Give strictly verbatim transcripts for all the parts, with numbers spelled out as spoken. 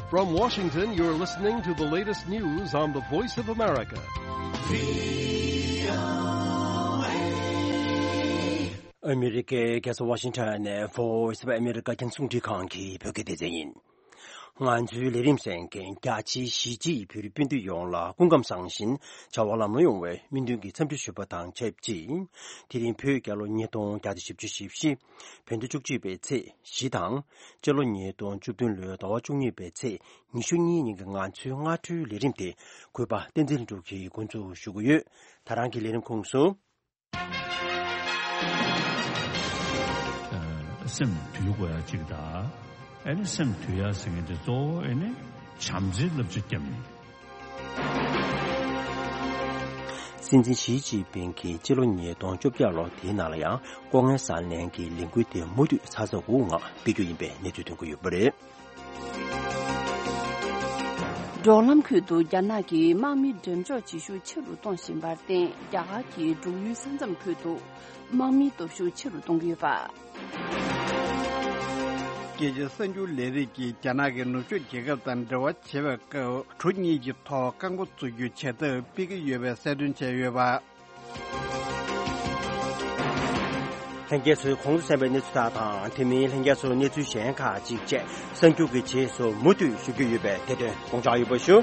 From Washington, you're listening to the latest news on the Voice of America. ཨ་མི་རི་ཀའི་རྒྱལ་ས་ཝ་ཤིང་ཊོན་ནས་Voice of America་རྒྱང་སྲིང་རླུང་འཕྲིན་ཁང་གི་བོད་སྐད་སྡེ་ཚན་ཡིན། ང་ཚོའི་ལས་རིམ་གསན་མཁན་རྒྱ་ཆེའི་གཞིས་བྱེས་བོད་རིགས་སྤུན་ཟླ་ཡོངས་ལ་སྐུ་ཁམས་བཟང་ཞིང་བྱ་བ་ལམ་ལྷོང་ཡོང་བའི་སྨོན་འདུན་གྱི་འཚམས་འདྲི་ཞུ་བ་དང་ཆབས་ཅིག་དེ་རིང་བོད་རྒྱལ་ལོ་ཉིས་སྟོང་བརྒྱ་དང་བཞི་བཅུ་ཞེ་བཞི། བོད་ཟླ་བཅུ་གཅིག་པའི་ཚེས་བཞི་དང་། སྤྱི་ལོ་ཉིས་སྟོང་བཅུ་བདུན་ལོའི་ཟླ་བ་བཅུ་གཉིས་པའི་ཚེས་ཉི་ཤུ་གཉིས་ཉིན་གྱི་ང་ཚོའི་སྔ་དྲོའི་ལས་རིམ་དེ་གུས་པ་བསྟན་འཛིན་ལྷུན་གྲུབ་ཀྱིས་འགོ་འཛུགས་ཞུ་གི་ཡོད། ད་རང་གི་ལས་རིམ་ཁོངས་སུ། སེམས་དུལ་དགོས་ཡ་གཅིག་དང་། ཨེ་ནི་སེམས་དུལ་ཡ་ཟེར་མཁན་དེ་གཙོ་བོ་ཨེ་ནི་བྱམས་བརྩེའི་བསླབ་བྱ་བརྒྱབ་ནས། སྲིད་འཛིན་ཞི་ཅིན་ཕིང་གིས་སྤྱི་ལོ་ཉིས་སྟོང་བཅོ་བརྒྱད་ལོ་དེའི་ནང་ལ་ཡང་ལྐོག་རྔན་བསགས་ལེན་གྱི་ལས་འགུལ་དེ་མུ་མཐུད་ཚ་ཚ་འུར་འུར་ངང་སྤེལ་རྒྱུ་ཡིན་པའི་གནས་ཚུལ་ཐོན་གྱི་ཡོད་པ་རེད། འབྲོག་ལམ་ཁུལ་དུ་རྒྱ་ནག་གིས་དམག་མི་འགྲེམས་འཇོག་བྱེད་ཤུགས་ཆེ་རུ་གཏོང་བཞིན་པར་བརྟེན། རྒྱ་གར་གྱིས་འབྲུག་ཡུལ་ས་མཚམས་ཁུལ་དུ་དམག་མིའི་སྟོབས་ཤུགས་ཆེ་རུ་གཏོང་གི་ཡོད་པ། རྒྱལ་སྤྱིའི་གསར་འགྱུར་ལས་རིགས་ཀྱིས་རྒྱ་ནག་གིས་ནུབ་ཕྱོགས་རྒྱལ་ཁབ་དང་འབྲེལ་བ་བྱེད་པའི་སྐབས། གྲུ་གཉིས་ཀྱི་ཐོག་རྐང་པ་བཙུགས་རྒྱུའི་བྱེད་ཐབས་སྤེལ་གྱི་ཡོད་པའི་གསལ་སྟོན་བྱས་ཡོད་པ། ལྷན་རྒྱས་ཚོས་གོང་དུ་གསན་པའི་གནས་ཚུལ་དག་དང་། དེ་མིན་ལྷན་རྒྱས་ཚོར་གནས་ཚུལ་གཞན་ཁག་ཅིག་བཅས་གསར་འགྱུར་གྱི་རྗེས་སུ་མུ་མཐུད་ཞུ་རྒྱུ་ཡོད་པས་དེ་དོན་དགོངས་འཇགས་ཡོད་པ་ཞུ།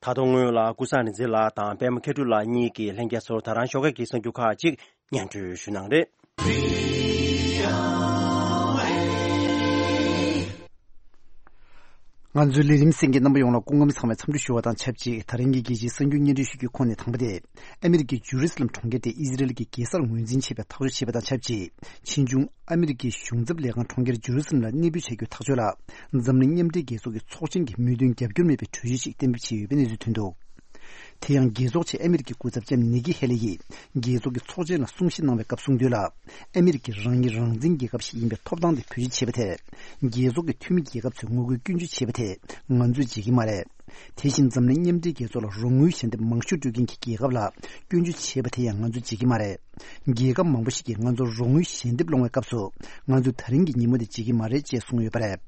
ད་དུང་སྔོན་ལ་ཀུན་བཟང་རིག་འཛིན་ལགས་དང་པད་མ་མཁས་གྲུབ་ལགས་གཉིས་ཀྱིས་ལྷན་རྒྱས་ཚོར་ད་རང་ཞོགས་ཀས་ཀྱི་གསར་འགྱུར་ཁག་ཅིག་སྙན་སྒྲོན་ཞུ་གནང་རེད། ང་ཚོའི་ལས་རིམ་གསན་མཁན་རྣམ་པ་ཡོངས་ལ་སྐུ་ཁམས་བཟང་བའི་འཚམས་འདྲི་ཞུ་བ་དང་ཆབས་ཅིག་ད་རིང་གི་རྒྱལ་སྤྱིའི་གསར་འགྱུར་སྙན་སྒྲོན་ཞུ་རྒྱུའི་ཁོངས་ནས་དང་པོ་དེ། ཨ་མི་རི་ཀའི་ཇུ་རི་སི་ལམ་གྲོང་ཁྱེར་དེ་ཨི་ཟི་རེལ་གྱི་རྒྱལ་སར་ངོས་འཛིན་བྱེད་པའི་ཐག་གཅོད་བྱས་པ་དང་ཆབས་ཅིག་ཕྱིས་འབྱུང་ཨ་མི་རི་ཀའི་གཞུང་ཚབ་ལས་ཁང་གྲོང་ཁྱེར་ཇུ་རི་སི་ལམ་ལ་གནས་སྤོས་བྱ་རྒྱུའི་ཐག་གཅོད་ལ། འཛམ་གླིང་མཉམ་འབྲེལ་རྒྱལ་ཚོགས་ཀྱི་ཚོགས་ཆེན་གྱི་མོས་མཐུན་རྒྱབ་སྐྱོར་མེད་པའི་གྲོས་ཆོད་ཅིག་གཏན་འབེབས་བྱས་ཡོད་པའི་གནས་ཚུལ་ཐོན་འདུག་དེ་ཡང་རྒྱལ་ཚོགས་ཆེད་ཨ་མི་རི་ཀའི་སྐུ་ཚབ་ལྕམ་ནི་ཀི་ཧེ་ལི་ཡིས་རྒྱལ་ཚོགས་ཀྱི་ཚོགས་ཆེན་ལ་གསུང་བཤད་གནང་བའི་སྐབས་གསུངས་དོན་ལ། ཨ་མི་རི་ཀ་རང་ཉིད་རང་བཙན་རྒྱལ་ཁབ་ཞིག་ཡིན་པའི་ཐོབ་ཐང་དེ་བེད་སྤྱོད་བྱས་པ་དེས། རྒྱལ་ཚོགས་ཀྱི་འཐུས་མི་རྒྱལ་ཁབ་ཚོས་ངོ་རྒོལ་སྐྱོན་བརྗོད་བྱས་པ་དེས་ང་ཚོས་བརྗེད་ཀྱི་མ་རེད། དེ་བཞིན་འཛམ་གླིང་མཉམ་འབྲེལ་རྒྱལ་ཚོགས་ལ་རོགས་དངུལ་ཞལ་འདེབས་མང་ཤོས་སྤྲོད་མཁན་གྱི་རྒྱལ་ཁབ་ལ་སྐྱོན་བརྗོད་བྱས་པ་དེ་ཡང་ང་ཚོས་བརྗེད་ཀྱི་མ་རེད། རྒྱལ་ཁབ་མང་པོ་ཞིག་གིས་ང་ཚོར་རོགས་དངུལ་ཞལ་འདེབས་སློང་བའི་སྐབས་སུ། ང་ཚོས་ད་རིང་གི་ཉིན་མོ་དེ་བརྗེད་ཀྱི་མ་རེད་ཅེས་གསུངས་ཡོད་པ་རེད།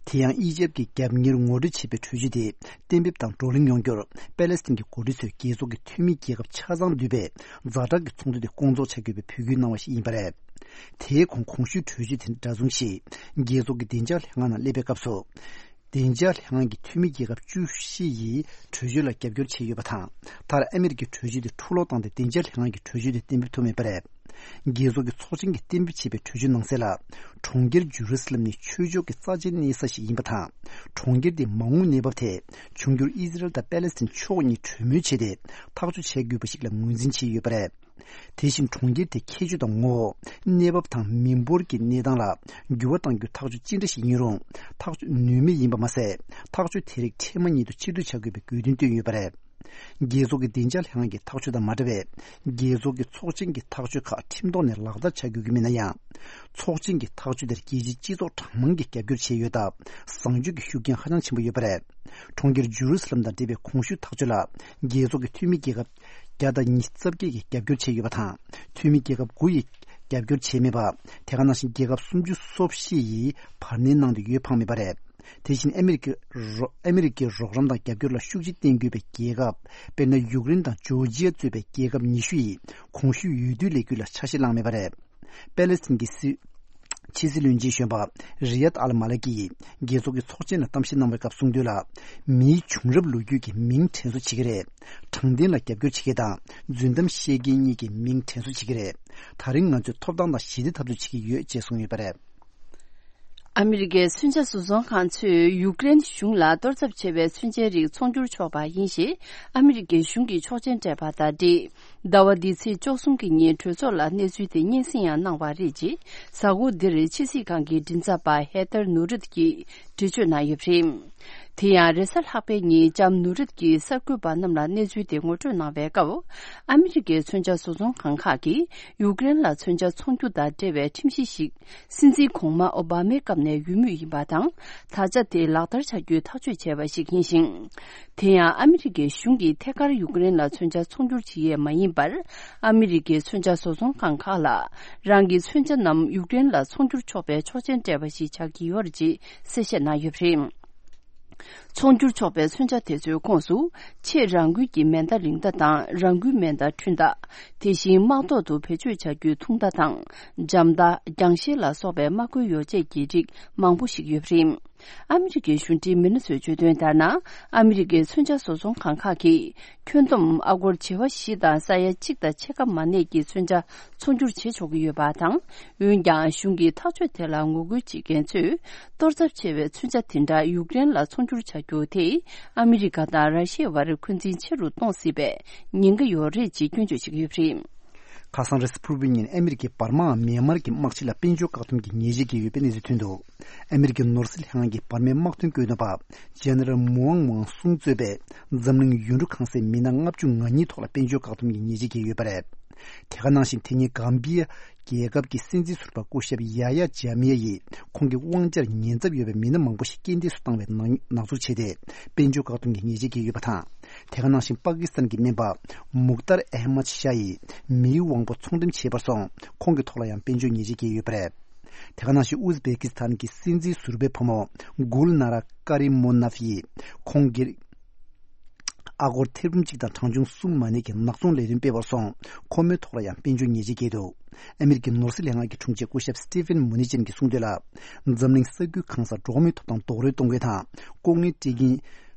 དེ་ཡང་ཨི་ཇེབ་ཀྱི་རྒྱབ་གཉེར་ངོ་སྤྲོད་བྱས་པའི་གྲོས་གཞི་དེ་གཏན་འབེབས་དང་བགྲོ་གླེང་ཡོང་རྒྱུར་པེ་ལེ་སི་ཐན་གྱི་འགོ་ཁྲིད་ཚོས་རྒྱལ་ཚོགས་ཀྱི་འཐུས་མི་རྒྱལ་ཁབ་ཆ་ཚང་འདུས་པའི་ཛ་དྲག་གི་ཚོགས་འདུ་དེ་སྐོང་ཚོགས་བྱ་དགོས་པའི་འབོད་སྐུལ་གནང་བ་ཞིག་ཡིན་པ་རེད། དེའི་གོང་གོང་ཞུས་གྲོས་གཞི་དེ་འདྲ་མཚུངས་ཤིག་རྒྱལ་ཚོགས་ཀྱི་བདེ་འཇགས་ལྷན་ཁང་ནང་སླེབས་པའི་སྐབས་སུ། བདེ་འཇགས་ལྷན་ཁང་གི་འཐུས་མི་རྒྱལ་ཁབ་བཅུ་བཞི་ཡིས་གྲོས་ཆོད་ལ་རྒྱབ་སྐྱོར་བྱས་ཡོད་པ་དང་། མཐར་ཨ་མི་རི་ཀའི་གྲོས་ཆོད་དེ་འཁྲུག་སློང་བཏང་སྟེ་བདེ་འཇགས་ལྷན་ཁང་གི་གྲོས་ཆོད་དེ་གཏན་འབེབས་ཐུབ་མེད་པ་རེད། རྒྱལ་ཚོགས་ཀྱི་ཚོགས་ཆེན་གྱིས་གཏན་འབེབས་བྱས་པའི་གྲོས་ཆོད་ནང་གསལ་ལ། གྲོང་ཁྱེར་ཇུ་རུ་སི་ལམ་ནི་ཆོས་ཕྱོགས་ཀྱི་རྩ་ཆེའི་གནས་ས་ཞིག་ཡིན་པ་དང་། གྲོང་ཁྱེར་དེའི་མ་འོངས་གནས་བབ་དེ་འབྱུང་འགྱུར་ཨི་ཟི་རལ་དང་པེ་ལེ་སི་ཐན་ཕྱོགས་གཉིས་གྲོས་མོལ་བྱས་ཏེ་ཐག་གཅོད་བྱེད་དགོས་པ་ཞིག་ལ་ངོས་འཛིན་བྱས་ཡོད་པ་རེད། དེ་བཞིན་གྲོང་ཁྱེར་དེའི་ཁྱད་ཆོས་དང་ངོ་བོ། གནས་བབ་དང་མི་འབོར་གྱི་གནས་སྟངས་ལ་འགྱུར་བ་གཏང་རྒྱུའི་ཐག་གཅོད་ཅི་འདྲ་ཞིག་ཡིན་རུང་། ཐག་གཅོད་ནུས་མེད་ཡིན་པ་མ་ཟད། ཐག་གཅོད་དེ་རིགས་འཕྲལ་མ་ཉིད་དུ་ཕྱིར་བསྡུ་བྱ་དགོས་པའི་དགོས་འདུན་བཏོན་ཡོད་པ་རེད། རྒྱལ་ཚོགས་ཀྱི་བདེ་འཇགས་ལྷན་ཁང་གི་ཐག་གཅོད་དང་མ་འདྲ་བའི། རྒྱལ་ཚོགས་ཀྱི་ཚོགས་ཆེན་གྱི་ཐག་གཅོད་ཁག་ཁྲིམས་ཐོག་ནས་ལག་བསྟར་བྱ་དགོས་ཀྱི་མིན་ན་ཡང་། ཚོགས་ཆེན་གྱི་ཐག་གཅོད་དེར་རྒྱལ་སྤྱིའི་སྤྱི་ཚོགས་གྲངས་མང་གིས་རྒྱབ་སྐྱོར་བྱས་ཡོད་སྟབས། བཟང་སྤྱོད་ཀྱི་ཤུགས་རྐྱེན་ཧ་ཅང་ཆེན་པོ་ཡོད་པ་རེད། གྲོང་ཁྱེར་ཇུ་རུ་སི་ལམ་དང་འབྲེལ་བའི་གོང་ཞུས་ཐག་གཅོད་ལ། རྒྱལ་ཚོགས་ཀྱི་འཐུས་མི་རྒྱལ་ཁབ་བརྒྱ་དང་ཉི་ཤུ་རྩ་བརྒྱད་ཀྱིས་རྒྱབ་སྐྱོར་བྱས་ཡོད་པ་དང་། འཐུས་མི་རྒྱལ་ཁབ་དགུ་ཡིས་རྒྱབ་སྐྱོར་བྱས་མེད་པ། དེ་ག་ནང་བཞིན་རྒྱལ་ཁབ་སུམ་ཅུ་སོ་བཞི་ཡིས་བར་སྣོན་གནང་སྟེ་ཡོད་ཕངས་མེད་པ་རེད། དེ་བཞིན་ཨ་མི་རི་ཀའི་རོགས་ཨ་མི་རི་ཀའི་རོགས་རམ་དང་རྒྱབ་སྐྱོར་ལ་ཤུགས་ཆེ་བརྟེན་དགོས་པའི་རྒྱལ་ཁབ། དཔེར་ན། ཡུཀ་རེན་དང་ཇོར་ཇི་ཡ་གཙོས་པའི་རྒྱལ་ཁབ་ཉི་ཤུ་ཡིས་གོང་ཞུས་འོས་བསྡུའི་ལས་འགུལ་ལ་ཆ་ཤས་བླངས་མེད་པ་རེད། པེ་ལེ་སི་ཐན་གྱི་སྲིད་ཕྱི་སྲིད་བློན་ཆེན་གཞོན་པ་རི་ཡད་ཨལ་མ་ལ་ཀི་ཡིས་རྒྱལ་ཚོགས་ཀྱི་ཚོགས་ཆེན་ལ་གཏམ་བཤད་གནང་བའི་སྐབས་གསུངས་དོན་ལ། མིའི་བྱུང་རབས་ལོ་རྒྱུས་ཀྱི་མིང་དྲན་གསོ་བྱེད་ཀྱི་རེད། དྲང་བདེན་ལ་རྒྱབ་སྐྱོར་བྱེད་མཁན་དང་རྫུན་གཏམ་བཤད་མཁན་གཉིས་ཀྱི་མིང་དྲན་གསོ་བྱེད་ཀྱི་རེད། ད་རིང་ང་ཚོས་ཐོབ་ཐང་དང་ཞི་བདེ་འཐབ་རྩོད་བྱེད་ཀྱི་ཡོད་ཅེས་གསུངས་ཡོད་པ་རེད། ཨ་མི་རི་ཀའི་མཚོན་ཆ་བཟོ་ཚོང་ཁང་ཚོས་ཡུཀ་རེན་གཞུང་ལ་གཏོར་ཚབ་བྱས་པའི་མཚོན་ཆའི་རིགས་ཚོང་སྒྱུར་ཆོག་པ་ཡིན་ཞེས་ཨ་མི་རི་ཀའི་གཞུང་གིས་ཆོག་མཆན་སྤྲད་པ་དང་འབྲེལ། ཟླ་བ་འདིའི་ཚེས་བཅུ་གསུམ་གྱི་ཉིན་གྲོས་ཚོགས་ལ་གནས་ཚུལ་དེ་སྙན་སེང་ཡང་གནང་བ་རེད་ཅེས་གཟའ་འཁོར་འདིར་ཕྱི་སྲིད་ཁང་གི་མགྲིན་ཚབ་པ་ཧེ་ཐར་ནུ་རུད་ཀྱིས་འགྲེལ་བརྗོད་གནང་ཡོད་པ་རེད། དེ་ཡང་རེས་གཟའ་ལྷག་པའི་ཉིན་ལྕམ་ནུ་རིད་ཀྱིས་གསར་འགོད་པ་རྣམས་ལ་གནས་ཚུལ་དེ་ངོ་སྤྲོད་གནང་བའི་སྐབས། ཨ་མི་རི་ཀའི་མཚོན་ཆ་བཟོ་ཚོང་ཁང་ཁག་གིས་ཡུཀ་རེན་ལ་མཚོན་ཆ་འཚོང་རྒྱུ་དང་འབྲེལ་བའི་ཁྲིམས་གཞི་ཞིག་སྲིད་འཛིན་གོང་མ་ཨོ་བྷ་མའི་སྐབས་ནས་ཡོད་མུས་ཡིན་པ་དང་། ད་ཆ་དེ་ལག་བསྟར་བྱ་རྒྱུའི་ཐག་གཅོད་བྱས་པ་ཞིག་ཡིན་ཞིང་། དེ་ཡང་ཨ་མི་རི་ཀའི་གཞུང་གིས་ཐད་ཀར་ཡུཀ་རེན་ལ་མཚོན་ཆ་འཚོང་རྒྱུར་བྱེད་ཡས་མ་ཡིན་པར། ཨ་མི་རི་ཀའི་མཚོན་ཆ་བཟོ་ཚོང་ཁང་ཁག་ལ་རང་གི་མཚོན་ཆ་རྣམས་ཡུཀ་རེན་ལ་འཚོང་རྒྱུར་ཆོག་པའི་ཆོག་མཆན་སྤྲད་པ་ཞིག་ཆགས་ཀྱི་ཡོད་རེད་ཅེས་གསལ་བཤད་གནང་ཡོད་པ་རེད། འཚོང་རྒྱུར་ཆོག་པའི་མཚོན་ཆ་དེ་ཚོའི་ཁོངས་སུ། ཆེས་རང་འགུལ་གྱི་མེ་མདའ་རིང་མདའ་དང་རང་འགུལ་མེ་མདའ་འཕྲུལ་མདའ། དེ་བཞིན་དམག་ཐོག་ཏུ་བེད་སྤྱོད་བྱ་རྒྱུའི་ཐུང་མདའ་དང་། འཇམ་མདའ། རྒྱང་ཤེལ་ལ་སོགས་པའི་དམག་མཁོའི་ཡོ་བྱད་ཀྱི་རིགས་མང་པོ་ཞིག་ཡོད་པ་རེད། ཨ་མི་རི་ཀའི་གཞུང་འབྲེལ་མི་སྣ་ཚོས་བརྗོད་དོན་ལྟར་ན། ཨ་མི་རི་ཀའི་མཚོན་ཆ་བཟོ་ཚོང་ཁང་ཁག་གིས། ཁྱོན་བསྡོམས་ཨ་སྒོར་བྱེ་བ་བཞི་དང་ས་ཡ་གཅིག་དང་ཕྱེད་ཀ་མ་གནས་ཀྱི་མཚོན་ཆ་འཚོང་རྒྱུར་བྱེད་ཆོག་གི་ཡོད་པ་དང་། འོན་ཀྱང་གཞུང་གི་ཐག་གཅོད་དེ་ལ་ངོ་རྒོལ་བྱེད་མཁན་ཚོས། གཏོར་ཚབས་ཆེ་བའི་མཚོན་ཆ་དེ་འདྲ་ཡུཀ་རེན་ལ་འཚོང་རྒྱུར་བྱ་རྒྱུ་དེས། ཨ་མི་རི་ཀ་དང་ར་ཤི་ཡའི་བར་འཁོན་འཛིན་ཆེ་རུ་གཏོང་སྲིད་པའི་ཉེན་ཁ་ཡོད་རེད་ཅེས་སྐྱོན་བརྗོད་བྱེད་ཀྱི་ཡོད་པ་རེད། ཁ་སང་རེས་གཟའ་ཕུར་བུའི་ཉིན་ཨ་མི་རི་ཀས་འབར་མའམ་མེན་མར་གྱི་དམག་སྤྱི་ལ་དཔལ་འབྱོར་བཀག་སྡོམ་གྱི་ཉེས་ཆད་བཀལ་ཡོད་པའི་གནས་ཚུལ་ཐོན་འདུག་ཨ་མི་རི་ཀའི་ནོར་སྲིད་ལྷན་ཁང་གིས་འབར་མའི་དམག་དོན་བཀོད་འདོམས་པ་ཇེ་ནེ་རལ་མུའང་མུའང་སུང་གཙོས་པའི་འཛམ་གླིང་ཡུལ་གྲུ་ཁང་གསར་མི་སྣ་ལྔ་བཅུ་ང་གཉིས་ཐོག་ལ་དཔལ་འབྱོར་བཀག་སྡོམ་གྱི་ཉེས་ཆད་བཀལ་ཡོད་པ་རེད། དེ་ག་ནང་བཞིན་དེ་ཉིན་གམ་བི་ཡ་རྒྱལ་ཁབ་ཀྱི་སྲིད་འཛིན་ཟུར་པ་སྐུ་ཞབས་ཡ་ཡ་ཇ་མི་ཡ་ཡིས་ཁོང་གི་དབང་ཆར་ཉེན་ཚབས་ཡོད་པའི་མི་སྣ་མང་པོ་ཞིག་རྐྱེན་འདས་སུ་བཏང་བའི་ནག་ཉེས་འཛུགས་བྱས་ཏེ། དཔལ་འབྱོར་བཀག་སྡོམ་གྱི་ཉེས་ཆད་བཀལ་ཡོད་པ་དང་། དེ་ག་ནང་བཞིན་པ་ཀི་སི་ཐན་གྱི་སྨན་པ་མུག་ཏར་ཨེ་མད་ཤ་ཡིས་མིའི་དབང་པོ་ཚོང་འགྲེམས་བྱས་པར་སོང་། ཁོང་གི་ཐོག་ལ་ཡང་དཔལ་འབྱོར་ཉེས་ཆད་བཀལ་ཡོད་པ་རེད། དེ་ག་ནང་བཞིན་ཨུ་ཛི་བེ་ཀི་སི་ཐན་གྱི་སྲིད་འཛིན་ཟུར་པའི་བུ་མོ་གུལ་ན་ར་ཀ་རི་མོ་ནབ་ཡིས་ཁོང་གི་ཨ་སྒོར་ཐེར་འབུམ་གཅིག་དང་གྲངས་ཆུང་གསུམ་མ་གནས་ཀྱི་ནག་ཚོང་ལས་དོན་སྤེལ་བར་སོང་། ཁོ་མོའི་ཐོག་ལ་ཡང་དཔལ་འབྱོར་ཉེས་ཆད་བཀལ་འདུག་ཨ་མི་རི་ཀའི་ནོར་སྲིད་ལྷན་ཁང་གི་དྲུང་ཆེ་སྐུ་ཞབས་སི་ཏི་ཕན་མུ་ནི་ཅན་གྱིས་གསུངས་དོན་ལ། འཛམ་གླིང་ས་ཁུལ་གང་སར་འགྲོ་བ་མིའི་ཐོབ་ཐང་རྡོག་རོལ་གཏོང་མཁན་དང་། ལྐོག་རྔན་སྤྲད་མཁན།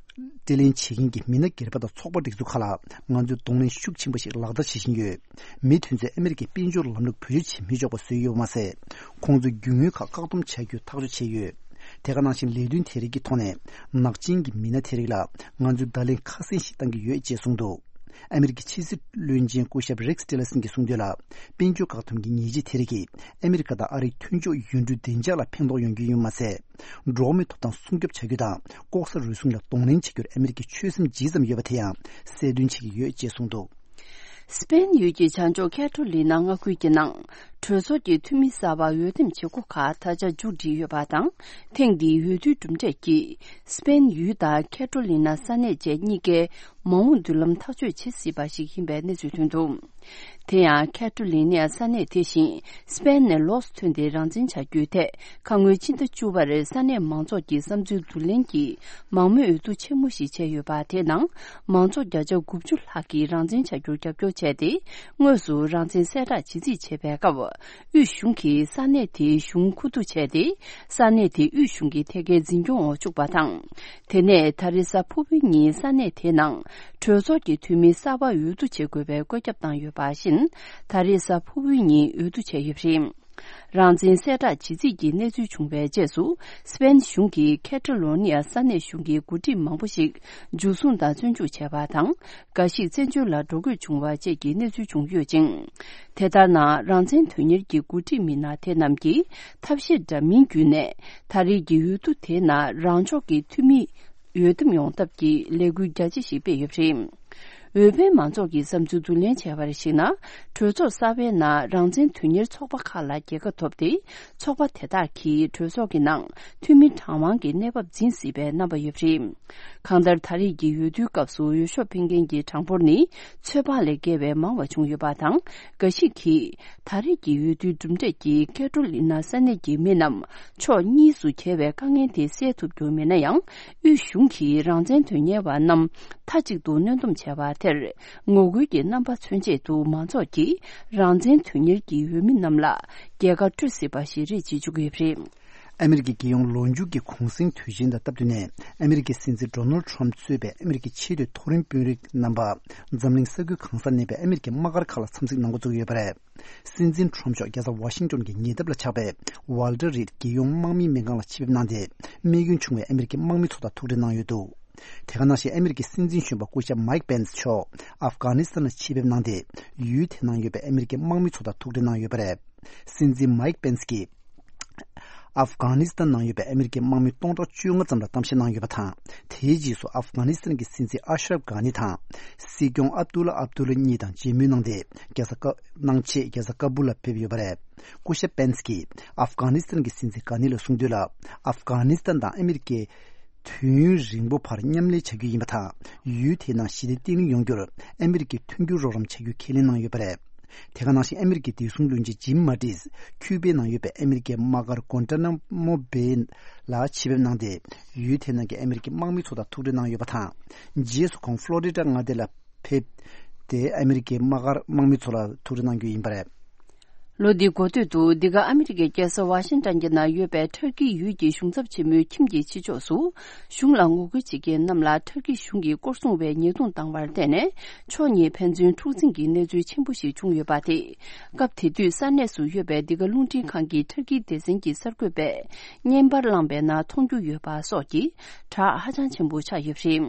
སྤྲོད་ལེན་བྱེད་མཁན་གྱི་མི་སྣ་སྒེར་པ་དང་ཚོགས་པ་སྒྲིག་འཛུགས་ཁག་ལ་ང་ཚོས་གདོང་ལེན་ཤུགས་ཆེན་པོ་ཞིག་ལག་བསྟར་བྱེད་བཞིན་ཡོད། མི་དེ་ཚོས་ཨ་མི་རི་ཀའི་དཔལ་འབྱོར་ལམ་ལུགས་བེད་སྤྱོད་བྱེད་མི་ཆོག་པ་བཟོས་ཡོད་པ་མ་ཟད། ཁོང་ཚོས་རྒྱུ་དངོས་ཁག་བཀག་སྡོམ་བྱ་རྒྱུའི་ཐག་གཅོད་བྱས་ཡོད། དེ་ག་ནང་བཞིན་ལས་དོན་དེ་རིགས་ཀྱི་ཐོག་ནས་ནག་ཅན་གྱི་མི་སྣ་དེ་རིགས་ལ་ང་ཚོས་བརྡ་ལན་ཁ་གསལ་ཞིག་བཏང་གི་ཡོད་ཅེས་གསུངས་འདུག་ཨ་མི་རི་ཀའི་ཕྱི་སྲིད་བློན་ཆེན་སྐུ་ཞབས་རེག་ཊི་ལར་སན་གྱིས་གསུངས་དོན་ལ། དཔལ་འབྱོར་བཀག་སྡོམ་གྱི་ཉེས་ཆད་དེ་རིགས་ཀྱིས་ཨ་མི་རི་ཀ་དང་ཨ་རིའི་མཐུན་ཕྱོགས་ཡུལ་གྲུའི་བདེ་འཇགས་ལ་ཕན་ཐོགས་ཡོང་རྒྱུ་ཡིན་པ་མ་ཟད། འགྲོ་བ་མིའི་ཐོབ་ཐང་སྲུང་སྐྱོབ་བྱ་རྒྱུ་དང་ལྐོག་ཟ་རུལ་སུངས་ལ་གདོང་ལེན་བྱེད་རྒྱུར་ཨ་མི་རི་ཀས་ཆོད་སེམས་ཇི་ཙམ་ཡོད་པ་དེ་ཡང་གསལ་སྟོན་བྱེད་ཀྱི་ཡོད་ཅེས་གསུངས་འདུག་སི་པེན་ཡུལ་གྱི་བྱང་ཕྱོགས་ཁེ་ཊོ་ལི་ན་མངའ་ཁུལ་གྱི་ནང་གྲོས་ཚོགས་ཀྱི་འཐུས་མི་གསར་པ་འོས་འདེམས་བྱེད་སྒོ་ཁག་ད་ཆ་མཇུག་སྒྲིལ་ཡོད་པ་དང་། ཐེངས་འདིའི་འོས་བསྡུའི་གྲུབ་འབྲས་ཀྱིས་སི་པེན་ཡུལ་དང་ཁེ་ཊོ་ལི་ན་ས་གནས་བཅས་གཉིས་ཀའི་མ་འོངས་མདུན་ལམ་ཐག་གཅོད་བྱེད་སྲིད་པ་ཞིག་ཡིན་པའི་གནས་ཚུལ་ཐོན་འདུག་དེ་ཡང་ཁེ་ཊོ་ལི་ནའི་ས་གནས་དེ་བཞིན་སི་པེན་ནས་ལོགས་སུ་ཐོན་ཏེ་རང་བཙན་བྱ་རྒྱུའི་ཐད། ཁ་སྔོན་ཕྱི་ཟླ་བཅུ་པར་ས་གནས་མང་ཚོགས་ཀྱི་བསམ་ཚུལ་བསྡུ་ལེན་གྱི་མང་མོས་འོས་བསྡུ་ཆེན་མོ་ཞིག་བྱས་ཡོད་པ། དེའི་ནང་མང་ཚོགས་བརྒྱ་ཆ་དགུ་བཅུ་ལྷག་གིས་རང་བཙན་བྱ་རྒྱུར་རྒྱབ་སྐྱོར་བྱས་ཏེ། དངོས་སུ་རང་བཙན་གསལ་བསྒྲགས་བྱེད་རྩིས་བྱས་པའི་སྐབས། དབུས་གཞུང་གིས་ས་གནས་དེའི་གཞུང་མཁོ་བསྡུ་བྱས་ཏེ། ས་གནས་དེ་དབུས་གཞུང་གི་ཐད་ཀའི་འཛིན་སྐྱོང་འོག་བཅུག་པ་དང་། དེ་ནས་ད་རེས་གཟའ་ཕུར་བུའི་ཉིན་ས་གནས་དེའི་ནང་གྲོས་ཚོགས་ཀྱི་འཐུས་མི་གསར་པ་འོས་བསྡུ་བྱེད་དགོས་པའི་བཀོད་ཁྱབ་བཏང་ཡོད་པ་བཞིན། ད་རེས་གཟའ་ཕུར་བུའི་ཉིན་འོས་བསྡུ་བྱས་ཡོད་པ་རེད། རང་བཙན་གསལ་བསྒྲགས་བྱེད་རྩིས་ཀྱི་གནས་ཚུལ་བྱུང་བའི་རྗེས་སུ། སི་པེན་གཞུང་གིས་ཁེ་ཊ་ལོ་ནི་ཡ་ས་གནས་གཞུང་གི་འགོ་ཁྲིད་མང་པོ་ཞིག་འཇུ་བཟུང་དང་བཙོན་འཇུག་བྱས་པ་དང་། འགའ་ཞིག་བཙན་བྱོལ་ལ་འགྲོ་དགོས་བྱུང་བ་བཅས་ཀྱི་གནས་ཚུལ་བྱུང་ཡོད་ཅིང་། དེ་ལྟར་ན། རང་བཙན་དོན་གཉེར་གྱི་འགོ་ཁྲིད་མི་སྣ་དེ་རྣམས་ཀྱིས་ཐབས་ཤེས་འདྲ་མིན་བརྒྱུད་ནས། ད་རེས་ཀྱི་འོས་བསྡུ་དེའི་ནང་རང་ཕྱོགས་ཀྱི་འཐུས་མི་འོས་འདེམས་ཡོང་ཐབས་ཀྱི་ལས་འགུལ་རྒྱ་ཆེ་ཞིག་སྤེལ་ཡོད་པ་རེད། འོས་འཕེན་མང་ཚོགས་ཀྱི་བསམ་ཚུལ་བསྡུ་ལེན་བྱས་པར་གཞིགས་ན། གྲོས་ཚོགས་གསར་པའི་ནང་རང་བཙན་དོན་གཉེར་ཚོགས་པ་ཁག་ལ་རྒྱལ་ཁ་ཐོབ་སྟེ། ཚོགས་པ་དེ་དག་གིས་གྲོས་ཚོགས་ཀྱི་ནང་འཐུས་མི་གྲངས་མང་གི་གནས་བབ་འཛིན་སྲིད་པའི་རྣམ་པ་ཡོད་པ་རེད། གང་ལྟར། ད་རེས་ཀྱི་འོས་བསྡུའི་སྐབས་སུ་འོས་ཤོག་འཕེན་མཁན་གྱི་གྲངས་འབོར་ནི་ཚོད་དཔག་ལས་བརྒལ་བའི་མང་བ་བྱུང་ཡོད་པ་དང་། འགའ་ཞིག་གིས་ད་རེས་ཀྱི་འོས་བསྡུའི་གྲུབ་འབྲས་ཀྱིས་ཁེ་ཊོ་ལི་ན་ས་གནས་ཀྱི་མི་རྣམས་ཕྱོགས་གཉིས་སུ་གྱེས་པའི་དཀའ་ངལ་དེ་སེལ་ཐུབ་རྒྱུ་མིན་ན་ཡང་། དབུས་གཞུང་གིས་རང་བཙན་དོན་གཉེར་བ་རྣམས་མཐའ་གཅིག་ཏུ་གནོན་སྡོམ་བྱས་པ་དེར་ངོ་རྒོལ་གྱི་རྣམ་པ་མཚོན་ཆེད་དུ། མང་ཚོགས་ཀྱིས་རང་བཙན་དོན་གཉེར་གྱི་འོས་མི་རྣམས་ལ་རྒྱལ་ཁ་སྤྲོད་སྲིད་པ་ཞིག་རེད་ཅེས་བརྗོད་ཀྱི་ཡོད་པ་རེད། ཨ་མི་རི་ཀའི་རྒྱལ་ཡོངས་ལོ་མཇུག་གི་གུང་སེང་དུས་ཆེན་དང་སྟབས་བསྟུན་ནས། ཨ་མི་རི་ཀའི་སྲིད་འཛིན་ཌོ་ནལ་ཌི་ཊརམ་ཕི་གཙོས་པའི་ཨ་མི་རི་ཀའི་ཆེས་མཐོའི་མཐོ་རིམ་དཔོན་རིགས་རྣམ་པ། འཛམ་གླིང་ས་ཁུལ་གང་སར་གནས་པའི་ཨ་མི་རི་ཀའི་དམག་སྒར་ཁག་ལ་འཚམས་གཟིགས་གནང་འགོ་བཙུགས་ཡོད་པ་རེད། སྲིད་འཛིན་ཊརམ་ཕི་མཆོག་རྒྱལ་ས་ཝ་ཤིང་ཊོན་གྱི་ཉེ་འདབས་ལ་ཆགས་པའི་ཝལ་ཊར་རིད་རྒྱལ་ཡོངས་དམག་མིའི་སྨན་ཁང་ལ་ཆེད་ཕེབས་གནང་སྟེ། རྨས་སྐྱོན་བྱུང་བའི་ཨ་མི་རི་ཀའི་དམག་མི་ཚོ་དང་ཐུག་འཕྲད་གནང་ཡོད་འདུག་དེ་ག་ནང་བཞིན་ཨ་མི་རི་ཀའི་སྲིད་འཛིན་གཞོན་པ་སྐུ་ཞབས་མའིག་པེན་སི་མཆོག་ཨབ་གྷ་ནི་སི་ཐན་ལ་ཆེད་ཕེབས་གནང་སྟེ། ཡུལ་དེ་ནང་ཡོད་པའི་ཨ་མི་རི་ཀའི་དམག་མི་ཚོ་དང་ཐུག་འཕྲད་གནང་ཡོད་པ་རེད། སྲིད་འཛིན་མའིག་པེན་སི་གིས། ཨབ་གྷ་ནི་སི་ཐན་ནང་ཡོད་པའི་ཨ་མི་རི་ཀའི་དམག་མི་སྟོང་ཕྲག་བཅོ་ལྔ་ཙམ་ལ་གཏམ་བཤད་གནང་ཡོད་པ་དང་། དེའི་རྗེས་སུ་ཨབ་གྷ་ནི་སི་ཐན་གྱི་སྲིད་འཛིན་ཨ་ཤ་རབ་གྷ་ནི་དང་། སྲིད་སྐྱོང་ཨབ་དུ་ལ་ཨབ་དུ་ལ་གཉིས་དང་མཇལ་མོལ་གནང་སྟེ། རྒྱལ་ས་ཀ་གནང་ཆེད་རྒྱལ་ས་ཀ་སྦུལ་ལ་ཕེབས་ཡོད་པ་རེད། སྐུ་ཞབས་པེན་སི་ཀྱིས་ཨབ་གྷ་ནི་སི་ཐན་གྱི་སྲིད་འཛིན་གྷ་ནི་ལ་གསུངས་དོན་ལ། ཨབ་གྷ་ནི་སི་ཐན་དང་ཨ་མི་རི་ཀས་དུས་ཡུན་རིང་པོ་བར་མཉམ་ལས་བྱ་རྒྱུ་ཡིན་པ་དང་། ཡུལ་དེའི་ནང་ཞི་བདེ་བརྟན་ལྷིང་ཡོང་རྒྱུར་ཨ་མི་རི་ཀས་མཐུན་འགྱུར་རོགས་རམ་བྱ་རྒྱུ་ཁས་ལེན་གནང་ཡོད་པ་རེད། དེ་ག་ནང་བཞིན་ཨ་མི་རི་ཀའི་བདེ་སྲུང་བློན་ཆེན་ཇིམ་མ་ཏིས་ཁྱུ་པའི་ནང་ཡོད་པའི་ཨ་མི་རི་ཀའི་དམག་སྒར་གོན་ཏྲ་ན་མོ་བེ་ལ་ཆེད་ཕེབས་གནང་སྟེ། ཡུལ་དེ་ནང་གི་ཨ་མི་རི་ཀའི་དམག་མི་ཚོ་དང་ཐུག་འཕྲད་གནང་ཡོད་པ་དང་། རྗེས་སུ་ཁོང་ཕློ་རི་ཌ་མངའ་སྡེ་ལ་ཕེབས་ཏེ། ཨ་མི་རི་ཀའི་དམག་སྒར་དམག་མི་ཚོ་ལ་ཐུག་འཕྲད་གནང་རྒྱུ་ཡིན་པ་རེད། ལོ་འདིའི་འགོ་སྟོད་དུ། འདི་ག་ཨ་མི་རི་ཀའི་རྒྱལ་ས་ཝ་ཤིང་ཏན་གྱི་ནང་ཡོད་པའི་ཐར་ཀི་ཡུལ་གྱི་གཞུང་ཚབ་ཆེན་མོའི་ཁྱིམ་གྱི་ཕྱི་ཕྱོགས་སུ། གཞུང་ལ་ངོ་རྒོལ་བྱེད་མཁན་རྣམས་ལ་ཐར་ཀི་གཞུང་གིས་སྐོར་སྲུང་བས་ཉེས་རྡུང་བཏང་བར་བརྟེན་ནས། ཕྱོགས་གཉིས་ཕན་ཚུན་འཁྲུག་འཛིང་གི་གནས་ཚུལ་ཆེན་པོ་ཞིག་བྱུང་ཡོད་པ་དེ། སྐབས་དེ་དུས་ས་གནས་སུ་ཡོད་པའི་འདི་ག་རླུང་འཕྲིན་ཁང་གི་ཐར་ཀིའི་སྡེ་ཚན་གྱི་གསར་འགོད་པས་བརྙན་པར་བླངས་པའི་ནང་མཐོང་རྒྱུ་ཡོད་པ་སོགས་ཀྱིས་བསྒྲགས་ཧ་ཅང་ཆེན་པོ་ཆགས་ཡོད་པ་རེད།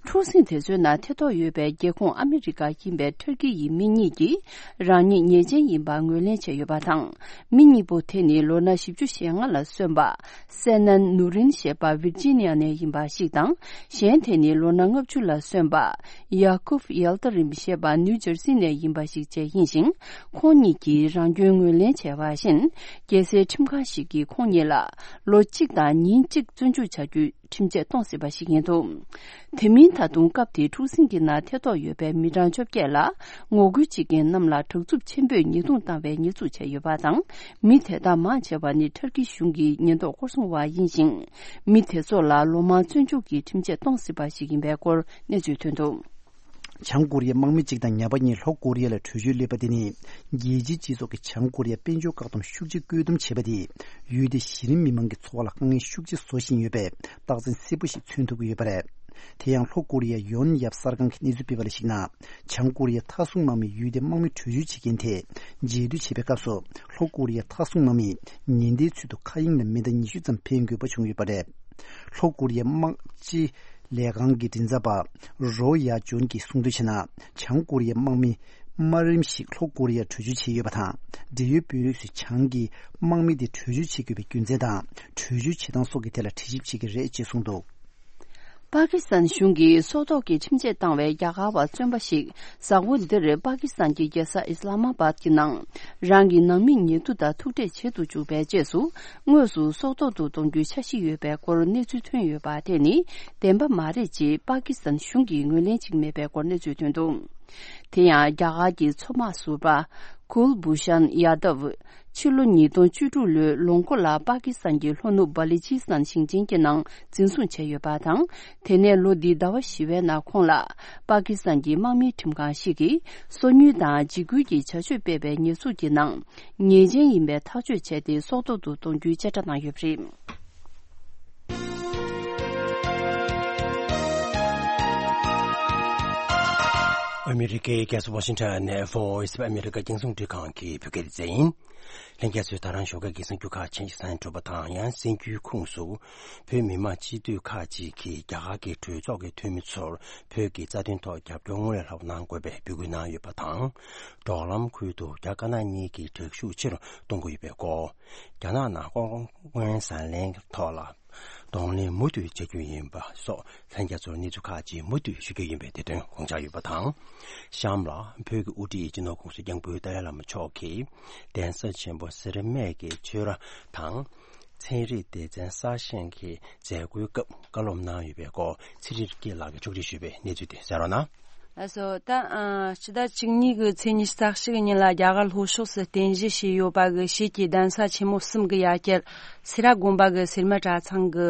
འཁྲུག་ཟིང་དེ་ཚོའི་ནང་ཐེ་གཏོགས་ཡོད་པའི་རྒྱལ་ཁོངས་ཨ་མི་རི་ཀ་ཡིན་པའི་ཐར་ཀི་ཡི་མི་གཉིས་ཀྱིས་རང་ཉིད་ཉེས་ཅན་ཡིན་པ་ངོས་ལེན་བྱས་ཡོད་པ་དང་། མི་གཉིས་པོ་དེ་ནི་ལོ་ན་བཞི་བཅུ་ཞེ་ལྔ་ལ་སོན་པ་སེ་ནན་ནུ་རིན་ཞེས་པ་ཝིར་ཇི་ནི་ཡ་ནས་ཡིན་པ་ཞིག་དང་། གཞན་དེ་ནི་ལོ་ན་ལྔ་བཅུ་ལ་སོན་པ་ཡ་ཀུབ་ཡལ་ཏ་རིམ་ཞེས་པ་ནིའུ་ཇར་སི་ནས་ཡིན་པ་ཞིག་བཅས་ཡིན་ཞིང་། ཁོང་གཉིས་ཀྱིས་རང་སྐྱོན་ངོས་ལེན་བྱས་པ་བཞིན། རྒྱལ་སའི་ཁྲིམས་ཁང་ཞིག་གིས་ཁོང་གཉིས་ལ་ལོ་གཅིག་དང་ཉིན་གཅིག་བཙོན་འཇུག་བྱ་རྒྱུའི་ཁྲིམས་ཆད་གཏོང་སྲིད་པ་ཞིག་ཡིན་འདུག་དེ་མིན་ད་དུང་སྐབས་དེའི་འཁྲུག་ཟིང་གི་ནང་ཐེ་གཏོགས་ཡོད་པའི་མི་གྲངས་བཅོ་བརྒྱད་ལ་ངོ་རྒོལ་བྱེད་མཁན་རྣམས་ལ་དྲག་རྩུབ་ཆེན་པོས་ཉེས་རྡུང་བཏང་བའི་ཉེས་འཛུགས་བྱས་ཡོད་པ་དང་། མི་དེ་དག་མང་ཆེ་བ་ནི་ཐར་ཀི་གཞུང་གི་ཉེན་རྟོག་སྐོར་སྲུང་བ་ཡིན་ཞིང་། མི་དེ་ཚོ་ལ་ལོ་མང་བཙོན་འཇུག་གི་ཁྲིམས་ཆད་གཏོང་སྲིད་པ་ཞིག་ཡིན་པའི་སྐོར་གནས་ཚུལ་ཐོན་འདུག་བྱང་ཀོ་རི་ཡའི་དམག་མི་གཅིག་དང་ཉ་པ་གཉིས་ལྷོ་ཀོ་རི་ཡ་ལ་བྲོས་བྱོལ་སླེབས་པ་དེ་ནི། རྒྱལ་སྤྱིའི་སྤྱི་ཚོགས་ཀྱིས་བྱང་ཀོ་རི་ཡར་དཔལ་འབྱོར་བཀག་སྡོམ་ཤུགས་ཆེ་བཀོད་འདོམས་བྱས་པ་དེས། ཡུལ་དེའི་གཞི་རིམ་མི་མང་གི་འཚོ་བ་ལ་དཀའ་ངལ་ཤུགས་ཆེ་བཟོ་བཞིན་ཡོད་པའི་རྟགས་མཚན་གསལ་པོ་ཞིག་མཚོན་ཐུབ་ཀྱི་ཡོད་པ་རེད། དེ་ཡང་ལྷོ་ཀོ་རི་ཡའི་ཡོན་ཡབ་གསར་ཁང་གིས་གནས་ཚུལ་སྤེལ་བ་ལ་གཞིགས་ན། བྱང་ཀོ་རི་ཡའི་མཐའ་སྲུང་དམག་མིས་ཡུལ་དེའི་དམག་མི་བྲོས་བྱོལ་བྱེད་མཁན་དེ་རྗེས་མཐུད་བྱེད་པའི་སྐབས་སུ། ལྷོ་ཀོ་རི་ཡའི་མཐའ་སྲུང་དམག་མིས་ཉེན་བརྡའི་ཚུལ་དུ་མཁའ་དབྱིངས་ལ་མི་ཟླ་ཉི་ཤུ་ཙམ་འཕེན་དགོས་པ་བྱུང་ཡོད་པ་རེད། ལྷོ་ཀོ་རི་ཡའི་དམག་སྤྱི་ལས་ཁང་གི་མགྲིན་ཚབ་པ་རོ་ཡ་ཇོན་གྱིས་གསུངས་དོན་བྱས་ན། བྱང་ཀོ་རི་ཡའི་དམག་མི་དམའ་རིམ་ཞིག་ལྷོ་ཀོ་རི་ཡར་བྲོས་བྱོལ་བྱས་ཡོད་པ་དང་། འབྲེལ་ཡོད་དཔོན་རིགས་ཚོས་བྱང་གི་དམག་མི་དེ་བྲོས་བྱོལ་བྱེད་དགོས་པའི་རྒྱུ་མཚན་དང་། བྲོས་བྱོལ་བྱེད་སྟངས་སོགས་ཀྱི་ཐད་ལ་དྲི་ཞིབ་བྱེད་ཀྱི་རེད་ཅེས་གསུངས་འདུག་པ་ཀི་སི་ཐན་གཞུང་གིས་སྲོག་ཐོག་གི་ཁྲིམས་ཆད་བཏང་བའི་རྒྱ་གར་བ་བཙོན་པ་ཞིག་གཟའ་འཁོར་འདིར་པ་ཀི་སི་ཐན་གྱི་རྒྱལ་ས་ཨི་སི་ལ་མ་བཱད་ཀྱི་ནང་རང་གི་ནང་མི་ཉེ་དུ་དང་ཐུག་འཕྲད་བྱེད་དུ་བཅུག་པའི་རྗེས་སུ། དངོས་སུ་སྲོག་ཐོག་ཏུ་གཏོང་རྒྱུའི་འཆར་གཞི་ཡོད་པའི་སྐོར་གནས་ཚུལ་ཐོན་ཡོད་པ་དེ་ནི་བདེན་པ་མ་རེད་ཅེས་པ་ཀི་སི་ཐན་གཞུང་གིས་ངོས་ལེན་བྱེད་ཀྱི་མེད་པའི་སྐོར་གནས་ཚུལ་ཐོན་འདུག་དེ་ཡང་རྒྱ་གར་གྱི་མཚོ་དམག་ཟུར་པ་ཀུལ་བྷུ་ཤན་ཡ་དབ། ཕྱི་ལོ་ཉིས་སྟོང་བཅུ་དྲུག་ལོའི་ལོ་མགོ་ལ་པ་ཀི་སི་ཐན་གྱི་ལྷོ་ནུབ་བ་ལི་ཇི་སི་ཐན་ཞིང་ཆེན་གྱི་ནང་འཛིན་བཟུང་བྱས་ཡོད་པ་དང་། དེ་ནས་ལོ་འདིའི་ཟླ་བ་བཞི་པའི་ནང་ཁོང་ལ་པ་ཀི་སི་ཐན་གྱི་དམག་མིའི་ཁྲིམས་ཁང་ཞིག་གིས་སོ་ཉུལ་དང་འཇིགས་སྐུལ་གྱི་བྱ་སྤྱོད་སྤེལ་བའི་ཉེས་འཛུགས་ཀྱི་ནང་ཉེས་ཅན་ཡིན་པའི་ཐག་གཅོད་བྱས་ཏེ་སྲོག་ཐོག་ཏུ་གཏོང་རྒྱུའི་བཅད་ཁྲ་གནང་ཡོད་པ་རེད། ཨ་མི་རི་ཀའི་རྒྱལ་ས་ཝ་ཤིང་ཊོན་ནས་Voice of America རྒྱང་སྲིང་འཕྲིན་ཁང་གི་བོད་སྐད་སྡེ་ཚན་ཡིན། ལྷན་རྒྱས་ཚོས་ད་རང་ཞོགས་ཀས་ཀྱི་གསར་འགྱུར་ཁག་ཆེན་ཞིག་གསན་གྲུབ་པ་དང་། ཡང་གསར་འགྱུར་ཁུངས་སུ། བོད་མི་མང་སྤྱི་འཐུས་ཁག་ཅིག་གིས་རྒྱ་གར་གྱི་གྲོས་ཚོགས་ཀྱི་འཐུས་མི་ཚོར་བོད་ཀྱི་རྩ་དོན་ཐོག་རྒྱབ་སྐྱོར་སྔོན་ལས་ལྷག་པ་གནང་དགོས་པའི་འབོད་སྐུལ་གནང་ཡོད་པ་དང་། འབྲོག་ལམ་ཁུལ་དུ་རྒྱ་དཀར་ནག་གཉིས་ཀྱི་དྲག་ཤུགས་ཆེ་རུ་གཏོང་གི་ཡོད་པའི་སྐོར། རྒྱ་ནག་ནང་ལྐོག་རྔན་བཟང་ལེན་ཐོག་ལ་གདོང་ལེན་མུ་མཐུད་བྱ་རྒྱུ་ཡིན་པ་སོགས་ལྷན་རྒྱས་ཚོར་གནས་ཚུལ་ཁག་ཅིག་མུ་མཐུད་ཞུ་རྒྱུ་ཡིན་པའི་དེ་དོན་དགོངས་འཇགས་ཡོད་པ་དང་། གཤམ་ལ་བོད་ཀྱི་དབུ་ཁྲིད་སྤྱི་ནོར་༸གོང་ས་༸སྐྱབས་མགོན་ཏཱ་ལའི་བླ་མ་མཆོག་གིས་གདན་ས་ཆེན་པོ་སེ་ར་སྨད་ཀྱི་ཆོས་ར་དང་། ཚན་རིག་སྡེ་ཚན་གསར་བཞེངས་ཀྱི་མཛད་སྒོའི་སྐབས་བཀའ་སློབ་གནང་ཡོད་པའི་སྐོར་ཚེ་རིང་སྐྱིད་ལགས་ཀྱིས་ཕྱོགས་སྒྲིག་ཞུས་པའི་གནས་ཚུལ་དེ་གསན་རོགས་གནང་། ལགས་སོ། ད་ཨ་ཕྱི་ཟླ་བཅུ་གཉིས་ཀྱི་ཚེས་ཉི་ཤུ་རྩ་གཅིག་ཉིན་ལ་རྒྱ་གར་ལྷོ་ཕྱོགས་སུ་རྟེན་གཞི་བྱས་ཡོད་པ་གི་ཞིས་ཀྱི་གདན་ས་ཆེན་མོ་གསུམ་གྱི་ཡ་གྱལ་སེ་ར་དགོན་པ་གི་སེར་སྨད་གྲྭ་ཚང་གི་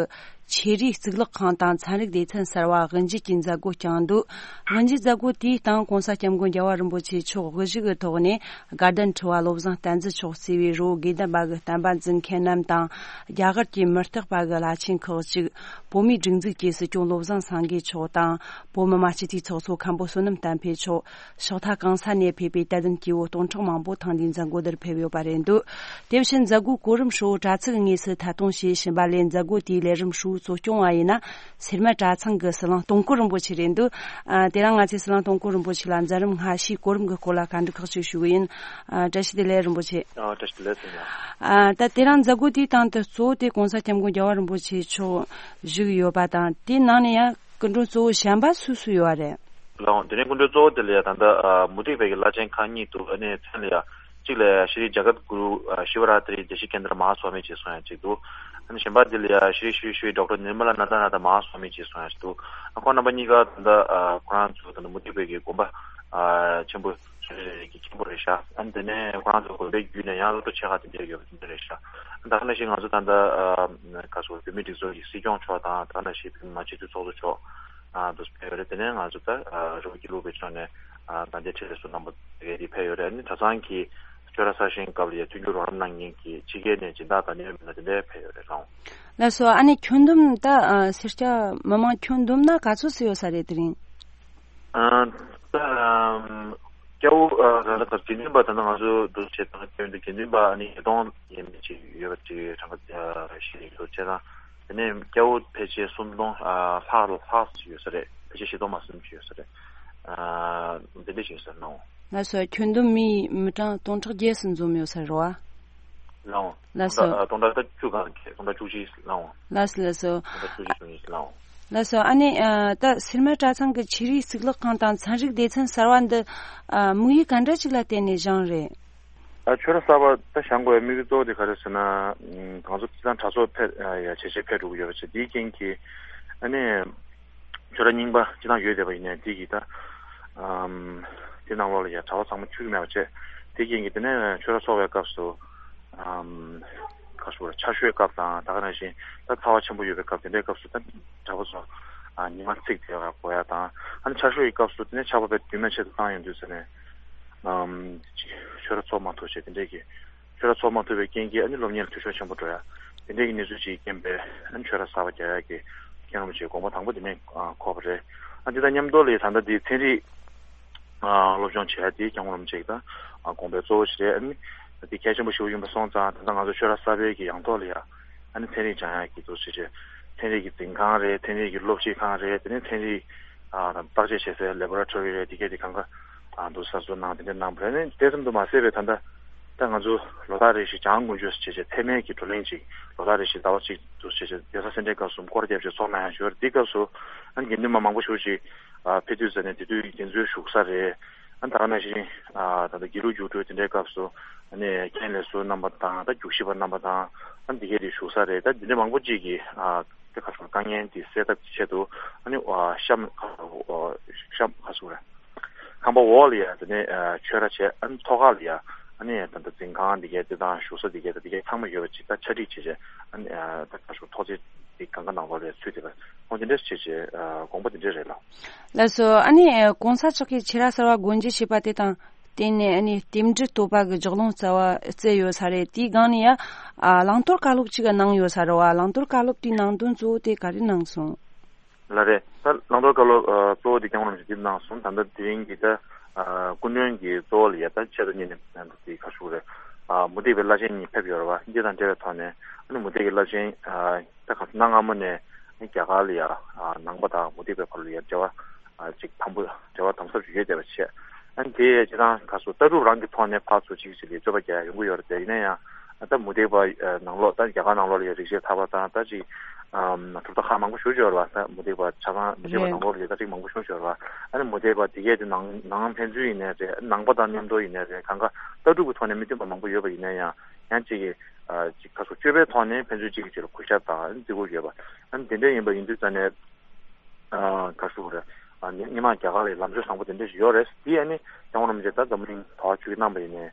ཆོས་རའི་གཙུག་ལག་ཁང་དང་ཚན་རིག་སྡེ་ཚན་གསར་བ་དབུ་འབྱེད་ཀྱི་མཛད་སྒོ་བསྐྱངས་འདུག་དབུ་འབྱེད་མཛད་སྒོ་དེའི་སྟེང་༸གོང་ས་༸སྐྱབས་མགོན་རྒྱལ་བ་རིན་པོ་ཆེ་མཆོག་དབུ་བཞུགས་ཀྱི་ཐོག་ནས་དགའ་ལྡན་ཁྲི་པ་བློ་བཟང་བསྟན་འཛིན་མཆོག་གཙོས་པའི་རི་བོ་དགེ་ལྡན་པ་གི་བསྟན་པ་འཛིན་མཁན་རྣམས་དང་། རྒྱ་གར་གྱི་མི་རྟག་པ་གི་བླ་ཆེན་ཁག་ཅིག་བོད་མིའི་སྒྲིག་འཛུགས་ཀྱི་སྲིད་སྐྱོང་བློ་བཟང་སེང་གེ་མཆོག་དང་། བོད་མི་མང་སྤྱི་འཐུས་ཚོགས་གཙོ་མཁན་པོ་བསོད་ནམས་བསྟན་འཕེལ་མཆོག་ཕྱོགས་མཐའ་གང་ས་ནས་ཕེབས་པའི་དད་ལྡན་སྐྱེ་བོ་སྟོང་ཕྲག་མང་པོ་ཐེངས་འདིའི་མཛད་སྒོ་འདིར་ཕེབས་ཡོད་པ་རེད་འདུག་དེ་བཞིན་མཛད་སྒོའི་གོ་རིམ་ཧྲིལ་པོ་དྲ་ཚིགས་དངོས་ སུ་ཐད་གཏོང་བྱས་ཕྱིན་པ་ལས། མཛད་སྒོ་དེའི་ལས་རིམ་ཧྲིལ་བོ་གཙོ་སྐྱོང་བ་ཡིན་ན་སེར་སྨད་གྲྭ་ཚང་གི་ཟི་ལིང་སྟོང་སྐོར་རིན་པོ་ཆེ་རེད་འདུག་ཨ། དེ་རིང་ང་ཚོས་ཟི་ལིང་སྟོང་སྐོར་རིན་པོ་ཆེ་ལ་མཛད་རིམ་སྔ་ཕྱིའི་གོ་རིམ་གྱི་སྐོར་ལ་བཀའ་འདྲི་ཁག་ཅིག་ཞུ་གི་ཡིན། ཨ། བཀྲ་ཤིས་བདེ་ལེགས་རིན་པོ་ཆེ། ཨ། བཀྲ་ཤིས་བདེ་ལེགས་ཟེར་ཡ། ཨ། ད་དེ་རིང་མཛད་སྒོ་དེའི་སྟེང་དུ་གཙོ་བོ་དེ་༸གོང་ས་༸སྐྱབས་མགོན་རྒྱལ་བ་རིན་པོ་ཆེ་མཆོག་བཞུགས་ཡོད་པ་དང་། དེའི་ནང་ནས་ཡང་སྐུ་མགྲོན་གཙོ་བོ་གཞན་པ་སུ་སུ་ཡོད་རེད། ལགས་འོང་། དེ་ནས་སྐུ་མགྲོན་གཙོ་བོ་དེ་ལ་ཡ་ད་ལྟ་ཨ་མུ་སྟེགས་པའི་གི་བླ་ཆེན་ཁག་གཉིས་འདུག་ཨ་ནི་མཚན་ལ་ཡ་གཅིག་ལ་ཡ་ཤྲི་ཇ་གཏ་གུ་རུ་ཨ་ཤི་བ་ར་ཏི་རི་དེ་ཤི་ཀེན་དྲ་མ་ཧཱ་སྭ་མི་ཅེས་གསུང་ཡ་གཅིག་འདུག་ཨ་ནི་གཞན་པ་དེ་ལ་ཡ་ཤྲི་ཤྲི་ཤྲི་ཌོག་ཊར་ནིར་མ་ལ་ནཱ་ད་ན་ད་མ་ཧཱ་སྭ་མི་ཅེས་གསུང་ཡ་གཅིག་འདུག་ཨ་ཁོང་རྣམ་པ་གཉིས་ཀ་ད་ལྟ་ཨ་ཁོ་རང་ཚོ་ད་ལྟ་མུ་སྟེགས་པའི་གི་དགོན་པ་ཨ་ཆེན་པོ་རེ་རེ་གི་མཁན་པོ་རེད་ཤག་ཨ་ནི་དེ་ནས་ཁོ་རང་ཚོ་དགོན་པའི་བརྒྱུད་ནས་ཡང་སློབ་གྲྭ་ཆེ་ཁག་དེ་འདྲ་ཡོད་པ་དེ་འདྲ་རེད་ཤག་ཨ་ནི་ད་ག་ནང་བཞིན་ང་ཚོ་ད་ལྟ་ཨ་ག་སོ་བོད་མིའི་སྒྲིག་འཛུགས་ཀྱི་སྲིད་སྐྱོང་མཆོག་དང་། ད་ག་ནང་བཞིན་བོད་མི་མང་སྤྱི་འཐུས་ཚོགས་གཙོ་མཆོག་ཨ་དུ་ཕེབས་ཡོད་རེད། དེ་ནས་ང་ཚོ་ད་ཨ་རི་བོ་དགེ་ལུགས་པའི་ཕྱོགས་ནས་ཨ་དང་འདྲའི་ཁྲིད་ལས་སུ་རྣམ་པ་དེ་གས་དེ་ཕེབས་ཡོད་རེད། ཨ་ནི་གྲྭ་ཚང་གི་ཆོས་ར་གསར་བཞེངས་སྐབས་ལ་ཡ་མཐུན་འགྱུར་རོགས་རམ་གནང་མཁན་གྱི་ཕྱི་རྒྱལ་ནས་སྦྱིན་བདག་དང་གནད་ཡོད་མི་སྣ་དེ་འདྲ་ཕེབས་ཡོད་རེད་ལགས། ལགས་སོ། ཨ་ནི་ཁྱོན་བསྡོམས་ད་ཨ་སེར་སྐྱ་མི་མང་ཁྱོན་བསྡོམས་ན་ག་ཚོད་ཙམ་ཡོད་ས་རེད་དེ་རིང་། ཨ་ད་ཨམ་སྐྱ་བོ་ཨ་ད་ལྟ་དགེ་འདུན་པ་ད་ལྟ་ང་ཚོ་འདུ་བྱེད་དང་སྐྱ་བོ་འདི་དགེ་འདུན་པ་ཨ་ནི་ཉིས་སྟོང་ཡས་མས་ཅིག་ཡོད་པ་ཅིག་གྲངས་ཀ་ཤེས་ཡོད་ཅེ་དང་། དེ་ནས་སྐྱ་བོ་ཕལ་ཆེར་སུམ་སྟོང་ཨ་ལྷག་ལྷག་ཙམ་ཡོད་ས་རེད། ཕལ་ཆེར་བཞི་སྟོང་མ་ཟིན་ཅིག་ཡོད་ས་རེད། ཨ་འདི་འདྲ་ཞིག་ཡོད་ས་རེད་ལགས། ལགས་སོ། ཁྱོན་བསྡོམས་མི་མི་གྲངས་སྟོང་ཕྲག་བརྒྱད་ཙམ་འཛོམས་ཡོད་ས་རེད་བ། ལགས་འོང་། ལགས་སོ། སྟོང་ཕྲག་སྟོང་ཕྲག་ད་བཅུ་གང་གི་སྟོང་ཕྲག་བཅུ་གཅིག་ལགས་འོང་། ལགས་སོ། ལགས་སོ། སྟོང་ཕྲག་བཅུ་གཅིག་བཅུ་གཉིས་ལགས་འོང་། ལགས་སོ། ཨ་ནི་ཨ་ད་སེར་སྨད་གྲྭ་ཚང་གི་ཆོས་རིག་གཙུག་ལག་ཁང་དང་ཚན་རིག་སྡེ་ཚན་གསར་བ་འདི་ཨ་དམིགས་ཡུལ་ག་འདྲ་ཅིག་ལ་བརྟེན་ནས་བཞེངས་རེད། ཨ་ཆོས་ར་གསར་པ་ད་བཞེངས་དགོས་པའི་དམིགས་ཡུལ་གཙོ་བོ་དེ་ག་རེ་ཟེར་ན། ང་ཚོ་སྤྱིར་བཏང་གྲྭ་ཚོགས་ཕལ་ཡ་ཇེ་ཆེ་འཕེལ་འགྲོ་གི་ཡོད་པ་བྱས། དེའི་རྐྱེན་གྱིས་ཨ་ནི། ཆོས་ར་རྙིང་པ་སྤྱིར་བཏང་ཡོད་བསྡད་པ་ཡིན་ནའི་དེ་གི་ད་ཨམ་དེ་ནང་ལོགས་ལ་ཡ་གྲྭ་པ་ཚང་མ་ཚུད་ཀྱི་མེད་པ་བྱས། དེ་རྐྱེན་གྱིས་དེ་ནས་ཆོས་ར་ཚོགས་པའི་སྐབས་སུ་ཨམ་ཁ་ཤོར་ཆར་ཤུལ་སྐབས་དང་། ད་ག་ནང་བཞིན་ད་ཚ་བ་ཆེན་པོ་ཡོད་པའི་སྐབས་དེ་འདྲའི་སྐབས་སུ་ད་གྲྭ་པ་ཚོ་ཨ་ཉི་མ་ཚིག་དེ་ག་གོ་ཡ་དང་། ཨ་ནི་ཆར་ཤུལ་གྱི་སྐབས་སུ་དེ་ནས་ཆར་པ་བས་རྒྱུན་མ་ཆད་དུ་བཏང་ཡོང་དུས་ཟེར་ནས་ཨམ་ཆོས་ར་ཚོགས་མ་ཐུབ་བྱས་དེ་འདྲའི་གི་ཆོས་ར་ཚོགས་མ་ཐུབ་པའི་རྐྱེན་གྱིས་ཨ་ནི་སློབ་གཉེར་ལ་འཐུས་ཤོར་ཆེན་པོ་འགྲོ་ཡ། དེ་འདྲའི་གི་གནས་ཚུལ་ཅིག་རྐྱེན་པས་ཨ་ནི་ཆོས་ར་གསར་པ་རྒྱག་ཡ་གི་མཁན་རིན་པོ་ཆེའི་དགོངས་པ་དང་པོ་དེ་ནས་ཨ་འཁོར་བ་རེད། ཨ་འདི་དང་མཉམ་དུ་ལ་ད་ལྟ་འདི་ཚན་རིག་ཨ་སློབ་སྦྱོང་བྱེད་ཡ་དེ་མཁན་རིན་པོ་ཆེ་གི་ད་ཨ་དགོངས་པའི་གཙོ་བོ་ཞིག་རེད། ཨ་ནི་འདི་གལ་ཆེན་པོ་ཞེ་པོ་ཡིན་པ་སོང་ཙང་། ད་ལྟ་ང་ཚོ་ཆོས་ར་གསར་པའི་གི་ཡང་ཐོག་ལ་ཡ་ཨ་ནི་ཚན་རིག་སྦྱང་ཡ་གི་འདུག་ཟེར་བྱས། ཚན་རིག་གི་འཛིན་ཁང་རེད། ཚན་རིག་གི་སློབ་ཁྲིད་ཁང་རེད། དེ་ནས་ཚན་རིག་ཨ་བརྟག་དཔྱད་བྱེད་སའི་ལེ་བོ་ར་ཊོ་རི་རེད། དེ་གས་དེ་གང་ག་ཨ་འདུག་གསར་བཟོ་གནང་དེ་འདྲ་གནང་བ་རེད། ཨ་ནི་དེ་ཙམ་དུ་མ་ཟད་པའི་ད་ལྟ་ད་ང་ཚོ་ལོ་ལྟར་རེ་བཞིན་བྱང་དགུན་ཆོས་ཟེར་བྱས་བྱས་ཚད་མའི་གི་བགྲོ་གླེང་ཅིག་ལོ་ལྟར་རེ་བཞིན་ཟླ་བ་གཅིག་འདུག་ཟེར་བྱས་གདན་ས་སེ་འབྲས་དཀར་གསུམ་སྐོར་རྒྱབ་བྱས་ཚོགས་གནང་ཡ་ཞུ་བ་རེད། དེའི་སྐབས་སུ་ཨ་ནི་དགེ་འདུན་པ་མང་པོ་ཞེ་པོ་ཅིག་ཨ་ཕེབས་དུས་ཙ་ནས་དེ་དུས་དེ་ཚོའི་བཞུགས་ས་རེད། ཨ་ད་ག་ནང་བཞིན་ཨ་ད་ལྟ་དགེ་ལུགས་རྒྱུགས་སྤྲོད་དེ་འདྲའི་སྐབས་སུ་ཨ་ནི་རྒན་ལས་ཟུར་རྣམ་པ་དང་། ད་རྒྱུགས་ཞིབ་པ་རྣམ་པ་དང་། ཨ་འདི་གས་དེ་བཞུགས་ས་རེད། ད་འདི་འདྲ་མང་པོ་ཅིག་གིས་ཨ་དེ་ཁ་སང་དཀའ་ངལ་འདི་སེལ་ཐབས་ཀྱི་ཆེད་དུ་ཨ་ནི་ཨ་གཤམ་ཨ་གཤམ་ཁ་སང་རེད། ཁང་པ་འོག་ལ་ཡ་དེ་ནས་ཨ་ཆོས་ར་བྱས། ཨ་ནི་ཐོག་ཁ་ལ་ཡ་ཨ་ནི་ད་ལྟ་འཛིན་ཁང་འདི་གས་དེ་དང་བཞུགས་ས་འདི་གས་དང་འདི་གས་ཚང་མ་ཡོད་པ་ཅིག་ད་ཆ་སྒྲིག་བྱས་བྱས། ཨ་ནི་ཨ་ད་ཁ་སང་ཐོག་བརྩེགས་འདི་གང་ག་ནང་ལོགས་ལ་ཡ་ཚུད་བསྡད་པ། འོ་དེ་འདྲ་བྱས་བྱས་ཨ་དགོངས་པ་དེ་འདྲ་རེད་ལགས། ལགས་སོ། ཨ་ནི་ཨ་གོང་ས་མཆོག་གིས་ཆོས་ར་གསར་པ་སྒོ་འབྱེད་བྱས་པ་དེ་དང་བསྟུན་ནས། ཨ་ནི་རྟེན་འབྲེལ་བསྟོད་པ་གི་ལྗགས་ལུང་རྩ་བ་བསྩལ་ཡོད་ས་རེད། དེའི་སྒང་ནས་ཡ་ཨ་བླང་དོར་བཀའ་སློབ་ཅིག་གནང་ཡོད་ས་རེད་བ། བླང་དོར་བཀའ་སློབ་དེའི་ནང་དོན་གཙོ་བོ་དེ་ག་རེ་གནང་སོང་། ལགས་རེད། ད་བླང་དོར་བཀའ་སློབ་ཨ་གཙོ་བོ་དེ་མཁན་རིན་པོ་ཆེ་འདི་གནང་སོང་། ད་ལྟ་དེ་རིང་གི་ད་ཨ་སྐུ་མགྲོན་གྱི་གཙོ་བོ་ལ་ཡ་ད་ཆེད་དུ་གཉེར་ནས་ད་དེ་ག་ཞུ་རེད། ཨ་མུ་སྟེགས་པའི་བླ་ཆེན་གཉིས་ཕེབས་ཡོད་རེད་བ། འདི་དང་འབྲེལ་བའི་ཐོག་ནས་ཨ་ནི་མུ་སྟེགས་ཀྱི་བླ་ཆེན་ཨ་ད་ག་གནའ་སྔ་མོ་ནས་རྒྱ་གར་ལ་ཡ་ཨ་ནང་པ་དང་མུ་སྟེགས་པའི་བར་ལ་ཡ་འབྲེལ་བ་ཨ་ཅིག་དམ་པོ་འབྲེལ་བ་དམ་ཟབ་ཅིག་ཡོད་བསྡད་པ་བྱས། ཨ་ནི་དེ་སྤྱིར་བཏང་ག་སོ་ལྟ་གྲུབ་རང་གི་ཐོག་ནས་ཕར་ཚུར་གཅིག་གཅིག་ལ་རྩོད་པ་རྒྱག་ཡ་ཡོང་གི་ཡོད་རེད་དེ། ཡིན་ན་ཡང་ཨ་ད་མུ་སྟེགས་པ་ཨ་ནང་ལོགས་ད་རྒྱ་གར་ནང་ལོགས་ལ་ཡ་རིག་བྱེད་ཐར་པ་དང་ད་ཅིག་ཨམ་གྲུབ་མཐའ་ཁག་མང་པོ་ཞེ་པོ་ཅིག་ཡོད་རེད་བ། ད་མུ་སྟེགས་པ་ཆ་ཚང་མུ་སྟེགས་པ་རེད། ནང་ལོགས་ལ་ཡ་ད་ཅིག་མང་པོ་ཞེ་པོ་ཅིག་ཡོད་རེད་བ། ཨ་ནི་མུ་སྟེགས་པ་དེ་གས་དེ་ནང་ནང་ཕན་ཚུན་ཡིན་ནའི་རེད། ནང་པ་དང་མཉམ་དུ་ཡིན་ནའི་རེད། གང་ག་ལྟ་གྲུབ་ཀྱི་ཐོག་ནས་མི་མཐུན་པ་མང་པོ་ཡོད་པ་ཡིན་ན་ཡང་། ཡང་གཅིག་གིས་ཨ་ཅིག་ག་སོ་སྤྱོད་པའི་ཐོག་ནས་ཕན་ཚུན་གཅིག་གིས་གཅིག་ལ་གུས་ཞབས་དང་བརྩི་བཀུར་ཡོད་པ། ཨ་ནི་དེ་འདྲ་ཡིན་པ་ཡིན་དུས་ཙ་ནས་ཨ་ག་ཞུ་དགོས་རེད། ཨ་ནི་སྔོན་མ་རྒྱ་གར་ལ་ལམ་ཕྱོགས་བཟང་པོ་དེ་འདྲ་ཞིག་ཡོད་རེད། དེ་ཨ་ནི་མཁན་རིན་པོ་ཆེ་ད་འཛམ་བུ་གླིང་དོ་ཁ་ཆུ་གི་གནང་པ་ཡིན་ནའི་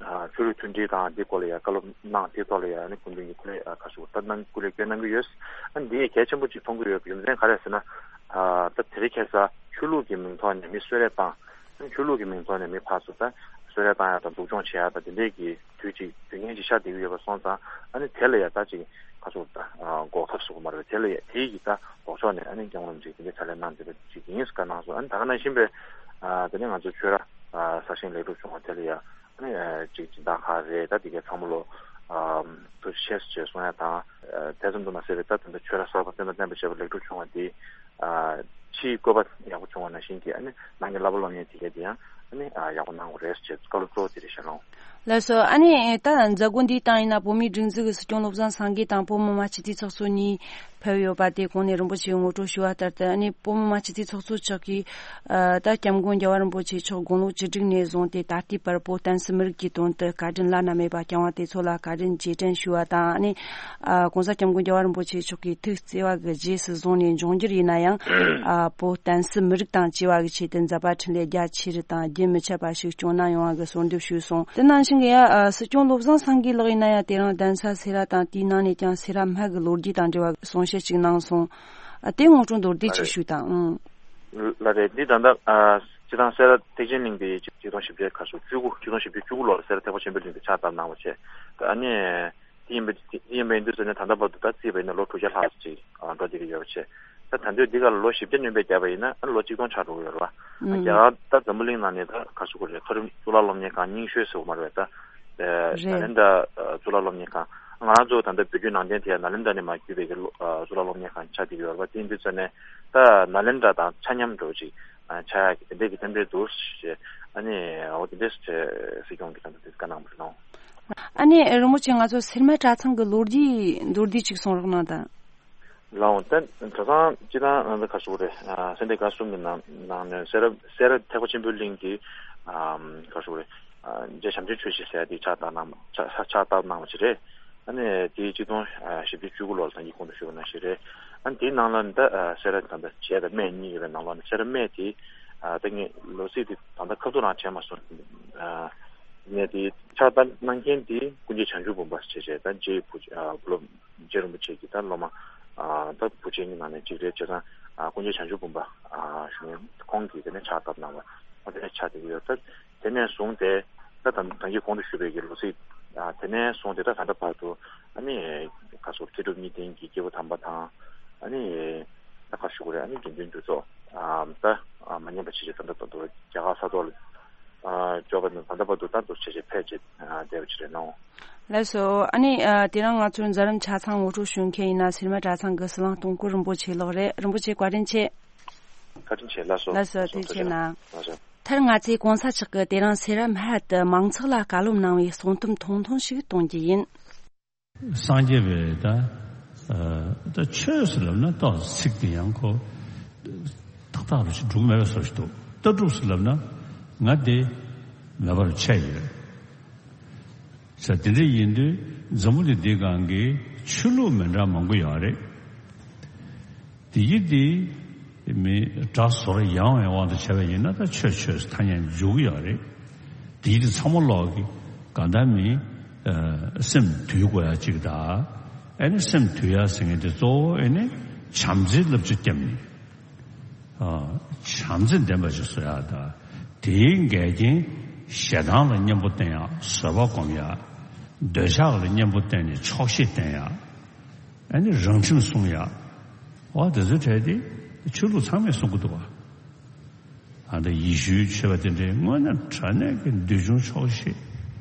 ཨ་ཆོས་ལུགས་མཐུན་སྒྲིལ་དང་འདི་སྐོར་ལ་ཡ་བཀའ་སློབ་གནང་། དེའི་ཐོག་ལ་ཡ་ཨ་ནི་སྐུ་མདུན་གྱི་སྐུ་ལས་ཨ་ག་ཞུ་དགོས་ད་གནང་སྐུ་ལས་སྐྱོན་གནང་གི་ཡོད། ཨ་ནི་འདི་གལ་ཆེན་པོ་ཅིག་མཐོང་གི་ཡོད་པའི་རྒྱུ་མཚན་ག་རེ་ཟེར་ན། ཨ་ད་དེ་རིང་ཁ་སང་ཆོས་ལུགས་ཀྱི་མིང་ཐོག་ནས་མི་གསོད་རེས་བཏང་། ཆོས་ལུགས་ཀྱི་མིང་ཐོག་ནས་མི་ཕར་ཚུར་ད་གསོད་རེས་བཏང་ཡ་དང་སྡུག་སྦྱོང་བྱེད་ཡ་དང་དེ་འདྲའི་གི་དུས་ཅིག་དུས་ངན་ཅིག་ཤར་བསྡད་ཀྱི་ཡོད་པ་སོང་ཙང་། ཨ་ནི་དེ་ལ་ཡ་ད་ཅིག་ཁ་ཕྱོགས་ད་འགོག་ཐབས་བཟོ་དགོས་མ་རེད། དེ་ལ་ཡ་དེའི་གི་ད་ལྡོག་ཕྱོགས་ནས་ཨ་ནི་མཁན་རིན་པོ་ཆེ་དེ་འདྲའི་ཕྱག་ལས་གནང་བསྡད་པ་ཅིག་ཡིན་ཟེར་བཀའ་གནང་སོང་། ཨ་ནི་ད་ག་ནང་བཞིན་པའི་ཨ་དེ་ནས་ང་ཚོ་ཆོས་ར་ཨ་གསར་བཞེངས་ལེགས་གྲུབ་བྱུང་བ་དེ་ལ་ཡ་ཨ་ནི་ཨ་ཅིག་སྦྱིན་བདག་ཁག་རེད། ད་དེ་གའི་ཚང་མ་ལོ་ ཨ་དུ་ཤེས་ཞེས་གསུང་ཡ་དང་། ཨ་དེ་ཙམ་དུ་མ་ཟད་པའི་ད་དེ་འདྲ་ཆོས་ར་གསར་པ་བསྟན་དང་བསྟན་པའི་བྱེད་པ་ལེགས་གྲུབ་བྱུང་བ་འདི། ཨ་ཕྱིའི་བཀོད་པ་ཡག་པོ་བྱུང་བ་ནང་བཞིན་གྱི་ཨ་ནི་ནང་གི་བསླབ་པ་སློབ་གཉེར་དེ་གས་དེ་ཡང་ཨ་ནི་ཨ་ཡག་པོ་གནང་དགོས་རེད་ཅེས་བཀའ་སློབ་གཙོ་བོ་དེ་རེད་ཤག་ལགས། ལགས་སོ། ཨ་ནི་ད་མཛད་སྒོ་འདིའི་སྟེང་ཡིན་ན་བོད་མིའི་སྒྲིག་འཛུགས་ཀྱི་སྲིད་སྐྱོང་བློ་བཟང་སེང་གེ་དང་བོད་མི་མང་སྤྱི་འཐུས་ཚོགས་གཙོ་གཉིས་ཕེབས་ཡོད་པ་དེ་གོང་ནས་རིན་པོ་ཆེས་ངོ་སྤྲོད་ཞུས་པ་ལྟར་དུ། ཨ་ནི་བོད་མི་མང་སྤྱི་འཐུས་ཚོགས་གཙོ་མཆོག་གིས་ཨ་ད་སྐྱབས་མགོན་རྒྱལ་བ་རིན་པོ་ཆེ་མཆོག་དགུང་ལོ་བཅུ་དྲུག་ནས་བཟུང་སྟེ་ད་ལྟའི་བར་བོད་བསྟན་སྲིད་མི་རིགས་ཀྱི་དོན་དུ་བཀའ་དྲིན་བླ་ན་མེད་པ་བསྐྱངས་པ་དེ་ཚོ་ལ་བཀའ་དྲིན་རྗེས་དྲན་ཞུས་པ་དང་། ཨ་ནི་ཨ་༸གོང་ས་༸སྐྱབས་མགོན་རྒྱལ་བ་རིན་པོ་ཆེ་མཆོག་གིས་ཐུགས་བརྩེ་བ་གི་རྗེས་སུ་བཟུང་ནས་འབྱུང་འགྱུར་ཡིན་ན་ཡང་ཨ་བོད་བསྟན་སྲིད་མི་རིགས་དང་བཅས་པ་གི་ཆེད་དུ་མཛད་པ་འཕྲིན་ལས་རྒྱ་ཆེ་རུ་དང་རྒྱུན་མི་ཆད་པ་ཞིག་སྐྱོང་གནང་ཡོང་བ་གི་གསོལ་འདེབས་ཞུས་སོང་། དེ་ནང་བཞིན་གྱི་ཡ་ཨ་སྲིད་སྐྱོང་བློ་བཟང་སེང་གེ་ལགས་ཡིན་ན་ཡང་དེ་རིང་གདན་ས་སེ་ར་དང་དེའི་ནང་ནས་ཀྱང་སེ་ར་སྨད་ཀྱི་ལོ་རྒྱུས་དང་འབྲེལ་བ་གསུང་བཤད་ཅིག་གནང་སོང་། ཨ་དེ་ངོ་སྤྲོད་མདོར་བསྡུས་ཅིག་ཞུས་དང་། ཨང་། ལགས་རེད། འདི་ད་ལྟ་ཨ་སྤྱི་བཏང་སེ་ར་ཐེག་ཆེན་གླིང་དེ་ཆིག་སྟོང་བཞི་བརྒྱ་ག་ཚོད་བཅུ་དགུ། ཆིག་སྟོང་བཞི་བརྒྱ་བཅུ་དགུ་ལོར་སེ་ར་ཐེག་པ་ཆེན་པོའི་གླིང་དེ་ཕྱག་བཏབ་གནང་བ་བྱས། ད་ཨ་ནི་དེ་ཡིན་པ་དེ་ཡིན་པ་ཡིན་དུས་ཙམ་ནས་ད་ལྟ་བར་དུ་ད་བརྩིས་པ་ཡིན་ན་ལོ་དྲུག་བརྒྱ་ལྷག་ཅིག་ཨ་འགྲོ་བསྡད་ཀྱི་ཡོད་པ་བྱས། ད་ད་དུང་འདི་ག་ལ་ལོ་བཞི་བརྒྱ་སྣོན་པ་བརྒྱབ་པ་ཡིན་ན་ཨ་ནི་ལོ་གཅིག་སྟོང་ཆགས་འགྲོ་གི་ཡོད་རེད་བ། ཨ་ཨང་། རྒྱ་གར་ད་འཛམ་བུ་གླིང་ནང་ནས་ད་ག་ཟེར་དགོས་རེད། མཐོ་རིམ་གཙུག་ལག་སློབ་གཉེར་ཁང་རྙིང་ཤོས་ཟེར་དགོས་མ་རེད་པས། ད་ཨ་རེད། ནཱ་ལེནྡྲ་ཨ་གཙུག་ལག་སློབ་གཉེར་ཁང་། ང་རང་ཚོ་ད་ལྟ་བོད་བརྒྱུད་ནང་བསྟན་དེ་ཡང་ནཱ་ལེནྡྲ་ནས་མར་བརྒྱུད་པའི་གི་སློབ་ཨ་གཙུག་ལག་སློབ་གཉེར་ཁང་ཆགས་བསྡད་ཀྱི་ཡོད་རེད་པ། དེ་ཡིན་དུས་ཙམ་ནས་ད་ནཱ་ལེནྡྲ་དང་ཆ་མཉམ་འདྲ་བོ་ཅིག་ཨ་ཆགས་ཡག་གི་དེ་འདྲའི་གི་རྟེན་འབྲེལ་འདུག་ཞེས། ཨ་ནི་འོ་དེ་འདྲས་ཞེས་སྲིད་སྐྱོང་གིས་ད་ལྟ་དེ་བཀའ་གནང་བ་རེད་ལགས། ཨ་ནི་རིན་པོ་ཆེ་ང་ཚོ་སེར་སྨད་གྲྭ་ཚང་གི་ལོ་རྒྱུས་མདོར་བསྡུས་ཅིག་གསུང་རོགས་གནང་དང་། ལགས་འོང་། ད་གྲྭ་ཚང་སྤྱི་བཏང་ང་ཚོ་ག་ཟེར་དགོས་རེད། ཨ་སེ་འབྲས་དགའ་གསུམ་གྱི་ནང་ནང་ནས་སེ་ར་སེ་ར་ཐེག་པ་ཆེན་པོའི་གླིང་གི་ཨམ་ག་ཟེར་དགོས་རེད། ཨ་རྗེ་བྱམས་ཆེན་ཆོས་རྗེ་ཟེར་ཡ་དེ་ཕྱག་བཏབ་གནང་ཕྱག་ཕྱག་ཕྱག་བཏབ་གནང་བ་ཞིག་རེད། ཨ་ནི་དེ་ཆིག་སྟོང་བཞི་བརྒྱ་བཅུ་དགུ་ལོར་ད་གིན་གོང་དུ་ཞུས་པ་ནང་བཞིན་རེད། ཨ་ནི་དེའི་ནང་ལ་ད་ཨ་སེ་ར་ད་ལྟ་བྱས་དང་སྨད་གཉིས་ཡོད་པའི་ནང་ལོགས་ནས་སེ་ར་སྨད་དེ་ཨ་ད་ངས་ལོ་ཚིགས་དེ་ད་ལྟ་ཁ་ཐུག་རང་བྱས་མ་སོང་། ཨ་ངས་དེ་ཕྱག་བཏབ་གནང་མཁན་དེ་ཀུན་མཁྱེན་བྱང་ཆུབ་འབུམ་པ་ཞེས་བྱས། ད་རྗེ་བུ་ཨ་བུ་སློབ་རྗེ་རིན་པོ་ཆེ་གི་ད་སློབ་མ་ཨ་ད་བུ་ཆེན་གྱི་ནང་ནས་གཅིག་རེད། བྱས་ཙང་ཨ་ཀུན་མཁྱེན་བྱང་ཆུབ་འབུམ་པ་ཨ་ཞུ་མཁན་ཁོང་གིས་དེ་ནས་ཕྱག་བཏབ་གནང་བ། ཨ་དེ་ནས་ཕྱག་དེ་གི་ཡོད། ད་དེ་ནས་བཟུང་སྟེ་ད་ད་ད་གིན་གོང་དུ་ཞུས་པའི་གི་ལོ་ཚིགས་ཨ་དེ་ནས་བཟུང་སྟེ་ད་ད་ལྟ་བར་དུ་ཨ་ནི་ག་ཟེར་མཁས་གྲུབ་གཉིས་ལྡན་གྱི་སྐྱེས་བུ་དམ་པ་དང་། ཨ་ནི་ད་ག་ཞུ་དགོས་རེད། ཨ་ནི་དགེ་འདུན་འདུས་ཚོགས་ཨ་ད་ཨ་མ་ཉམས་པ་བྱས་བྱས་ད་ལྟ་ད་ལྟ་རྒྱ་གར་ས་ཐོག་ལ་ཨ་འབྱོར་བ་ནི་ད་ལྟ་བར་དུ་ད་དུ་བྱས་བྱས་ཕེབས་བྱས་ཨ་བསྡད་པ་ཅིག་རེད་ནོ། ལགས་སོ། ཨ་ནི་ཨ་དེ་རིང་ང་ཚོའི་མཛད་རིམ་ཆ་ཚང་ངོ་སྤྲོད་ཞུ་མཁན་ཡིན་ན་སེར་སྨད་གྲྭ་ཚང་གི་ཟི་ལིང་སྟོང་སྐོར་རིན་པོ་ཆེ་ལགས་རེད། རིན་པོ་ཆེ་བཀའ་དྲིན་ཆེ། བཀའ་དྲིན་ཆེ། ལགས་སོ། ལགས་སོ། ལགས་སོ། ཐུགས་རྗེ་ཆེ་གནང་། ལགས་སོ། མཐར་ང་ཚོས་གོང་ས་མཆོག་གིས་དེ་རིང་སེ་ར་སྨད་དུ་མང་ཚོགས་ལ་བཀའ་སློབ་གནང་བའི་གསུང་དུམ་ཐུང་ཐུང་ཞིག་གཏོང་རྒྱུ་ཡིན། སངས་རྒྱས་པའི་ད་ཨ་ད་ཆོས་ཟེར་ལབ་ན་ཏོག་ཙམ་ཚིག་དེ་ཡང་ཁོ་ཏག་ཏག་རུ་ཞིག་འགྲུབ་མེད་པའི་བཟོ་ཞིག་འདུག། ལྟ་གྲུབ་ཟེར་ལབ་ན་ང་དེ་མེད་པར་ཆགས་ཡོད། ས་དེ་འདྲ་ཡིན་དུས་འཛམ་བུ་གླིང་འདིའི་སྒང་གི་ཆོས་ལུགས་མི་འདྲ་མང་པོ་ཡོད་རེད། དེ་ཡི་དེ་མི་དགྲ་ཟོར་ཡང་བའི་དབང་དུ་བྱས་པ་ཡིན་ན་ད་ཆོས་ཆོས་ཐ་སྙད་འཇུག་གི་ཡོད་རེད། དེ་ཡི་དེ་ཚང་མ་ལོག་གི་གང་ལྟར་མི་ཨ་སེམས་དུལ་དགོས་ཡ་གཅིག་དང་། ཨ་ནི་སེམས་དུལ་ཡ་ཟེར་མཁན་དེ་གཙོ་བོ་ཨ་ནི་བྱམས་བརྩེའི་བསླབ་བྱ་བརྒྱབ་ནས། ཨ་བྱམས་བརྩེ་ལྡན་པ་ཞིག་བཟོ་ཡག་དང་། དེའི་འགལ་རྐྱེན་ཞེ་སྡང་ལ་གཉེན་པོ་བསྟེན་ཡག། བཟོད་པ་སྒོམ་ཡག། འདོད་ཆགས་ལ་གཉེན་པོ་བསྟེན་ནས་ཆོག་ཤེས་བསྟེན་ཡག། ཨ་ནི་རང་ཁྲིམས་སྲུང་ཡག། འོ་དེ་ཚོའི་གྲས་དེ་ཆོས་ལུགས་ཚང་མས་གསུང་གི་འདུག་བ། ཨ་ད་ཡེ་ཤུའི་ཆོས་པ་དེ་འདྲའི་དངོས་གནས་དྲང་གནས་ཀྱི་འདོད་ཆུང་ཆོག་ཤེས་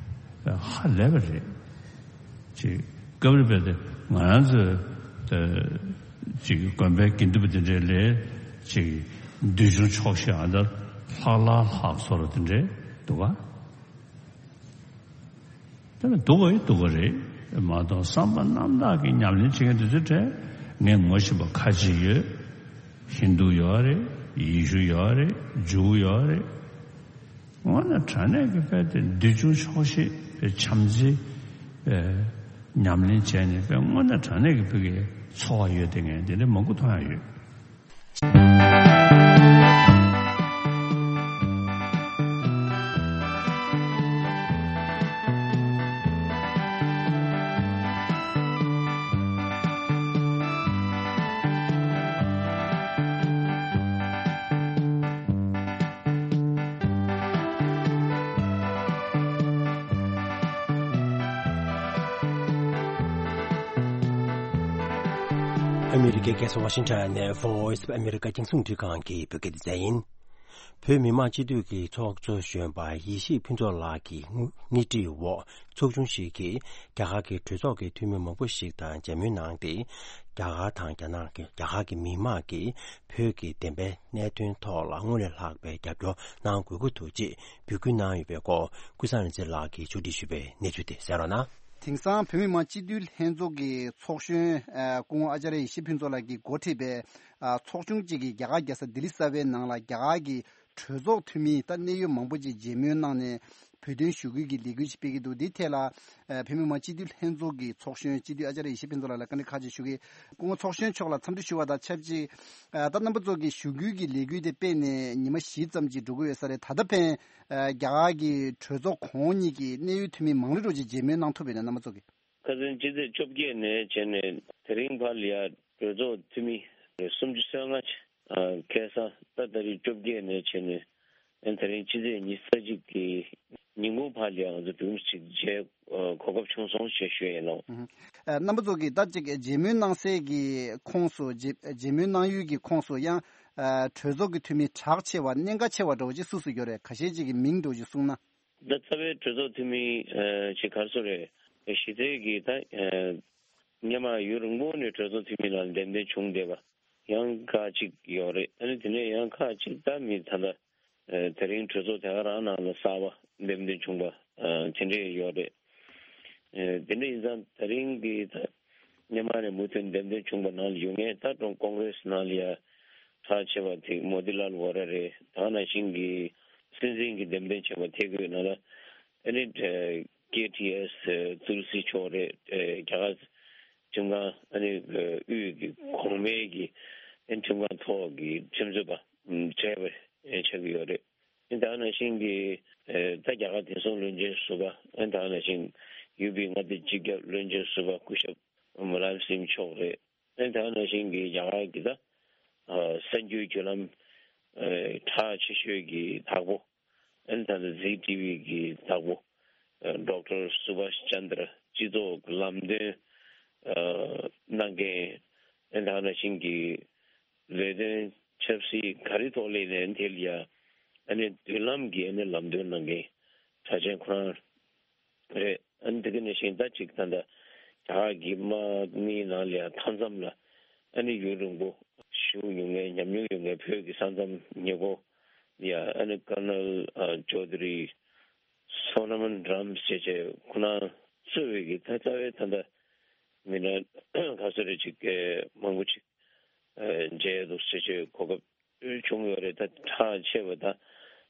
ཧ་ལས་པ་རེད། ཅིག་སྐབས་རེ་བས་ཏེ་ང་རང་ཚོའི་ཏེ་ཅིག་དགོན་པའི་དགེ་འདུན་པ་དེ་འདྲའི་ལས་ཅིག་འདོད་ཆུང་ཆོག་ཤེས་ཨ་ད་ལྷག་ལྷག་ལྷག་བཟོ་འདྲ་དེ་འདྲའི་འདུག་ག། དེ་ནི་འདུག་ག་ཡི་འདུག་ག་རེད་མ་གཏོགས་བསམ་པ་རྣམ་དག་གི་ཉམས་ལེན་བྱེད་མཁན་དེ་ཚོའི་གྲས་ངས་ངོ་ཤེས་པ་ཁ་ཅིག་ཡོད། ཧིན་རྡུ་ཡོད་རེད། ཡེ་ཤུ་ཡོད་རེད། ཇུའུ་ཡོད་རེད། དངོས་གནས་དྲང་གནས་ཀྱི་དཔེ་དེ་འདོད་ཆུང་ཆོག་ཤེས་དཔེ་བྱམས་བརྩེ་དཔེ་ཉམས་ལེན་བྱས་ནས་དཔེ་དངོས་གནས་དྲང་གནས་ཀྱི་ཕ་གིའི་འཚོ་བ་ཡོད་དེ་ངས་དེ་འདྲ་མང་པོ་མཐོང་ཡ་ཡོད། ཨ་མི་རི་ཀའི་རྒྱལ་ས་ཝ་ཤིང་ཊོན་ནས་Voice of America རྒྱང་སྲིང་འཕྲིན་ཁང་གི་བོད་སྐད་སྡེ་ཚན་ཡིན། བོད་མི་མང་སྤྱི་འཐུས་ཀྱི་ཚོགས་གཙོ་གཞོན་པ་ཡེ་ཤེས་ཕུན་ཚོགས་ལགས་ཀྱི་སྣེ་ཁྲིད་འོག་ཚོགས་ཆུང་ཞིག་གིས་རྒྱ་གར་གྱི་གྲོས་ཚོགས་ཀྱི་འཐུས་མི་མང་པོ་ཞིག་དང་མཇལ་མོལ་གནང་སྟེ། རྒྱ་གར་དང་རྒྱ་ནག་གི་རྒྱ་གར་གྱི་མི་མང་གིས་བོད་ཀྱི་བདེན་པའི་གནད་དོན་ཐོག་ལ་སྔར་ལས་ལྷག་པའི་རྒྱབ་སྐྱོར་གནང་དགོས་ཀྱི་འདུག་ཅེས་འབོད་སྐུལ་གནང་ཡོད་པའི་སྐོར། ཀུན་བཟང་རིག་འཛིན་ལགས་ཀྱིས་ཕྱོགས་སྒྲིག་ཞུས་པའི་གནས་ཚུལ་དེ་གསན་རོགས་གནང་། དེང་སང་བོད་མི་མང་སྤྱི་འཐུས་ལྷན་ཚོགས་ཀྱི་ཚོགས་གཞོན་ཨ་སྐུ་ངོ་ཨ་ཅཱརྱ་ཡེ་ཤེས་ཕུན་ཚོགས་ལགས་ཀྱིས་འགོ་ཁྲིད་པའི་ཨ་ཚོགས་ཆུང་གཅིག་གིས་རྒྱ་གར་རྒྱལ་ས་ལྡི་ལི་གསར་པའི་ནང་ལ་རྒྱ་གར་གྱི་གྲོས་ཚོགས་འཐུས་མི་ད་གནད་ཡོད་མང་པོ་ཅིག་མཇལ་མོལ་གནང་ནས་བོད་དོན་ཞུ་སྐུལ་གྱི་ལས་འགུལ་ཞིག་སྤེལ་གྱི་འདུག་འདི་ཐད་ལ་ཨ་བོད་མི་མང་སྤྱི་འཐུས་ལྷན་ཚོགས་ཀྱི་ཚོགས་གཞོན་སྤྱི་འཐུས་ཨ་ཅཱརྱ་ཡེ་ཤེས་ཕུན་ཚོགས་ལགས་ལ་བཀའ་འདྲི་ཁག་ཅིག་ཞུ་གི། སྐུ་ངོ་ཚོགས་གཞོན་མཆོག་ལ་འཚམས་འདྲི་ཞུ་བ་དང་ཆབས་ཅིག་ཨ་ད་རྣམ་པ་ཚོ་གི་ཞུ་སྐུལ་གྱི་ལས་འགུལ་དེ་སྤེལ་ནས་ཉི་མ་བཞི་ཙམ་ཅིག་འགྲོ་གི་ཡོད་ས་རེད། ད་ལྟ་ཕན། ཨ་རྒྱ་གར་གྱི་གྲོས་ཚོགས་གོང་འོག་གཉིས་ཀྱི་གནད་ཡོད་འཐུས་མི་མང་རུ་རུ་ཅིག་མཇལ་མོལ་གནང་ཐུབ་པ་ཡིན་ན་རྣམ་པ་ཚོ་གི། ཁ་སང་སྤྱི་ཚེས་བཅོ་བརྒྱད་ནས་བྱས་ནས་དེ་རིང་བར་ལ་ཡ་གྲོས་ཚོགས་འཐུས་མི་སུམ་ཅུ་སོ་ལྔ་ཁ་སང་ད་ད་རེས་བཅོ་བརྒྱད་ནས་བྱས་ནས་དེ་རིང་སྤྱི་ཚེས་ཉི་ཤུ་རྩ་གཅིག་གི་ཉིན་གུང་བར་ལ་ཡ་ང་ཚོ་གྲོས་མོལ་ཅིག་བྱས་གོ་སྐབས་བྱུང་སོང་ཞེས་ཞུ་ཡིན་ལོ། ཨ་རྣམ་པ་ཚོ་གིས་ད་ཅིག་མཇལ་མོལ་གནང་སའི་གི་ཁོངས་སུ་མཇལ་མཇལ་མོལ་གནང་ཡུལ་གྱི་ཁོངས་སུ་ཡང་ཨ་གྲོས་ཚོགས་ཀྱི་འཐུས་མི་གྲགས་ཆེ་བ་གནད་འགག་ཆེ་བ་འདྲ་བོ་ཅིག་སུ་སུ་ཡོད་རེད། ཁ་ཤས་ཅིག་གི་མིང་འདྲ་བོ་ཅིག་གསུངས་ན། ད་རྩ་བའི་གྲོས་ཚོགས་འཐུས་མི་ཨ་ཅིག་ག་རེ་ཟེར་རེད། གཞི་རྩའི་གི་ད་ཨ་སྔོན་མ་ཡུན་རིང་པོ་ནས་གྲོས་ཚོགས་འཐུས་མི་ནང་འདེམས་ཐོན་བྱུང་བསྡད་པ་ཡང་ཁག་ཅིག་ཡོད་རེད། ཨ་ནི་དེ་ནས་ཡང་ཁག་ཅིག་ད་མི་ད་ལྟ་ཨ་དེ་རིང་གྲོས་ཚོགས་དེ་ག་རང་ནང་ལ་གསར་པ་འདེམས་ཐོན་བྱུང་བ་ཨ་དེ་འདྲས་ཡོད་རེད། ཨ་དེ་འདྲ་ཡིན་ཙང་དེ་རིང་གི་ད་སྔོན་མ་ནས་མུ་མཐུད་འདེམས་ཐོན་བྱུང་བ་ནང་ལ་ཡོད་མཁན་ད་ཀྲུང་ཀོང་ཀྲེས་ནང་ལ་ཡ་གྲགས་ཆེ་བ་དེ་མོ་ཏི་ལཱལ་ཝོ་ར་རེད། ད་ག་ནང་བཞིན་གྱི་སྲིད་འཛིན་གྱི་འདེམས་ཐོན་བྱས་པ་དེ་གི་ནང་ལ་ཨ་ནི་ཀེ་ཐི་ཨེས་ཏུལ་སི་མཆོག་རེད། རྒྱ་གར་ཁྲིམས་ཁང་ཨ་ནི་དབུས་ཀྱི་གོང་མའི་གི་ཨ་ནི་ཁྲིམས་ཁང་ཐོག་གི་ཁྲིམས་རྩོད་པ་བྱས་པ་ཆགས་ཀྱི་ཡོད་རེད། ཨ་ནི་ད་ག་ནང་བཞིན་གྱི་ད་རྒྱ་གར་བདེ་སྲུང་བློན་ཆེན་ཟུར་པ་ཨ་ནི་ད་ག་ནང་བཞིན་ཡུ་པི་མངའ་སྡེ་སྤྱི་ཁྱབ་བློན་ཆེན་ཟུར་པ་སྐུ་ཞབས་མུ་ལ་ཡམ་སིང་མཆོག་རེད། ཨ་ནི་ད་ག་ནང་བཞིན་གྱི་རྒྱ་གར་གྱི་ད་གསར་འགྱུར་བརྒྱུད་ལམ་གྲགས་ཆེ་ཤོས་ཀྱི་བདག་པོ་ཨ་ནི་ད་ལྟ་ཟི་ཊི་ཝི་གི་བདག་པོ་ཌོག་ཊར་སུ་བྷཱཤ་ཅན་དྲ་སྤྱི་ཚོགས་ཀྱི་ལམ་སྟོན་གནང་མཁན་ཨ་ནི་ད་ག་ནང་བཞིན་གྱི་ལས་དོན་ཆབ་སྲིད་ག་རེ་ཐོག་སླེབས་ནའི་དེ་ལ་ཡ་ཨ་ནི་མདུན་ལམ་གྱི་ཨ་ནི་ལམ་སྟོན་གནང་མཁན་གྲགས་ཅན་ཁོ་རང་རེད། ཨ་ནི་དེ་ག་ནང་བཞིན་ད་ཅིག་ད་ལྟ་རྒྱ་གར་གྱི་དམག་མིའི་ནང་ལ་ཡང་མཐའ་མཚམས་ལ་ཨ་ནི་ཡུན་རིང་པོ་བཞུགས་མྱོང་མཁན་ཉམས་མྱོང་ཡོད་མཁན་བོད་ཀྱི་ས་མཚམས་ཉེ་འཁོར་ལ་ཡང་ཨ་ནི་ཀར་ནལ་ཨ་ཅོ་དྷི་རི་སོ་ན་མན་རམ་ཞེས་བྱས་ཁོ་རང་གཙོས་པའི་གི་ད་རྩ་བའི་ད་ལྟ་མི་སྣ་ག་ཚོད་རེ་ཅིག་མང་པོ་ཅིག་མཇལ་འདུག་ཞེས་བྱས་གོ་སྐབས་བྱུང་ཡོད་རེད། ད་གྲགས་ཆེ་བ་ད་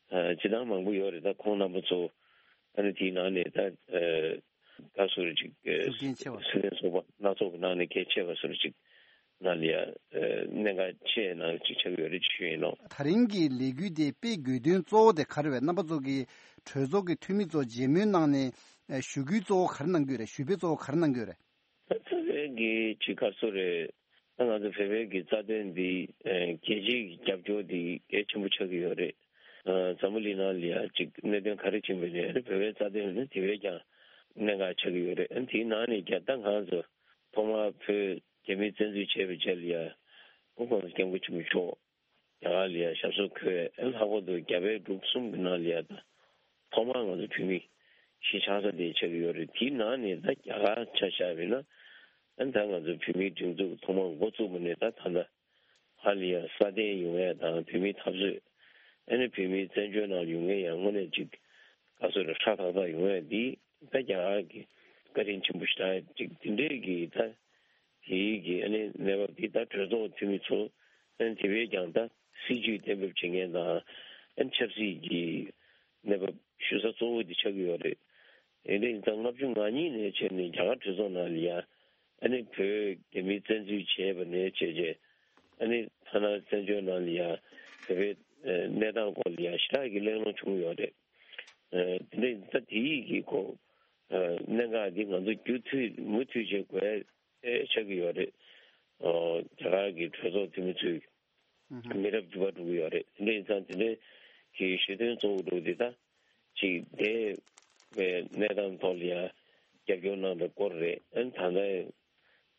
སྤྱི་བཏང་མང་པོ་ཡོད་རེད། ད་ཁོང་རྣམ་པ་ཚོ་ཨ་ནི་དེའི་ནང་ནས་ད་ག་ཟེར་ཅིག་ཤུགས་རྐྱེན་ཆེ་བ། སེམས་ཚོགས་པ་སྣ་ཚོགས་ཀྱི་ནང་ནས་གལ་ཆེ་བ་ཟེར་ཅིག་ནང་ལ་ཡ་གནད་འགག་ཆེ་ནང་ཅིག་ཆགས་ཡོད་རེད་ཅེས་ཞུ་ཡིན་ནོ། ད་རིང་གི་ལས་འགུལ་དེ་སྤེལ་དགོས་དོན་གཙོ་བོ་དེ་ག་རེ་རེད། རྣམ་པ་ཚོ་གི་གྲོས་ཚོགས་ཀྱི་འཐུས་མི་ཚོ་མཇལ་མོལ་གནང་ནས་ཞུ་སྐུལ་གཙོ་བོ་ག་རེ་གནང་གི་ཡོད་རེད། ཞུ་འབོད་གཙོ་བོ་ག་རེ་གནང་གི་ཡོད་རེད། ད་ལྟ་བའི་གི་ཅིག་ག་ཚོད་རེད། ད་ང་ཚོ་བོད་པའི་གི་རྩ་དོན་འདི་ཨ་རྒྱལ་སྤྱིའི་རྒྱབ་སྐྱོར་འདི་གལ་ཆེན་པོ་ཆགས་ཀྱི་ཡོད་རེད། ཨ་འཛམ་བུ་གླིང་ནང་ལ་ཡ་ཅིག་གནད་དོན་ག་རེ་ཕྱིན་པ་ཡིན་ནའི་བོད་པའི་རྩ་དོན་ནི་དེ་བས་ཀྱང་གནད་འགག་ཆགས་ཀྱི་ཡོད་རེད། ཨ་དེའི་ནང་ནས་ཀྱང་ད་ང་ཚོ་ཐོག་མར་བོད་རྒྱ་མིས་བཙན་འཛུལ་བྱས་པའི་རྗེས་ལ་ཡ་སྐུ་ཁམས་སྐྱབས་མགོན་ཆེན་པོ་མཆོག་རྒྱ་གར་ལ་ཡ་ཞབས་སོར་འཁོད། ཨ་ལྷག་པར་དུ་རྒྱ་བལ་འབྲུག་གསུམ་གྱི་ནང་ལ་ཡ་ད་ཐོག་མར་ང་ཚོ་བོད་མི་གཞིས་ཆགས་ས་དེ་ཆགས་ཀྱི་ཡོད་རེད། དེའི་ནང་ནས་ད་རྒྱ་གར་ཆ་བཞག་པ་ཡིན་ན་ཨ་ད་ང་ཚོ་བོད་མིའི་སྒྲིག་འཛུགས་ཐོག་མར་འགོ་བཙུགས་པ་ནས་ད་ད་ལྟ་ཧ་ལས་ཡ་སྲ་བརྟན་ཡོང་ཡ་དང་བོད་མིའི་འཐབ་རྩོད་ཨ་ནི་བོད་མིའི་བཙན་བྱོལ་ནང་ཡོང་མཁན་ཡང་དངོས་གནས་ཅིག་ག་ཚོད་རེ་ཧྲ་ཐག་ཐག་ཡོང་ཡ་འདི་ད་རྒྱ་གར་གྱི་བཀའ་དྲིན་ཆེན་པོ་ཞེ་དྲག་ཅིག་དེ་འདྲས་ཀྱི་ད་དེའི་གི་ཨ་ནི་གནས་བབ་འདི་ད་གྲོས་ཚོགས་འཐུས་མི་ཚོ་ཨ་ནི་དེ་བས་ཀྱང་ད་སྲིད་ཇུས་གཏན་འབེབས་བྱེད་མཁན་དང་ཨ་ནི་ཆབ་སྲིད་ཀྱི་གནས་བབ་ཞུ་ས་གཙོ་བོ་འདི་ཆགས་ཀྱི་ཡོད་རེད། དེ་འདྲ་ཡིན་ཙང་ལྔ་བཅུ་ང་གཉིས་ནས་བྱས་ནས་རྒྱ་གར་གྲོས་ཚོགས་ནང་ལ་ཡ་ཨ་ནི་བོད་རྒྱ་མིས་བཙན་འཛུལ་བྱས་པ་ནས་བྱས་རྗེས་ཨ་ནི་ཐ་ན་བཙན་བྱོལ་ནང་ལ་ཡ་བོད་པའི་གནས་སྟངས་སྐོར་ལ་ཡ་ཞེ་དྲག་གི་གླེང་སློང་བྱུང་ཡོད་རེད། དེ་འདྲ་ཡིན་ཙང་དེ་ཡིས་ཀྱི་གོ་གནད་འགག་འདི་ང་ཚོ་རྒྱུན་མཐུད་མུ་མཐུད་བྱེད་དགོས་ཆགས་ཀྱི་ཡོད་རེད། རྒྱ་གར་གྱི་གྲོས་ཚོགས་འཐུས་མི་ཚོས་མི་རབས་འགྱུར་བ་འགྲོ་གི་ཡོད་རེད། དེ་འདྲ་ཡིན་ཙང་དེ་འདྲའི་གི་ཞུ་དོན་གཙོ་བོ་འགྲོ་འདི་ད་ཅིག་འདས་པའི་གནས་སྟངས་ཐོག་ལ་ཡང་རྒྱབ་སྐྱོར་གནང་བའི་སྐོར་རེད། ཨ་ནི་ད་ལྟ་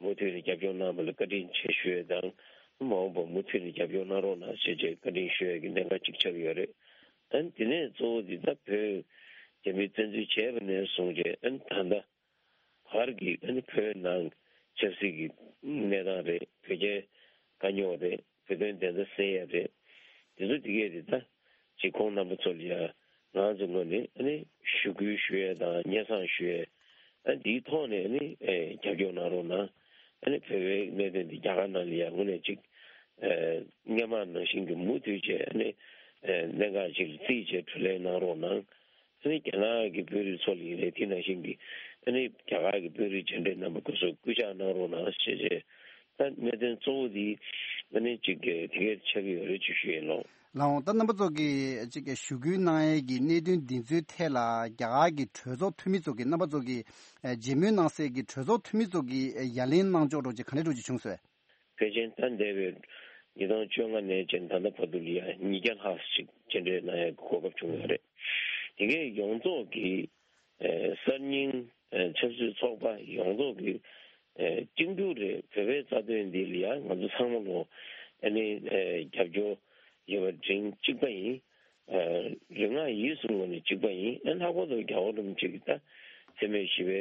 མུ་མཐུད་ནས་རྒྱབ་སྐྱོར་གནང་བ་ལ་བཀའ་དྲིན་ཆེ་ཞུ་ཡས་དང་ མ་འོངས་པ་མུ་མཐུད་ནས་རྒྱབ་སྐྱོར་གནང་རོགས་གནང་ཞེས་བཅས་བཀའ་དྲིན་ཞུ་ཡས་ཀྱི་གནད་འགག་ཅིག་ཆགས་ཀྱི་ཡོད་རེད། ཨ་ནི་དེ་ནས་གཙོ་བོ་འདི་ད་བོད་རྒྱ་མིས་བཙན་འཛུལ་བྱས་པ་ནས་བཟུང་བྱས་ཨ་ནི་ད་ལྟ་བར་གྱི་ཨ་ནི་བོད་ནང་ཆབ་སྲིད་ཀྱི་གནས་སྟངས་རེད། བོད་རྒྱའི་དཀའ་རྙོག་རེད། བོད་དོན་བདེན་མཐའ་གསལ་ཡས་རེད། དེ་ཚོ་དེ་གས་རེད། ད་ཅིག་ཁོང་རྣམ་པ་ཚོ་ལ་ཡ་ང་ཚོ་ངོས་ནས་ཨ་ནི་ཞུ་སྐུལ་ཞུ་ཡས་དང་སྙན་སེང་ཞུ་ཡས། ཨ་འདིའི་ཐོག་ནས་ཨ་ནི་ཨེ་རྒྱབ་སྐྱོར་གནང་རོགས་གནང་། ཨ་ནི་བོད་པའི་གནད་དོན་འདི་རྒྱ་གར་ནང་ལ་ཡ་དངོས་གནས་ཅིག་ཨེ་སྔོན་མ་ནང་བཞིན་གྱི་མུ་མཐུད་བྱས་ཨ་ནི་ཨེ་གནད་འགག་ཅིག་ལ་བརྩིས་བྱས་གྲོས་གླེང་གནང་རོགས་གནང་། ཨ་ནི་རྒྱ་ནག་གི་དཔོན་རིགས་ཚོ་ལ་ཡིན་ནའི་དེ་ནང་བཞིན་གྱི་ཨ་ནི་རྒྱ་གར་གྱི་དཔོན་རིགས་མཇལ་འཕྲད་གནང་བ་སྐབས་སུ་སྐུལ་ལྕག་གནང་རོགས་གནང་ཞེས་བྱས། ད་གནད་དོན་གཙོ་བོ་འདི་ཨ་ནི་ཅིག་གི་དེ་གས་ཆགས་ཀྱི་ཡོད་རེད་ཅེས་ཞུ་ཡིན་ལོ། ལགས་འོང་། ད་རྣམ་པ་ཚོ་གིས་ཅིག་གི་ཞུ་སྐུལ་གནང་ཡས་ཀྱི་གནད་དོན་འདི་ཚོའི་ཐད་ལ་རྒྱ་གར་གྱི་གྲོས་ཚོགས་འཐུས་མི་ཚོ་གིས་རྣམ་པ་ཚོ་གིས་ཨ་མཇལ་མོལ་གནང་སའི་གི་གྲོས་ཚོགས་འཐུས་མི་ཚོ་གིས་ཨ་ཡ་ལན་གནང་ཕྱོགས་འདྲ་ཅིག་ག་འདྲ་འདྲ་ཅིག་བྱུང་སོང་། ཕལ་ཆེར་ད་འདས་པའི་ཉིས་སྟོང་བཅོ་ལྔ་ནས་བྱས་ད་ལྟ་བར་དུ་ལ་ཡ་ཉིས་བརྒྱ་ལྷག་ཅིག་མཇལ་འཕྲད་གནང་ཡ་གི་གོ་སྐབས་བྱུང་ཡོད་རེད། དེ་གས་ཡོངས་རྫོགས་ཀྱི་ཨེ་གསར་རྙིང་ཨེ་ཆབ་སྲིད་ཚོགས་པ་ཡོངས་རྫོགས་ཀྱི་ཨེ་གཅིག་གྱུར་རེད། བོད་པའི་རྩ་དོན་འདི་ལ་ཡ་ང་ཚོ་ཚང་མ་ལོ་ཨ་ནི་ཨེ་རྒྱབ་སྐྱོར་ཡོད་པ་འདྲ་གཅིག་པ་ཡིན། ཨ་རིག་སྔགས་ཡིད་གསུམ་ངོས་ནས་གཅིག་པ་ཡིན། ཨ་ལྷག་པར་དུ་རྒྱལ་བ་རིན་པོ་ཆེ་གི་ད་འཚེ་མེད་ཞི་བའི་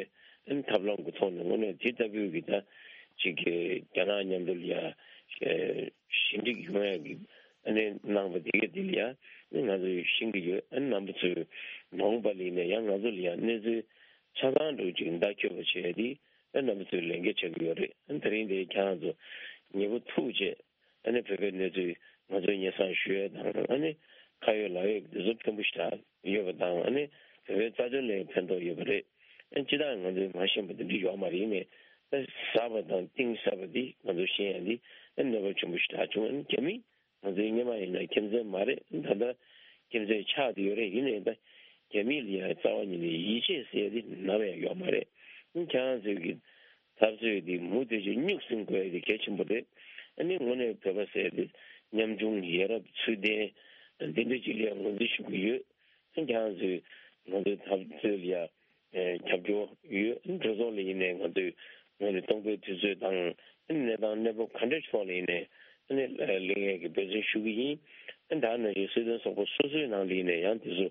ཨ་ཐབས་ལམ་གྱི་ཐོག་ནས་དངོས་གནས་དེ་ལྟ་བུའི་གི་ད་ཅིག་གི་རྒྱ་ནག་མཉམ་དུ་ལ་ཡ་ཞི་འགྲིག་ཡོང་ཡ་གི་ཨ་ནི་གནང་བ་དེ་གས་དེ་ལ་ཡ་ཨ་ང་ཚོས་ཤེས་ཀྱི་ཡོད། ཨ་རྣམ་པ་ཚོས་མ་འོངས་པ་ལ་ཡིན་ན་ཡང་ང་ཚོ་ལ་ཡ་གནས་ཚུལ་ཆ་ཚང་འདྲ་ཅིག་བརྡ་འཁྱོལ་བ་བྱས་ཏེ་ཨ་རྣམ་པ་ཚོས་ལས་འགན་བྱེད་ཀྱི་ཡོད་རེད། ཨ་དེ་རིང་དེ་ཁྱེད་རང་ཚོ་ཉེ་པོ་ཐུག་བྱས། ཨ་ནི་བོད་པའི་གནས་ཚུལ་ང་ཚོའི་སྙན་སེང་ཞུ་ཡས་དང་ཨ་ནི་ཁ་ཡོད་ལག་ཡོད་འདི་ཚོ་ཕན་པོ་ཞེ་དྲག་ཡོད་པ་དང་ཨ་ནི་བོད་པའི་རྩ་དོན་ལ་ཕན་ཐོགས་ཡོད་པ་རེད། ཨ་ནི་སྤྱིར་བཏང་ང་ཚོས་མ་ཤེས་པ་འདི་འདྲ་ཡོད་མ་རེད། ཡིན་ནའི་ཨ་ཟབ་པ་དང་གཏིང་ཟབ་པ་འདི་ང་ཚོ་ཤེས་ཡ་འདི་ཨ་ནི་གནོད་པ་ཆེན་པོ་ཞེ་དྲག་བྱུང་། ཨ་ནི་རྒྱ་མི་ང་ཚོའི་སྔོན་མ་ཡིན་ན་ཁྱིམ་མཚེས་མ་རེད། ད་ལྟ་ཁྱིམ་མཚེས་ཆགས་བསྡད་ཡོད་རེད། ཡིན་ནའི་ད་རྒྱ་མི་ལ་ཡ་རྩ་བ་ཉིད་ནས་ཡིད་ཆེས་ཟེར་ཡ་འདི་ནམ་ཡང་ཡོད་མ་རེད། ཨ་ནི་ཁྱེད་རང་ཚོས་ཀྱི་འཐབ་རྩོད་འདི་མུ་མཐུད་ཀྱིས་སྙུག་ཟིང་དགོས་ཡ་དེ་གལ་ཆེན་པོ་རེད། ཨ་ནི་དངོས་གནས་བོད་པ་ཟེར་དེ་ཉམ་ཆུང་ཡ་རབས་ཚུལ་ལྡན་འདི་འདྲ་ཅིག་ལ་ངོས་འཛིན་ཞུ་གི་ཡོད། ཨ་ནི་ཁྱེད་རང་ཚོས་ང་ཚོའི་འཐབ་རྩོད་ལ་ཡ་ཨེ་རྒྱབ་སྐྱོར་ཡོད། ཨ་ནི་གྲོས་ཚོགས་ལ་ཡིན་ནའི་ང་ཚོས་ངོས་ནས་སྟོང་པའི་དུས་ཚོད་དང་ཨ་ནི་གནས་སྟངས་གནས་བབ་ག་འདྲ་ཕྱོགས་ལ་ཡིན་ནའི་ཨ་ནི་ལེན་ཡས་ཀྱི་འབད་བརྩོན་ཞུ་གི་ཡིན། ཨ་ནི་ད་ནང་བཞིན་སྲིད་དོན་ཚོགས་པ་སོ་སོའི་ནང་ལ་ཡིན་ནའི་ཡང་དེ་ཚོ་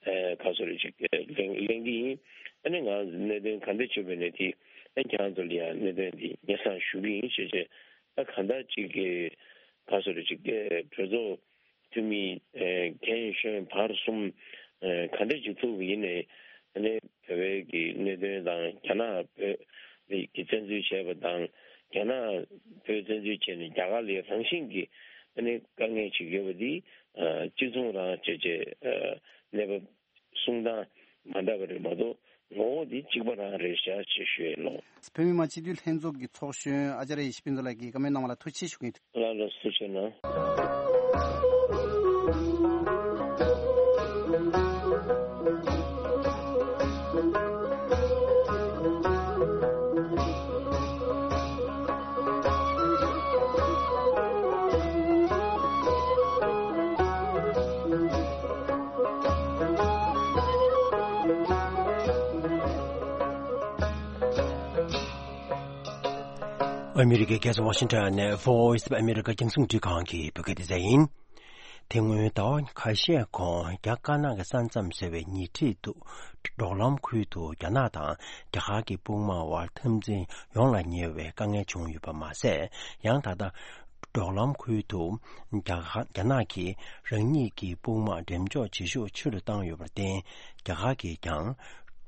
ཨེ་ག་སོ་རེ་ཅིག་ལེན་ལེན་གི་ཡིན། ཨ་ནི་ང་གནད་དོན་ག་འདྲ་བྱུང་བ་ཡིན་ནའི་དེ་ཨ་ནི་ཁྱེད་རང་ཚོ་ལ་ཡང་གནད་དོན་འདི་སྙན་སེང་ཞུ་གི་ཡིན་ཞེས་བྱས། ཨ་གང་ལྟར་ཅིག་གི་ག་སོ་རེ་ཅིག་གི་གྲོས་ཚོགས་འཐུས་མི་ཨེ་རྒན་གཞོན་བར་གསུམ་ཨེ་ག་འདྲ་ཅིག་ཐུག་པ་ཡིན་ནའི་ཨ་ནི་བོད་པའི་གི་གནད་དོན་དང་རྒྱ་ནག་བོད་ཀྱི་བཙན་འཛུལ་བྱས་པ་དང་རྒྱ་ནག་བོད་བཙན་འཛུལ་བྱས་ནས་རྒྱ་གར་ལ་རང་བཞིན་གྱི་ཨ་ནི་དཀའ་ངལ་ཅིག་ཡོད་པ་འདི་ཨ་གཅིག་མཚུངས་རང་བྱས་བྱས་ཨ་གནས་བབ་གསུང་སྟངས་མ་འདྲ་བ་རེད་མ་གཏོགས་ངོ་བོ་འདི་གཅིག་པ་རང་རེད་ཤག་ཅེས་ཞུ་ཡས་ལོ། བོད་མི་མང་སྤྱི་འཐུས་ལྷན་ཚོགས་ཀྱི་ཚོགས་གཞོན་ཨ་ཅཱརྱ་ཡེ་ཤེས་ཕུན་ཚོགས་ལགས་ཀྱིས་བཀའ་མོལ་གནང་བ་ལ་ཐུགས་རྗེ་ཆེ་ཞུ་གི་ཡིན། ལགས་ལགས་སུ་བྱས་ན། ཨ་མི་རི་ཀའི་རྒྱལ་ས་ཝ་ཤིང་ཊོན་ནས་Voice of America རྒྱང་སྲིང་འཕྲིན་ཁང་གི་བོད་སྐད་སྡེ་ཚན་ཡིན། དེ་སྔོན་ཟླ་བ་ཁ་ཤས་གོང་རྒྱ་དཀར་ནག་གི་ས་མཚམས་ཟེར་བའི་ཉེ་འཁྲིས་དུ་འབྲོག་ལམ་ཁུལ་དུ་རྒྱ་ནག་དང་རྒྱ་གར་གྱི་དཔུང་དམག་དབར་འཐབ་འཛིང་ཡོང་ལ་ཉེ་བའི་དཀའ་ངལ་བྱུང་ཡོད་པ་མ་ཟད། ཡང་ད་ལྟ་འབྲོག་ལམ་ཁུལ་དུ་རྒྱ་གར་རྒྱ་ནག་གིས་རང་ཉིད་ཀྱི་དཔུང་དམག་འགྲེམས་འཇོག་བྱེད་ཤུགས་ཆེ་རུ་བཏང་ཡོད་པར་བརྟེན། རྒྱ་གར་གྱིས་ཀྱང་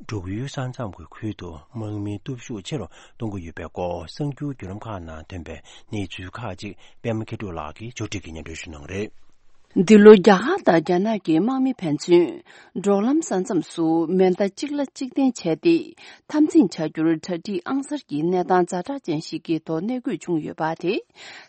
འབྲུག་ཡུལ་ས་མཚམས་ཀྱི་ཁུལ་དུ་དམག་མིའི་སྟོབས་ཤུགས་ཆེ་རུ་གཏོང་གི་ཡོད་པའི་སྐོར་གསར་འགྱུར་བརྒྱུད་ལམ་ཁག་ནང་ཐོན་པའི་གནས་ཚུལ་ཁག་ཅིག་པད་མ་མཁས་གྲུབ་ལགས་ཀྱིས་ཕྱོགས་སྒྲིག་གིས་སྙན་སྒྲོན་ཞུ་གནང་གི་རེད། འདི་ལོ་རྒྱ་གར་དང་རྒྱ་ནག་གི་དམག་མི་ཕན་ཚུན་འབྲོག་ལམ་ས་མཚམས་སུ་མེ་མདའ་གཅིག་ལ་གཅིག་འཐེན་བྱས་ཏེ་འཐབ་འཛིང་བྱ་རྒྱུར་གྲ་སྒྲིག་ཨང་གསར་གྱི་གནས་སྟངས་ཛ་དྲག་ཅན་ཞིག་གི་ཐོག་གནས་འཁོད་བྱུང་ཡོད་པ་དེ།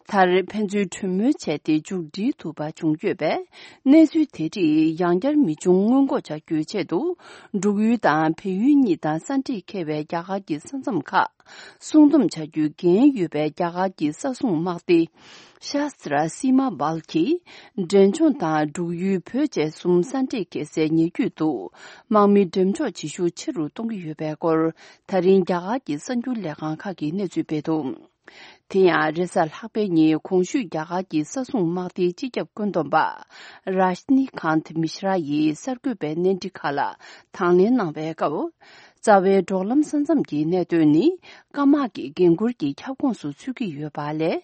མཐར་ཕན་ཚུན་གྲོས་མོལ་བྱས་ཏེ་མཇུག་སྒྲིལ་ཐུབ་པ་བྱུང་ཡོད་པས། གནས་ཚུལ་དེ་རིགས་ཡང་བསྐྱར་མི་འབྱུང་སྔོན་འགོག་བྱ་རྒྱུའི་ཆེད་དུ། འབྲུག་ཡུལ་དང་བལ་ཡུལ་གཉིས་དང་ས་འཁྲིད་འཁེལ་བའི་རྒྱ་གར་གྱི་ས་མཚམས་ཁག་སྲུང་སྡོམ་བྱ་རྒྱུའི་འགན་ཡོད་པའི་རྒྱ་གར་གྱི་ས་སྲུང་དམག་སྡེ། ཤ་སི་ཏྲ་སི་མ་བལ་གྱིས། འབྲས་ལྗོངས་དང་འབྲུག་ཡུལ་བོད་བཅས་གསུམ་ས་འཁྲིད་འཁེལ་སའི་ཉེ་བརྒྱུད་དུ། དམག་མི་འགྲེམས་འཇོག་བྱེད་ཤུགས་ཆེ་རུ་གཏོང་གི་ཡོད་པའི་སྐོར། ད་རིང་རྒྱ་གར་གྱི་གསར་འགྱུར་ལས་ཁང་ཁག་གིས་གནས་ཚུལ་སྤེལ་འདུག་དེ་ཡང་རེས་གཟའ་ལྷག་པའི་ཉིན་གོང་ཞུས་རྒྱ་གར་གྱི་ས་སྲུང་དམག་སྡེའི་སྤྱི་ཁྱབ་བཀོད་འདོམས་པ་རཱཤ་ནི་ཁཱན་ཐི་མི་ཤྲ་ཡིས་གསར་འགོད་པའི་གནས་འདྲི་ཁག་ལ་དང་ལེན་གནང་བའི་སྐབས། རྩ་བའི་འབྲོག་ལམ་ས་མཚམས་ཀྱི་གནད་དོན་ནི་སྐམ་དམག་གི་འགན་འཁུར་གྱི་ཁྱབ་ཁོངས་སུ་ཚུད་ཀྱི་ཡོད་པ་ལས་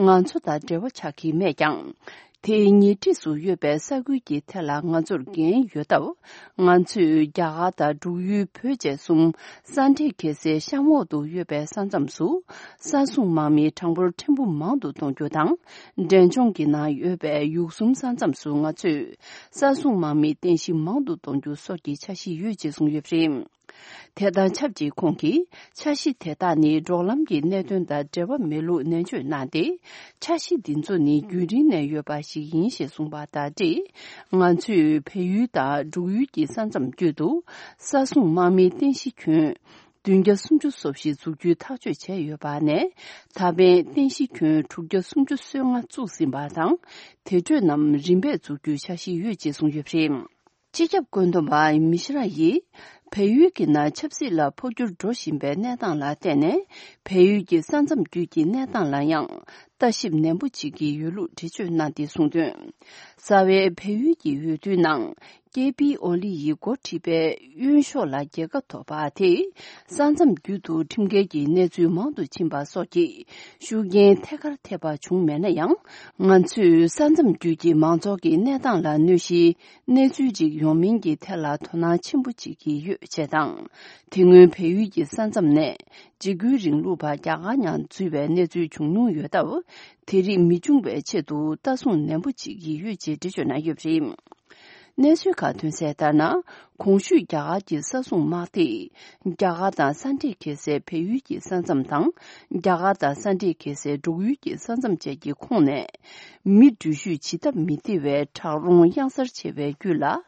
ང་ཚོ་དང་འབྲེལ་བ་ཆགས་ཀྱི་མེད་ཀྱང་། དེའི་ཉེ་འཁྲིས་སུ་ཡོད་པའི་ས་ཁུལ་གྱི་ཐད་ལ་ང་ཚོར་འགན་ཡོད་སྟབས། ང་ཚོས་རྒྱ་གར་དང་འབྲུག་ཡུལ་བོད་བཅས་གསུམ་ས་འདྲེས་འཁེལ་སའི་གཤམ་འོག་ཏུ་ཡོད་པའི་ས་མཚམས་སུ་ས་སྲུང་དམག་མི་གྲངས་འབོར་ཕྲན་བུ་མང་དུ་གཏོང་རྒྱུ་དང་། འབྲས་ལྗོངས་ཀྱི་ནང་ཡོད་པའི་ཡུལ་གསུམ་ས་མཚམས་སུ་ང་ཚོས་ས་སྲུང་དམག་མིའི་རྟེན་གཞི་མང་དུ་གཏོང་རྒྱུ་སོགས་ཀྱི་འཆར་གཞི་ཡོད་ཅེས་གསུངས་ཡོད་པ་རེད། དེ་དང་ཆབས་ཅིག་ཁོང་གིས་འཆར་གཞི་དེ་དག་ནི་འབྲོག་ལམ་གྱི་གནད་དོན་དང་འབྲེལ་བ་མེད་ལུགས་ནན་བརྗོད་གནང་སྟེ། འཆར་གཞི་འདི་ཚོ་ནི་རྒྱུན་རིང་ནས་ཡོད་པ་ཞིག་ཡིན་ཞེས་གསུངས་པ་དང་འབྲེལ། ང་ཚོས་བལ་ཡུལ་དང་འབྲུག་ཡུལ་གྱི་ས་མཚམས་བརྒྱུད་དུ་ས་སྲུང་དམག་མིའི་རྟེན་གཞི་ཁྱོན་བདུན་བརྒྱ་སུམ་ཅུ་སོ་བཞི་འཛུགས་རྒྱུའི་ཐག་གཅོད་བྱས་ཡོད་པ་ནས། ད་ཕན་རྟེན་གཞི་ཁྱོན་དྲུག་བརྒྱ་སུམ་ཅུ་སོ་ལྔ་བཙུགས་ཟིན་པ་དང་། དེ་འཕྲོས་རྣམས་རིམ་པས་འཛུགས་རྒྱུའི་འཆར་གཞི་ཡོད་ཅེས་གསུངས་ཡོད་པ་རེད། སྤྱི་ཁྱབ་བཀོད་འདོམས་པ་མི་ཤ་ར་ཡིས། བལ་ཡུལ་གྱི་ནང་ཆབ་སྲིད་ལ་འཕོ་འགྱུར་འགྲོ་བཞིན་པའི་གནས་སྟངས་ལ་བརྟེན་ནས། བལ་ཡུལ་གྱི་ས་མཚམས་བརྒྱུད་ཀྱི་གནས་སྟངས་ལ་ཡང་ལྟ་ཞིབ་ནན་པོ་བྱེད་ཀྱི་ཡོད་ལུགས་འགྲེལ་བརྗོད་གནང་སྟེ་གསུངས་དོན། རྩ་བའི་བལ་ཡུལ་གྱི་འོས་བསྡུའི་ནང་ཀེ་པི་ཨོ་ལི་ཡིས་འགོ་ཁྲིད་པའི་གཡོན་ཕྱོགས་ལ་རྒྱལ་ཁ་ཐོབ་པ་དེས། ས་མཚམས་བརྒྱུད་དུ་ཁྲིམས་འགལ་གྱི་གནས་ཚུལ་མང་དུ་ཕྱིན་པ་སོགས་ཀྱི་ཤུགས་རྐྱེན་ཐད་ཀར་ཐེབས་པ་བྱུང་མེད་ན་ཡང་། ང་ཚོས་ས་མཚམས་བརྒྱུད་ཀྱི་མང་ཚོགས་ཀྱི་གནས་སྟངས་ལ་གནོད་གཞིའི་གནས་ཚུལ་ཅིག་ཡོང་མིན་གྱི་ཐད་ལ་དོ་སྣང་ཆེན་པོ་བྱེད་ཀྱི་ཡོད་ཅེས་དང་། དེ་སྔོན་བལ་ཡུལ་གྱི་ས་མཚམས་ནས་འཇིགས་སྐུལ་རིང་ལུགས་པ་རྒྱ་གར་ནང་འཛུལ་བའི་གནས་ཚུལ་བྱུང་མྱོང་ཡོད་སྟབས། དེ་རིགས་མི་འབྱུང་བའི་ཆེད་དུ་ལྟ་སྲུང་ནན་པོ་བྱེད་ཀྱི་ཡོད་ཅེས་འགྲེལ་བརྗོད་གནང་ཡོད་པ་རེད། གནས་ཚུལ་ཁག་ཐོན་གསལ་ལྟར་ན། གོང་ཞུས་རྒྱ་གར་གྱི་ས་སྲུང་དམག་སྡེས། རྒྱ་གར་དང་ས་འདྲེས་འཁེལ་སའི་བལ་ཡུལ་གྱི་ས་མཚམས་དང་། རྒྱ་གར་དང་ས་འདྲེས་འཁེལ་སའི་འབྲུག་ཡུལ་གྱི་ས་མཚམས་བཅས་ཀྱི་ཁོངས་ནས། མི་འགྲུལ་བཞུད་བྱེད་ཐབས་མི་བདེ་བའི་བྲག་རོང་གཡང་གཟར་ཆེ་བའི་རྒྱུད་ལ།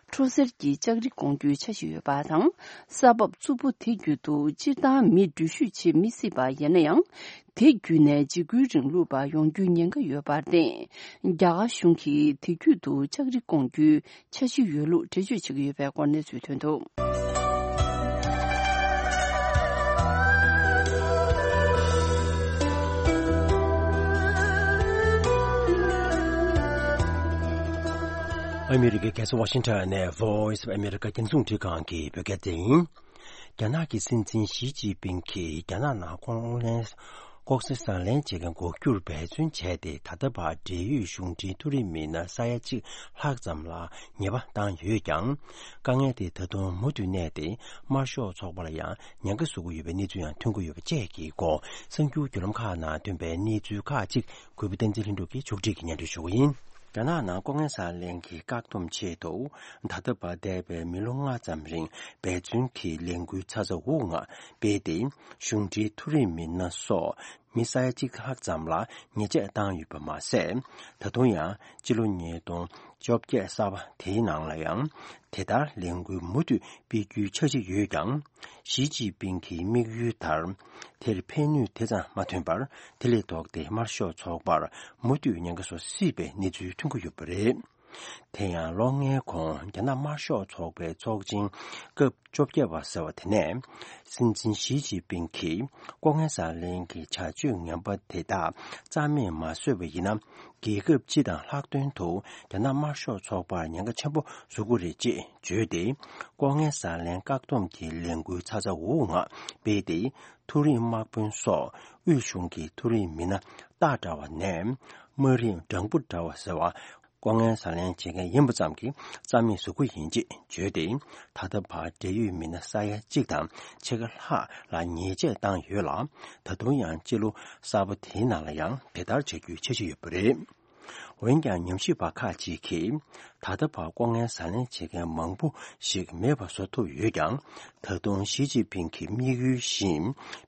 འཕྲོ་སེལ་གྱི་ལྕགས་རི་སྐོང་རྒྱུའི་འཆར་གཞི་ཡོད་པ་དང་། ས་བབ་རྩུབ་པོ་དེ་བརྒྱུད་དུ་སྤྱིར་བཏང་མི་འགྲུལ་བཞུད་བྱེད་མི་སྲིད་པ་ཡིན་ན་ཡང་། དེ་བརྒྱུད་ནས་འཇིགས་སྐུལ་རིང་ལུགས་པ་ཡོང་རྒྱུའི་ཉེན་ཁ་ཡོད་པར་བརྟེན། རྒྱ་གར་གཞུང་གིས་དེ་བརྒྱུད་དུ་ལྕགས་རི་སྐོང་རྒྱུའི་འཆར་གཞི་ཡོད་ལུགས་འགྲེལ་བརྗོད་བྱེད་ཀྱི་ཡོད་པའི་སྐོར་གནས་ཚུལ་ཐོན་འདུག། ཨ་མི་རི་ཀའི་རྒྱལ་ས་ཝ་ཤིང་ཊོན་ནས་Voice of America རྒྱང་སྲིང་རླུང་འཕྲིན་ཁང་གི་བོད་སྐད་སྡེ་ཡིན། རྒྱ་ནག་གི་སྲིད་འཛིན་ཞི་ཅིན་ཕིང་གིས་རྒྱ་ནག་ནང་ལྐོག་ལན། ལྐོག་ཟ་ཟ་ལེན་བྱེད་མཁན་འགོག་རྒྱུར་འབད་བརྩོན་བྱས་ཏེ། ད་ལྟ་བར་འབྲེལ་ཡོད་གཞུང་འབྲེལ་མཐོ་རིམ་མི་སྣ་ས་ཡ་གཅིག་ལྷག་ཙམ་ལ་ཉེས་པ་བཏང་ཡོད་ཀྱང་། དཀའ་ངལ་དེ་ད་དུང་མུ་མཐུད་གནས་ཏེ། དམར་ཤོག་ཚོགས་པ་ལ་ཡང་ཉེན་ཁ་བཟོ་གི་ཡོད་པའི་གནས་ཚུལ་ཡང་ཐོན་གྱི་ཡོད་པ་བཅས་ཀྱི་སྐོར། གསར་འགྱུར་བརྒྱུད་ལམ་ཁག་ནང་ཐོན་པའི་གནས་ཚུལ་ཁག་ཅིག་གུས་པ་བསྟན་འཛིན་ལྷུན་གྲུབ་ཀྱིས་ཕྱོགས་སྒྲིག་གིས་སྙན་སྒྲོན་ཞུ་གི་ཡིན། རྒྱ་ནག་ནང་ལྐོག་ལན་ཟ་ལེན་གྱི་བཀག་སྡོམ་ཆེད་དུ། ད་ལྟ་བར་འདས་པའི་མི་ལོ་ལྔ་ཙམ་རིང་འབད་བརྩོན་གྱིས་ལས་འགུལ་ཚ་ཚ་འུར་འུར་ངང་སྤེལ་ཏེ། གཞུང་འབྲེལ་མཐོ་རིམ་མི་སྣ་སོགས་མི་ས་ཡ་གཅིག་ལྷག་ཙམ་ལ་ཉེས་ཆད་བཏང་ཡོད་པ་མ་ཟད། ད་དུང་ཡང་སྤྱི་ལོ་ཉིས་སྟོང་བཅོ་བརྒྱད་གསར་པ་དེའི་ནང་ལ་ཡང་དེ་ལྟར་ལས་འགུལ་མུ་མཐུད་སྤེལ་རྒྱུའི་འཆར་གཞི་ཡོད་ཀྱང་། ཞི་ཅིན་ཕིང་གི་དམིགས་ཡུལ་ལྟར། དེར་ཕན་ནུས་དེ་ཙམ་མ་ཐོན་པར། དེ་ལས་ལྡོག་སྟེ་དམར་ཤོག་ཚོགས་པར་མུ་མཐུད་ཉེན་ཁ་བཟོ་སྲིད་པའི་གནས་ཚུལ་ཐོན་གྱི་ཡོད་པ་རེད། དེ་ཡང་ལོ་ལྔའི་གོང་རྒྱ་ནག་དམར་ཤོག་ཚོགས་པའི་ཚོགས་ཆེན་སྐབས་བཅོ་བརྒྱད་པ་ཟེར་བ་དེ་ནས། སྲིད་འཛིན་ཞི་ཅིན་ཕིང་གིས་ལྐོག་ལན་ཟ་ལེན་གྱི་བྱ་སྤྱོད་ངན་པ་དེ་དག་རྩ་མེད་མ་བཟོས་པ་ཡིན་ན། རྒྱལ་ཁབ་སྤྱི་དང་ལྷག་དོན་དུ་རྒྱ་ནག་དམར་ཤོག་ཚོགས་པར་ཉེན་ཁ་ཆེན་པོ་བཟོ་གི་རེད་ཅེས་བརྗོད་དེ། ལྐོག་ལན་ཟ་ལེན་བཀག་སྡོམ་གྱི་ལས་འགུལ་ཚ་ཚ་འུར་འུར་ངང་སྤེལ་ཏེ། མཐོ་རིམ་དམག་དཔོན་སོགས་དབུས་གཞུང་གི་མཐོ་རིམ་མི་སྣ་སྟག་འདྲ་བ་ནས་དམའ་རིམ་སྦྲང་བུ་འདྲ་བ་ཟེར་བ། ལྐོག་ལན་ཟ་ལེན་བྱེད་མཁན་ཡིན་པ་ཙམ་གྱིས་རྩ་མེད་བཟོ་གི་ཡིན་ཅེས་བརྗོད་དེ། ད་ལྟ་བར་འབྲེལ་ཡོད་མི་སྣ་ས་ཡ་གཅིག་དང་ཕྱེད་ཀ་ལྷག་ལ་ཉེས་ཆད་བཏང་ཡོད་ལ། ད་དུང་ཡང་སྤྱི་ལོ་གསར་པ་དེའི་ནང་ལ་ཡང་དེ་ལྟར་བྱ་རྒྱུའི་འཆར་གཞི་ཡོད་པ་རེད། འོན་ཀྱང་། ཉམས་ཞིབ་པ་ཁག་ཅིག་གིས། ད་ལྟ་བར་ལྐོག་ལན་ཟ་ལེན་བྱེད་མཁན་མང་པོ་ཞིག་མེད་པ་བཟོ་ཐུབ་ཡོད་ཀྱང་། ད་དུང་ཞི་ཅིན་ཕིང་གི་དམིགས་ཡུལ་བཞིན་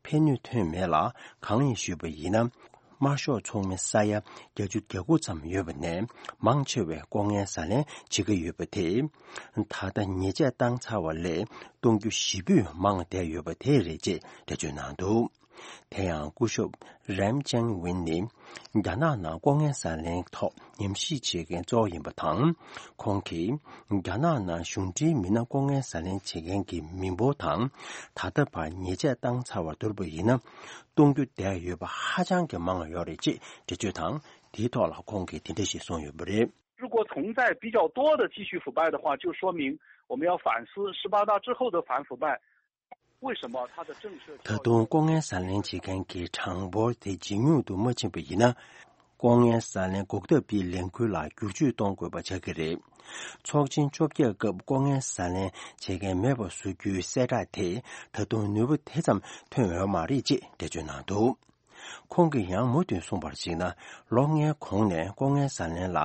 ཕན་ནུས་ཐོན་མེད་ལ། གང་ཡིན་ཞུས་པ་ཡིན་ན། དམར་ཤོག་ཚོགས་མི་ས་ཡ་བརྒྱད་ཅུ་གྱ་དགུ་ཙམ་ཡོད་པ་ནས། མང་ཆེ་བས་ལྐོག་ལན་ཟ་ལེན་བྱེད་ཀྱི་ཡོད་པ་དེ། ད་ལྟ་ཉེས་ཆད་བཏང་ཚར་བ་ལས་གཏོང་རྒྱུ་ཞེ་པོས་མང་བསྡད་ཡོད་པ་དེ་རེད་ཅེས་འགྲེལ་བརྗོད་གནང་འདུག། དེ་ཡང་སྐུ་ཞབས་རེམ་ཅན་ཝིན་ནི་རྒྱ་ནག་ནང་ལྐོག་རྔན་ཟ་ལེན་ཐོག་ཉམས་ཞིབ་བྱེད་མཁན་གཙོ་བོ་ཡིན་པ་དང་། ཁོང་གིས་རྒྱ་ནག་ནང་གཞུང་འབྲེལ་མི་སྣ་ལྐོག་རྔན་ཟ་ལེན་བྱེད་མཁན་གྱི་མི་འབོར་དང་། ད་ལྟ་བར་ཉེས་ཆད་བཏང་ཚར་བ་བསྡུར་བ་ཡིན་ན། གཏོང་རྒྱུ་བསྡད་ཡོད་པ་ཧ་ཅང་གི་མང་བ་ཡོད་རེད་ཅེས་འགྲེལ་བརྗོད་དང་། དེའི་ཐོག་ལ་ཁོང་གིས་དེ་འདྲ་ཞིག་གསུངས་ཡོད་པ་རེད། 如果存在比较多的继续腐败的话，就说明我们要反思十八大之后的反腐败，为什么它的政策 ད་དུང་ལྐོག་རྔན་ཟ་ལེན་བྱེད་མཁན་གྱི་གྲངས་འབོར་དེ་ཇེ་ཉུང་དུ་མ་ཕྱིན་པ་ཡིན་ན། ལྐོག་རྔན་ཟ་ལེན་འགོག་ཐབས་ཀྱི་ལས་འགུལ་ལ་བསྒྱུར་བཅོས་གཏོང་དགོས་པ་ཆགས་ཀྱི་རེད། ཚོགས་ཆེན་བཅོ་བརྒྱད་སྐབས་ལྐོག་རྔན་ཟ་ལེན་བྱེད་མཁན་མེད་པ་བཟོ་རྒྱུའི་གསལ་བསྒྲགས་དེས་ད་དུང་ནུས་པ་དེ་ཙམ་ཐོན་ཡོད་མ་རེད་ཅེས་འགྲེལ་བརྗོད་གནང་འདུག་ཁོང་གིས་ཡང་མུ་མཐུད་གསུངས་པར་གཞིགས་ན། ལོ་ལྔའི་གོང་ནས་ལྐོག་རྔན་ཟ་ལེན་ལ་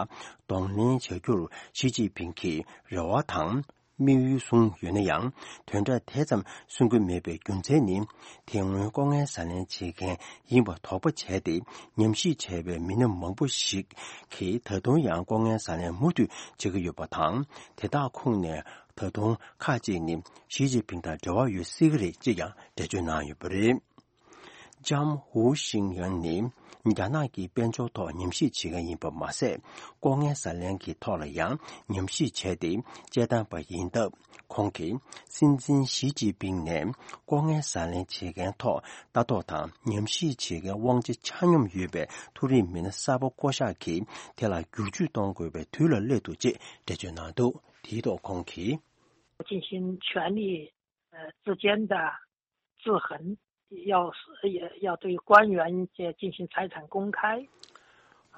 གདོང་ལེན་བྱ་རྒྱུར་ཞི་ཅིན་ཕིང་གིས་རེ་བ་དང་དམིགས་ཡུལ་བཟུང་ཡོད་ན་ཡང་། དོན་དག་དེ་ཙམ་སེལ་གྱི་མེད་པའི་རྒྱུ་མཚན་ནི། དེ་སྔོན་ལྐོག་རྔན་ཟ་ལེན་བྱེད་མཁན་ཡིན་པ་དོགས་པ་བྱས་ཏེ། ཉམས་ཞིབ་བྱས་པའི་མི་སྣ་མང་པོ་ཞིག་གིས་ད་དུང་ཡང་ལྐོག་རྔན་ཟ་ལེན་མུ་མཐུད་བྱེད་ཀྱི་ཡོད་པ་དང་། དེ་དག་ཁོངས་ནས་ད་དུང་ཁག་ཅིག་ནི་ཞི་ཅིན་ཕིང་དང་འབྲེལ་བ་ཡོད་སྲིད་ཀྱི་རེད་ཅེས་ཀྱང་འགྲེལ་བརྗོད་གནང་ཡོད་པ་རེད། ལྕམ་ཧུའུ་ཤིང་ཡང་ནི་རྒྱ་ནག་གི་དཔལ་འབྱོར་ཐོག་ཉམས་ཞིབ་བྱེད་མཁན་ཡིན་པ་མ་ཟད། ལྐོག་རྔན་ཟ་ལེན་གྱི་ཐོག་ལ་ཡང་ཉམས་ཞིབ་བྱས་ཏེ་དཔྱད་བཏང་པ་ཡིན་སྟབས། ཁོང་གིས་སྲིད་འཛིན་ཞི་ཅིན་ཕིང་ནས་ལྐོག་རྔན་ཟ་ལེན་བྱེད་མཁན་ཐོག་ལྟ་རྟོག་དང་ཉམས་ཞིབ་བྱེད་མཁན་དབང་ཆ་ཆ་སྙོམས་ཡོད་པའི་མཐོ་རིམ་མི་སྣ་གསར་པ་བསྐོ་གཞག་གིས་དེ་ལ་བསྒྱུར་བཅོས་གཏོང་དགོས་པའི་དུས་ལ་སླེབས་འདུག་ཅེས་འགྲེལ་བརྗོད་གནང་འདུག་དེའི་ཐོག་ཁོང་གིས། 进行权力呃之间的制衡，要要对官员进行财产公开。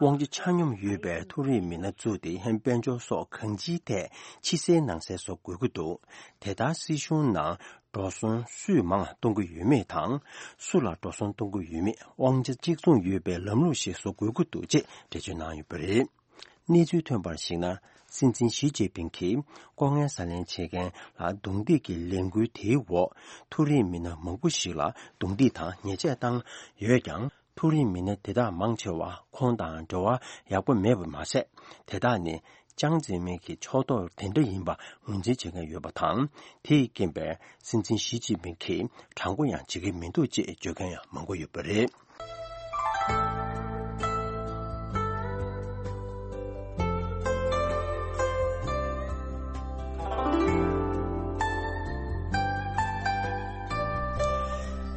དབང་ཆ་ཆ་སྙོམས་ཡོད་པའི་མཐོ་རིམ་མི་སྣ་བཙུགས་ཏེ། དཔལ་འབྱོར་སོགས་གང་ཅིའི་ཐད་ཕྱི་གསལ་ནང་གསལ་བཟོ་དགོས་ཀྱི་འདུག་དེ་ལྟར་སྲིད་གཞུང་ནང་འགྲོ་སོང་སུས་མང་གཏོང་གི་ཡོད་མེད་དང་། སུ་ལ་འགྲོ་སོང་གཏོང་གི་ཡོད་མེད་དབང་ཆ་གཅིག་མཚུངས་ཡོད་པའི་ལམ་ལུགས་ཤིག་བཟོ་དགོས་ཀྱི་འདུག་ཅེས་འགྲེལ་བརྗོད་གནང་ཡོད་པ་རེད། གནས་ཚུལ་ཐོན་པར་གཞིགས་ན། སྲིད་འཛིན་ཞི་ཅིན་ཕིང་གིས་ལྐོག་རྔན་ཟ་ལེན་བྱེད་མཁན་ལ་རྡུང་རྡེག་གི་ལས་འགུལ་དེའི་འོག་མཐོ་རིམ་མི་སྣ་མང་པོ་ཞིག་ལ་རྡུང་རྡེག་དང་ཉེས་ཆད་བཏང་ཡོད་ཀྱང་། མཐོ་རིམ་མི་སྣ་དེ་དག་མང་ཆེ་བ་ཁོང་དང་འབྲེལ་བ་ཡག་པོ་མེད་པ་མ་ཟད། དེ་དག་ནི་ཅང་ཙེ་མིན་གྱི་ཕྱོགས་གཏོགས་དེ་འདྲ་ཡིན་པ་ངོས་འཛིན་བྱེད་མཁན་ཡོད་པ་དང་། དེའི་རྐྱེན་པས་སྲིད་འཛིན་ཞི་ཅིན་ཕིང་གིས་དྲང་པོ་ཡང་བྱེད་ཀྱི་མི་འདུག་ཅེས་བརྗོད་མཁན་ཡང་མང་པོ་ཡོད་པ་རེད།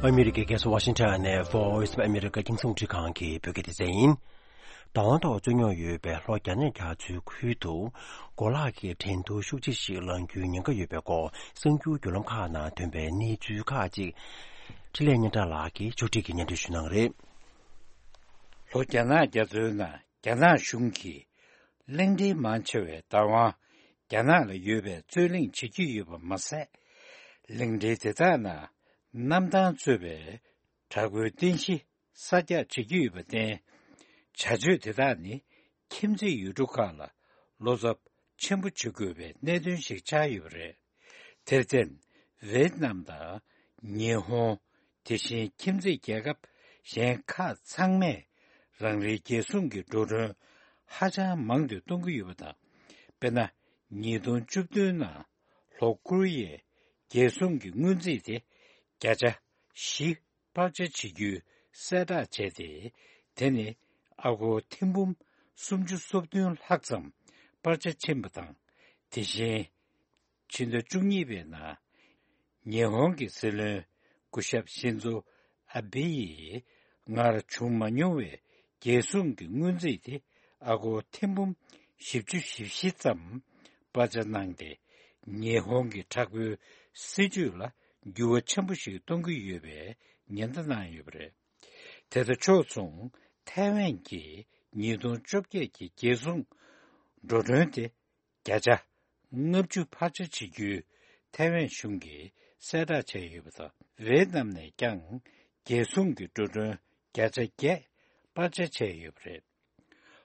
ཨ་མི་རི་ཀའི་རྒྱལ་ས་ཝ་ཤིང་ཊོན་ནས་Voice of America རྒྱང་སྲིང་རླུང་འཕྲིན་ཁང་གི་བོད་སྐད་སྡེ་ཚན་ཡིན། བདག་དབང་ཐོག་རྩོད་རྙོག་ཡོད་པའི་ལྷོ་རྒྱ་ནག་རྒྱ་མཚོའི་ཁུལ་དུ་གོ་ལག་གི་འགྲན་བསྡུར་ཤུགས་ཆེ་ཞིག་ལངས་རྒྱུའི་ཉེན་ཁ་ཡོད་པའི་སྐོར་གསར་འགྱུར་བརྒྱུད་ལམ་ཁག་ནང་ཐོན་པའི་གནས་ཚུལ་ཁག་ཅིག་འཕྲིན་ལས་སྙན་གྲགས་ལགས་ཀྱིས་ཕྱོགས་སྒྲིག་གིས་སྙན་སྒྲོན་ཞུ་གནང་གི་རེད། ལྷོ་རྒྱ་ནག་རྒྱ་མཚོའི་ནང་རྒྱ་ནག་གཞུང་གིས་གླིང་ཕྲན་མང་ཆེ་བའི་བདག་དབང་རྒྱ་ནག་ལ་ཡོད་པའི་རྩོད་གླེང་བྱེད་ཀྱི་ཡོད་པ་མ་ཟད། གླིང་ཕྲན་དེ་དག་ནང་གནམ་ཐང་གཙོས་པའི་དྲག་པོའི་རྟེན་གཞི་གསར་རྒྱག་བྱེད་ཀྱི་ཡོད་པར་བརྟེན། བྱ་སྤྱོད་དེ་དག་ནི་ཁྱིམ་མཚེས་ཡུལ་གྲུ་ཁག་ལ་བློ་འཚབ་ཆེན་པོ་བྱེད་དགོས་པའི་གནད་དོན་ཞིག་ཆགས་ཡོད་པ་རེད། དེར་བརྟེན། ཝེ་ཏི་ནམ་དང་ཉི་ཧོང་། དེ་བཞིན་ཁྱིམ་མཚེས་རྒྱལ་ཁབ་གཞན་ཁག་ཚང་མས་རང་རེའི་རྒྱལ་སྲུང་གི་འགྲོ་གྲོན་ཧ་ཅང་མང་དུ་གཏོང་གི་ཡོད་པ་དང་། དཔེར་ན། ཉིས་སྟོང་བཅུ་བདུན་ནང་ལྷོ་ཀོ་རི་ཡའི་རྒྱལ་སྲུང་གི་སྔོན་རྩིས་དེ་བརྒྱ་ཆ་བཞི་སྤར་ཆ་བྱེད་རྒྱུའི་གསལ་བསྒྲགས་བྱས་ཏེ། དེ་ནི་ཨ་སྒོར་ཐེར་འབུམ་སུམ་ཅུ་སོ་བདུན་ལྷག་ཙམ་སྤར་ཆ་ཕྱིན་པ་དང་། དེ་བཞིན། ཕྱི་ཟླ་བཅུ་གཉིས་པའི་ནང་ཉི་ཧོང་གི་སྲིད་བློན་སྐུ་ཞབས་ཤིན་ཛོ་ཨ་བྷེ་ཡིས་སྔར་བྱུང་མ་མྱོང་བའི་རྒྱལ་སྲུང་གི་སྔོན་རྩིས་དེ་ཨ་སྒོར་ཐེར་འབུམ་བཞི་བཅུ་ཞེ་བཞི་ཙམ་སྤར་ཆ་གནང་སྟེ། ཉི་ཧོང་གི་དྲག་པོའི་སྲིད་ཇུས་ལ་འགྱུར་བ་ཆེན་པོ་ཞིག་གཏོང་གི་ཡོད་པའི་ཉེན་བརྡ་གནང་ཡོད་པ་རེད། དེ་དང་ཕྱོགས་མཚུངས། ཐའེ་ཝན་གྱིས་ཉིས་སྟོང་བཅོ་བརྒྱད་ཀྱི་རྒྱལ་སྲུང་འགྲོ་གྲོན་དེ་བརྒྱ་ཆ་ལྔ་བཅུ་འཕར་ཆ་བྱེད་རྒྱུའི་ཐའེ་ཝན་གཞུང་གིས་གསལ་བསྒྲགས་བྱས་ཡོད་པ་དང་། ཝེ་ཏི་ནམ་ནས་ཀྱང་རྒྱལ་སྲུང་གི་འགྲོ་གྲོན་བརྒྱ་ཆ་བརྒྱད་སྤར་ཆ་བྱས་ཡོད་པ་རེད།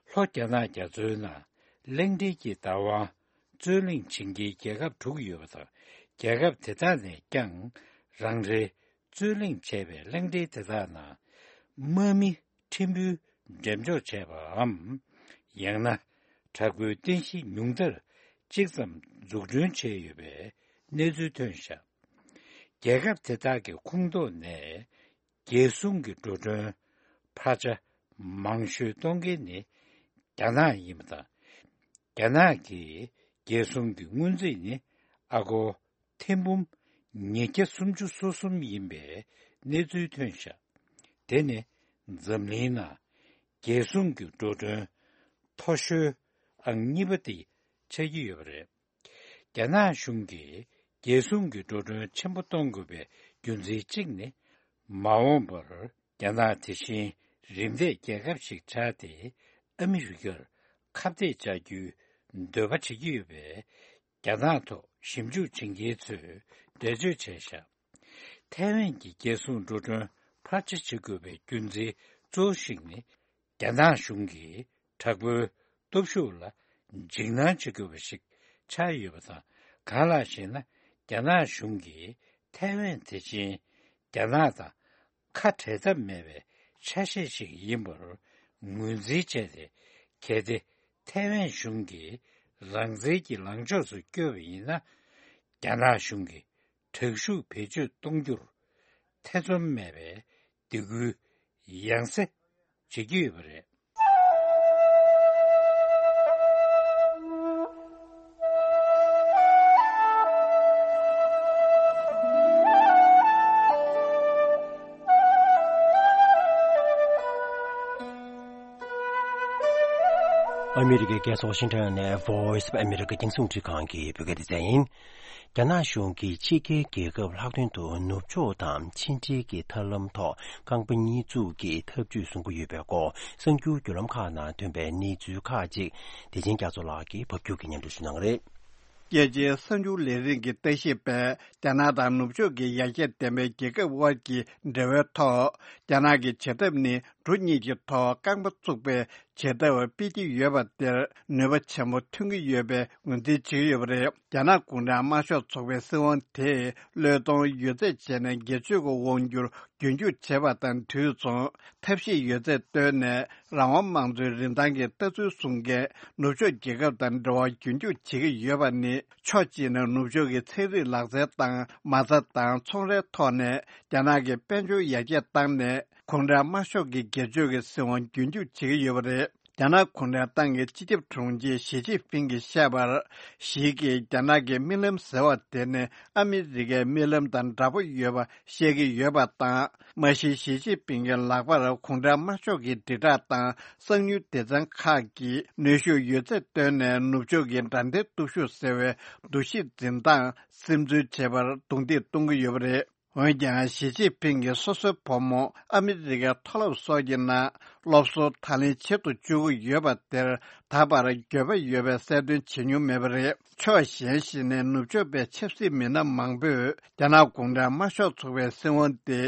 ལྷོ་རྒྱ་ནག་རྒྱ་མཚོའི་ནང་གླིང་ཕྲན་གྱི་བདག་དབང་རྩོད་གླེང་བྱེད་མཁན་རྒྱལ་ཁབ་དྲུག་ཡོད་པ་དང་། རྒྱལ་ཁབ་དེ་དག་ནས་ཀྱང་རང་རེའི་རྩོད་གླེང་བྱས་པའི་གླིང་ཕྲན་དེ་དག་ནང་དམག་མི་ཕྲན་བུ་འགྲེམས་འཇོག་བྱས་པའམ། ཡང་ན་དྲག་པོའི་རྟེན་གཞི་ཉུང་མཐར་གཅིག་ཙམ་འཛུགས་སྐྲུན་བྱས་ཡོད་པའི་གནས་ཚུལ་ཐོན་བཞག་རྒྱལ་ཁབ་དེ་དག་གི་ཁོངས་གཏོགས་ནས་ རྒྱལ་སྲུང་གི་འགྲོ་གྲོན་འཕར་ཆ་མང་ཤོས་གཏོང་མཁན་ནི་རྒྱ་ནག་ཡིན་པ་དང་། རྒྱ་ནག་གི་རྒྱལ་སྲུང་གི་སྔོན་རྩིས་ནི་ཨ་སྒོར་ཐེར་འབུམ་ཉིས་བརྒྱ་སུམ་ཅུ་སོ་གསུམ་ཡིན་པའི་གནས་ཚུལ་ཐོན་བཞག་དེ་ནི་འཛམ་གླིང་ནང་རྒྱལ་སྲུང་གི་འགྲོ་གྲོན་མཐོ་ཤོས་ཨང་གཉིས་པ་དེ་ཆགས་ཀྱི་ཡོད་པ་རེད། རྒྱ་ནག་གཞུང་གིས་རྒྱལ་སྲུང་གི་འགྲོ་གྲོན་ཆེན་པོ་གཏོང་དགོས་པའི་རྒྱུ་མཚན་གཅིག་ནི། མ་འོངས་པར་རྒྱ་ནག་དེ་བཞིན་རིམ་འདས་རྒྱལ་ཁབ་ཞིག་ཆགས་ཏེ་ཨ་མི་རི་ཀར་ཁ་གཏད་བཅག་རྒྱུའི་འདོད་པ་བྱེད་ཀྱི་ཡོད་པས། རྒྱ་ནག་ཐོག་ཞིབ་འཇུག་བྱེད་མཁན་ཚོས་འགྲེལ་བརྗོད་བྱས་བཞག་ཐའེ་ཝན་གྱི་རྒྱལ་སྲུང་འགྲོ་གྲོན་འཕར་ཆ་བྱེད་དགོས་པའི་རྒྱུ་མཚན་གཙོ་བོ་ཞིག་ནི། རྒྱ་ནག་གཞུང་གིས་དྲག་པོའི་སྟོབས་ཤུགས་ལ་འཇིགས་སྣང་བྱེད་དགོས་པ་ཞིག་ཆགས་ཡོད་པ་དང་། གང་ལགས་ཤེ་ན། རྒྱ་ནག་གཞུང་གིས་ཐའེ་ཝན་དེ་བཞིན་རྒྱ་ནག་དང་ཁ་བྲལ་ཐབས་མེད་པའི་ཆ་ཤས་ཤིག་ཡིན་པར་ངོས་འཛིན་བྱས་ཏེ། གལ་ཏེ་ཐའེ་ཝན་གཞུང་གིས་རང་བཙན་གྱི་ལངས་ཕྱོགས་སུ་བསྐྱོད་པ་ཡིན་ན། རྒྱ་ནག་གཞུང་གིས་དྲག་ཤུགས་བེད་སྤྱོད་གཏོང་རྒྱུར་ཐེ་ཚོམ་མེད་པའི་སྡིགས་སྐུལ་ཡང་སེ་བྱེད་ཀྱི་ཡོད་པ་རེད། ཨ་མི་རི་ཀའི་རྒྱལ་ས་ཝ་ཤིང་ཊོན་ནས་Voice of America རྒྱང་སྲིང་རླུང་འཕྲིན་ཁང་གི་བོད་སྐད་སྡེ་ཚན་ཡིན། རྒྱ་ནག་གཞུང་གིས་ཕྱི་རྒྱལ་རྒྱལ་ཁབ་ལྷག་དོན་དུ་ནུབ་ཕྱོགས་དང་ཕྱི་འབྲེལ་གྱི་ཐབས་ལམ་ཐོག་རྐང་པ་གཉིས་བཙུགས་ཀྱི་ཐབས་ཇུས་བཟུང་གི་ཡོད་པའི་སྐོར་གསར་འགྱུར་བརྒྱུད་ལམ་ཁག་ནང་ཐོན་པའི་གནས་ཚུལ་ཁག་ཅིག་བདེ་ཆེན་རྒྱ་མཚོ་ལགས་ཀྱིས་ཕབ་སྒྱུར་གྱིས་སྙན་སྒྲོན་ཞུ་གནང་གི་རེད། རྒྱལ་སྤྱིའི་གསར་འགྱུར་ལས་རིགས་ཀྱིས་ལྟ་ཞིབ་པས། རྒྱ་ནག་དང་ནུབ་ཕྱོགས་ཀྱི་ཡར་རྒྱས་ལྡན་པའི་རྒྱལ་ཁབ་དབར་གྱི་འབྲེལ་བའི་ཐོག་རྒྱ་ནག་གི་བྱེད་ཐབས་ནི། འབྲུ་གཉིས་ཀྱི་ཐོག་རྐང་པ་བཙུགས་པའི་བྱེད་ཐབས་སྤེལ་གྱི་ཡོད་པ་དེར་ནུས་པ་ཆེན་པོ་ཐོན་གྱི་ཡོད་པའི་ངོས་འཛིན་བྱེད་ཀྱི་ཡོད་པ་རེད། རྒྱ་ནག་གུང་ཁྲན་དམར་ཤོག་ཚོགས་པའི་སྲིད་དབང་དེས་བློས་གཏོང་ཡོད་ཚད་བྱས་ནས་སྒེར་གཅོད་ཀྱི་དབང་སྒྱུར་རྒྱུན་འཁྱོངས་བྱས་པ་དང་དུས་མཚུངས་ཐབས་ཤེས་ཡོད་ཚད་བཏོན་ནས་རང་དབང་དམངས་གཙོའི་རིན་ཐང་གི་ལྟ་ཚུལ་བཟུང་མཁན་ནུབ་ཕྱོགས་རྒྱལ་ཁབ་དང་འབྲེལ་བ་རྒྱུན་འཁྱོངས་བྱེད་ཀྱི་ཡོད་པ་ནི། ཕྱོགས་གཅིག་ནས་ནུབ་ཕྱོགས་ཀྱི་ཚན་རིག་ལག་རྩལ་དང་མ་རྩ་དང་ཚོང་རའི་ཐོག་ནས་རྒྱ་ནག་གི་དཔལ་འབྱོར་ཡར་རྒྱས་བཏང་ནས། གུང་ཁྲན་དམར་ཤོག་གི་སྒེར་གཅོད་ཀྱི་སྲིད་དབང་རྒྱུན་འཁྱོངས་བྱེད་ཀྱི་ཡོད་པ་རེད། རྒྱ་ནག་གུང་ཁྲན་ཏང་གི་སྤྱི་ཁྱབ་དྲུང་ཆེ་ཞི་ཅིན་ཕིང་གིས་བཤད་པར། ཞི་གིས་རྒྱ་ནག་གི་རྨི་ལམ་ཟེར་བ་དེ་ནི་ཨ་མི་རི་ཀའི་རྨི་ལམ་དང་འདྲ་པོ་ཡོད་པ་བཤད་ཀྱི་ཡོད་པ་དང་། མ་གཞི་ཞི་ཅིན་ཕིང་གི་ལག་པར་གུང་ཁྲན་དམར་ཤོག་གི་དྲིལ་བསྒྲགས་དང་གསང་མྱུལ་སྡེ་ཚན་ཁག་གིས་གནོན་ཤུགས་ཡོད་ཚད་བཏོན་ནས་ནུབ་ཕྱོགས་ཀྱི་དགྲ་འཐེན་སྟོབས་ཤུགས་ཟེར་བའི་འདུ་ཤེས་འཛིན་སྟངས་སིམ་འཛུལ་བྱེད་པར་རྡུང་རྡེག་གཏོང་གི་ཡོད་པ་རེད། འོན་ཀྱང་ཞི་ཅིན་ཕིང་གིས་སོ་སོའི་བུ་མོ་ཨ་མི་རི་ཀའི་མཐོ་སློབ་སོགས་ཀྱི་ནང་སློབ་གསོ་ད་ལན་བྱེད་དུ་བཅུག་གི་ཡོད་པ་དེར་ད་བར་འགྱོད་པ་ཡོད་པའི་གསལ་སྟོན་བྱེད་མྱོང་མེད་པ་རེད། ཕྱོགས་གཞན་ཞིག་ནས་ནུབ་ཕྱོགས་པའི་ཆབ་སྲིད་མི་སྣ་མང་པོས་རྒྱ་ནག་གུང་ཁྲན་དམར་ཤོག་ཚོགས་པའི་སྲིད་དབང་དེ་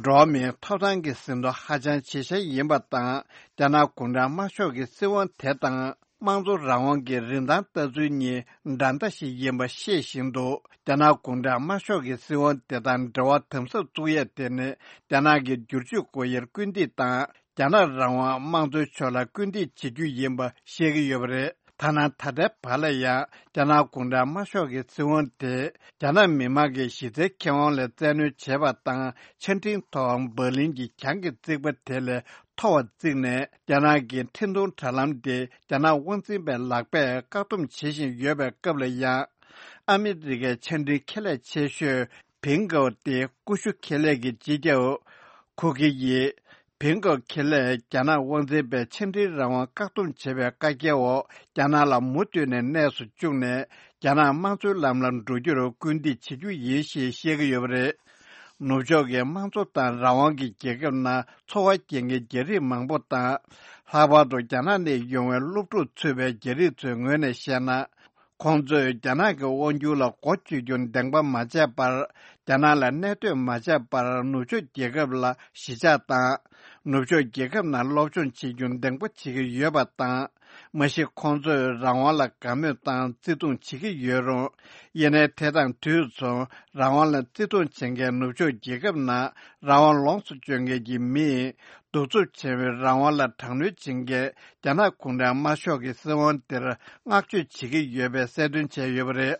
འགྲོ་བ་མིའི་ཐོབ་ཐང་གི་ཟིན་ཐོ་ཧ་ཅང་ཆེ་ཤོས་ཡིན་པ་དང་། རྒྱ་ནག་གུང་ཁྲན་དམར་ཤོག་གི་སྲིད་དབང་དེ་དང་། དམངས་གཙོ་རང་དབང་གི་རིན་ཐང་ལྟ་ཚུལ་གཉིས་འདྲ་མཐའ་ཞིག་ཡིན་པ་ཤེས་བཞིན་དུ། རྒྱ་ནག་གུང་ཁྲན་དམར་ཤོག་གི་སྲིད་དབང་དེ་དང་འབྲེལ་བ་དམ་ཟབ་བཙུགས་ཡས་དེ་ནི། རྒྱ་ནག་གི་བསྒྱུར་བཅོས་སྒོ་དབྱེར་སྐུལ་འདེད་དང་། རྒྱ་ནག་རང་དབང་དམངས་གཙོའི་ཕྱོགས་ལ་སྐུལ་འདེད་བྱེད་རྒྱུ་ཡིན་པ་ཤེས་ཀྱི་ཡོད་པ་རེད། ཐ་ན་ད་ལྟའི་བར་ལ་ཡང་རྒྱ་ནག་གུང་ཁྲན་དམར་ཤོག་གི་སྲིད་དབང་དེ་རྒྱ་ནག་མི་དམངས་ཀྱི་གཞི་རྩའི་ཁེ་དབང་ལ་བཙན་གནོན་བྱས་པ་དང་། ཆ་འཕྲིན་ཐོག་འབར་ལིན་གྱི་གྱང་གི་རྩིག་པ་དེ་ལས་མཐོ་བར་བརྩིགས་ནས། རྒྱ་ནག་གི་འཕྲིན་གཏོང་དྲ་ལམ་དེ་རྒྱ་ནག་དབང་འཛིན་པའི་ལག་པས་བཀག་སྡོམ་བྱེད་བཞིན་ཡོད་པའི་སྐབས་ལ་ཡང་། ཨ་མི་རི་ཀའི་ཆ་འཕྲིན་ཁེ་ལས་ཆེ་ཤོས་ཕིང་ཀའོ་སྟེ་ཀུ་ཤུ་ཁེ་ལས་ཀྱི་སྤྱི་ཁྱབ་ཁུ་ཁི་ཡིས། ཕིང་ཀའོ་ཁེ་ལས་རྒྱ་ནག་དབང་འཛིན་པས་ཆ་འཕྲིན་རང་དབང་བཀག་སྡོམ་བྱེད་པའི་བཀའ་རྒྱའི་འོག་རྒྱ་ནག་ལ་མུ་མཐུད་ནས་གནས་སུ་བཅུག་ནས། རྒྱ་ནག་དམངས་གཙོའི་ལམ་ལ་འགྲོ་རྒྱུར་སྐུལ་འདེད་བྱེད་རྒྱུ་ཡིན་ཞེས་བཤད་ཀྱི་ཡོད་པ་རེད། ནུབ་ཕྱོགས་ཀྱི་དམངས་གཙོ་དང་རང་དབང་གི་རྒྱལ་ཁབ་ནང་འཚོ་བ་སྐྱེལ་མཁན་རྒྱ་རིགས་མང་པོ་དང་། ལྷག་པར་དུ་རྒྱ་ནག་ནས་ཡོང་བའི་སློབ་ཕྲུག་ཚུད་པའི་རྒྱ་རིགས་ཚོའི་ངོས་ནས་བཤད་ན། ཁོང་ཚོས་རྒྱ་ནག་གི་དབང་སྒྱུར་ལ་མགོ་གཅོད་རྒྱུ་འདེང་པ་མ་བྱས་པར། རྒྱ་ནག་ལ་གནས་སྡོད་མ་བྱས་པར་ནུབ་ཕྱོགས་རྒྱལ་ཁབ་ལ་གཞིས་ཆགས་དང་། ནུབ་ཕྱོགས་རྒྱལ་ཁབ་ནང་སློབ་སྦྱོང་བྱེད་རྒྱུ་འདེང་པོ་བྱེད་ཀྱི་ཡོད་པ་དང་། མ་གཞི་ཁོང་ཚོས་རང་དབང་ལ་དགའ་མོས་དང་བརྩི་མཐོང་བྱེད་ཀྱི་ཡོད་རུང་། ཡིན་ནའི་དེ་དང་དུས་མཚུངས་རང་དབང་ལ་བརྩི་མཐོང་བྱེད་མཁན་ནུབ་ཕྱོགས་རྒྱལ་ཁབ་ནང་རང་དབང་ལོངས་སུ་སྤྱོད་མཁན་གྱི་མིས། གདུག་རྩུབ་ཆེ་བའི་རང་དབང་ལ་དྲག་གནོན་བྱེད་མཁན་རྒྱ་ནག་གུང་ཁྲན་དམར་ཤོག་གི་སྲིད་དབང་དེར་བསྔགས་བརྗོད་བྱེད་ཀྱི་ཡོད་པའི་གསལ་སྟོན་བྱས་ཡོད་པ་རེད།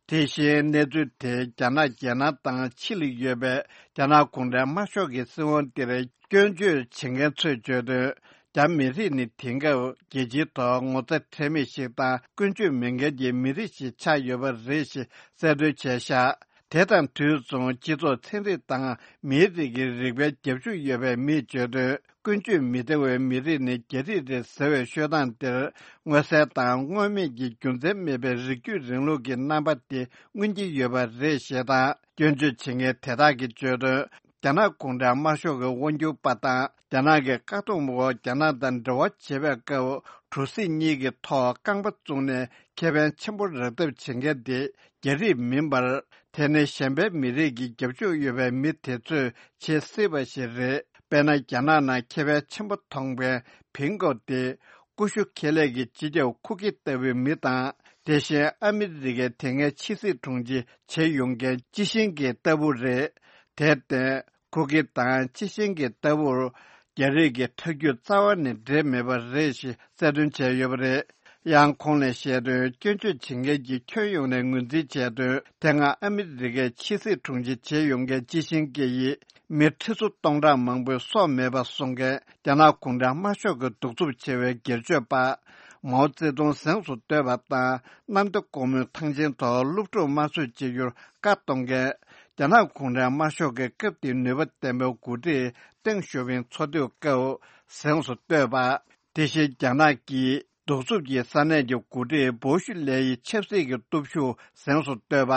དེ་བཞིན་གནས་ཚུལ་དེ་རྒྱ་ནག་རྒྱལ་ནང་དང་ཕྱི་ལ་ཡོད་པའི་རྒྱ་ནག་གུང་ཁྲན་དམར་ཤོག་གི་སྲིད་དབང་འདིར་སྐྱོན་བརྗོད་བྱེད་མཁན་ཚོས་བརྗོད་དོན། རྒྱ་མི་རིགས་ནི་དེང་སྐབས་རྒྱལ་སྤྱིའི་ཐོག་ངོ་ཚ་ཁྲེལ་མེད་ཞིག་དང་ཀུན་སྤྱོད་མེད་མཁན་གྱི་མི་རིགས་ཤིག་ཆགས་ཡོད་པ་རེད་ཞེས་གསལ་སྟོན་བྱས་བཞག་དེ་དང་དུས་མཚུངས་སྤྱི་ཚོགས་ཚན་རིག་དང་མིའི་རིགས་ཀྱི་རིག་པའི་རྒྱབ་ཤུགས་ཡོད་པའི་མིས་བརྗོད་དོན། ཀུན་སྤྱོད་མི་བདེ་བའི་མི་རིགས་ནི་རྒྱ་རིགས་རེད་ཟེར་བའི་ཤོད་སྟངས་འདིར། མངོན་གསལ་དང་མངོན་མེད་ཀྱི་རྒྱུ་མཚན་མེད་པའི་རིགས་རྒྱུད་རིང་ལུགས་ཀྱི་རྣམ་པ་དེ་མངོན་གྱི་ཡོད་པ་རེད་ཞེས་དང་། སྐྱོན་བརྗོད་བྱེད་མཁན་དེ་དག་གིས་བརྗོད་དོན། རྒྱ་ནག་གུང་ཁྲན་དམར་ཤོག་གི་དབང་སྒྱུར་པ་དང་རྒྱ་ནག་གི་བཀག་སྡོམ་འོག་རྒྱ་ནག་དང་འབྲེལ་བ་བྱེད་པའི་སྐབས། གྲུ་གཟིངས་གཉིས་ཀྱི་ཐོག་རྐང་པ་བཙུགས་ནས་ཁེ་ཕན་ཆེན་པོ་རག་ཐབས་བྱེད་མཁན་དེ་རྒྱ་རིགས་མིན་པར། དེ་ནི་གཞན་པའི་མི་རིགས་ཀྱི་རྒྱབ་ཕྱོགས་ཡོད་པའི་མི་དེ་ཚོས་བྱེད་སྲིད་པ་ཞིག་རེད། དཔེར་ན། རྒྱ་ནག་ནང་ཁེ་ཕན་ཆེན་པོ་མཐོང་པའི་ཕིང་ཀོ་སྟེ། ཀུ་ཤུ་ཁེ་ལས་ཀྱི་སྤྱི་ཁྱབ་ཁུ་ཁི་ལྟ་བུའི་མི་དང་། དེ་བཞིན་ཨ་མི་རི་ཀའི་དེ་སྔའི་ཕྱི་སྲིད་དྲུང་ཆེ་བྱེད་ཡོང་མཁན་ཅི་ཤིན་ཀེ་ལྟ་བུ་རེད། དེར་བརྟེན། ཁུ་ཁི་དང་ཅི་ཤིན་ཀེ་ལྟ་བུར། རྒྱ་རིགས་ཀྱི་ཐག་གཅོད་རྩ་བ་ནས་འབྲེལ་མེད་པ་རེད་ཞེས་གསལ་སྟོན་བྱས་ཡོད་པ་རེད། ཡང་ཁོང་ནས་བཤད་དོན། སྐྱོན་བརྗོད་བྱེད་མཁན་གྱིས་ཁྱོན་ཡོངས་ནས་ངོས་འཛིན་བྱས་དོན། དེ་སྔ་ཨ་མི་རི་ཀའི་ཕྱི་སྲིད་དྲུང་ཆེ་བྱེད་ཡོང་མཁན་ཅི་ཤིན་ཀེ་ཡིས། མི་ཁྲི་ཚོ་སྟོང་ཕྲག་མང་པོའི་སྲོག་མེད་པ་བཟོ་མཁན་རྒྱ་ནག་གུང་ཁྲན་དམར་ཤོག་གི་གདུག་རྩུབ་ཆེ་བའི་སྒེར་གཅོད་པ། མའོ་ཙེ་ཏུང་གཟེངས་སུ་བསྟོད་པ་དང་། གནམ་བདེ་སྒོ་མོའི་ཐང་ཆེན་ཐོག་སློབ་ཕྲུག་དམར་གསོད་བྱེད་རྒྱུར་བཀའ་གཏོང་མཁན། རྒྱ་ནག་གུང་ཁྲན་དམར་ཤོག་གི་སྐབས་དེའི་ནུས་པ་ལྡན་པའི་འགོ་ཁྲིད་ཏེང་ཞའོ་ཕིང་འཚོ་སྡོད་སྐབས་གཟེངས་སུ་བསྟོད་པ། དེ་བཞིན་རྒྱ་ནག་གི་གདུག་རྩུབ་ཀྱི་ས་གནས་ཀྱི་འགོ་ཁྲིད་བོ་ཤི་ལེ་ཡི་ཆབ་སྲིད་ཀྱི་སྟོབས་ཤུགས་གཟེངས་སུ་བསྟོད་པ།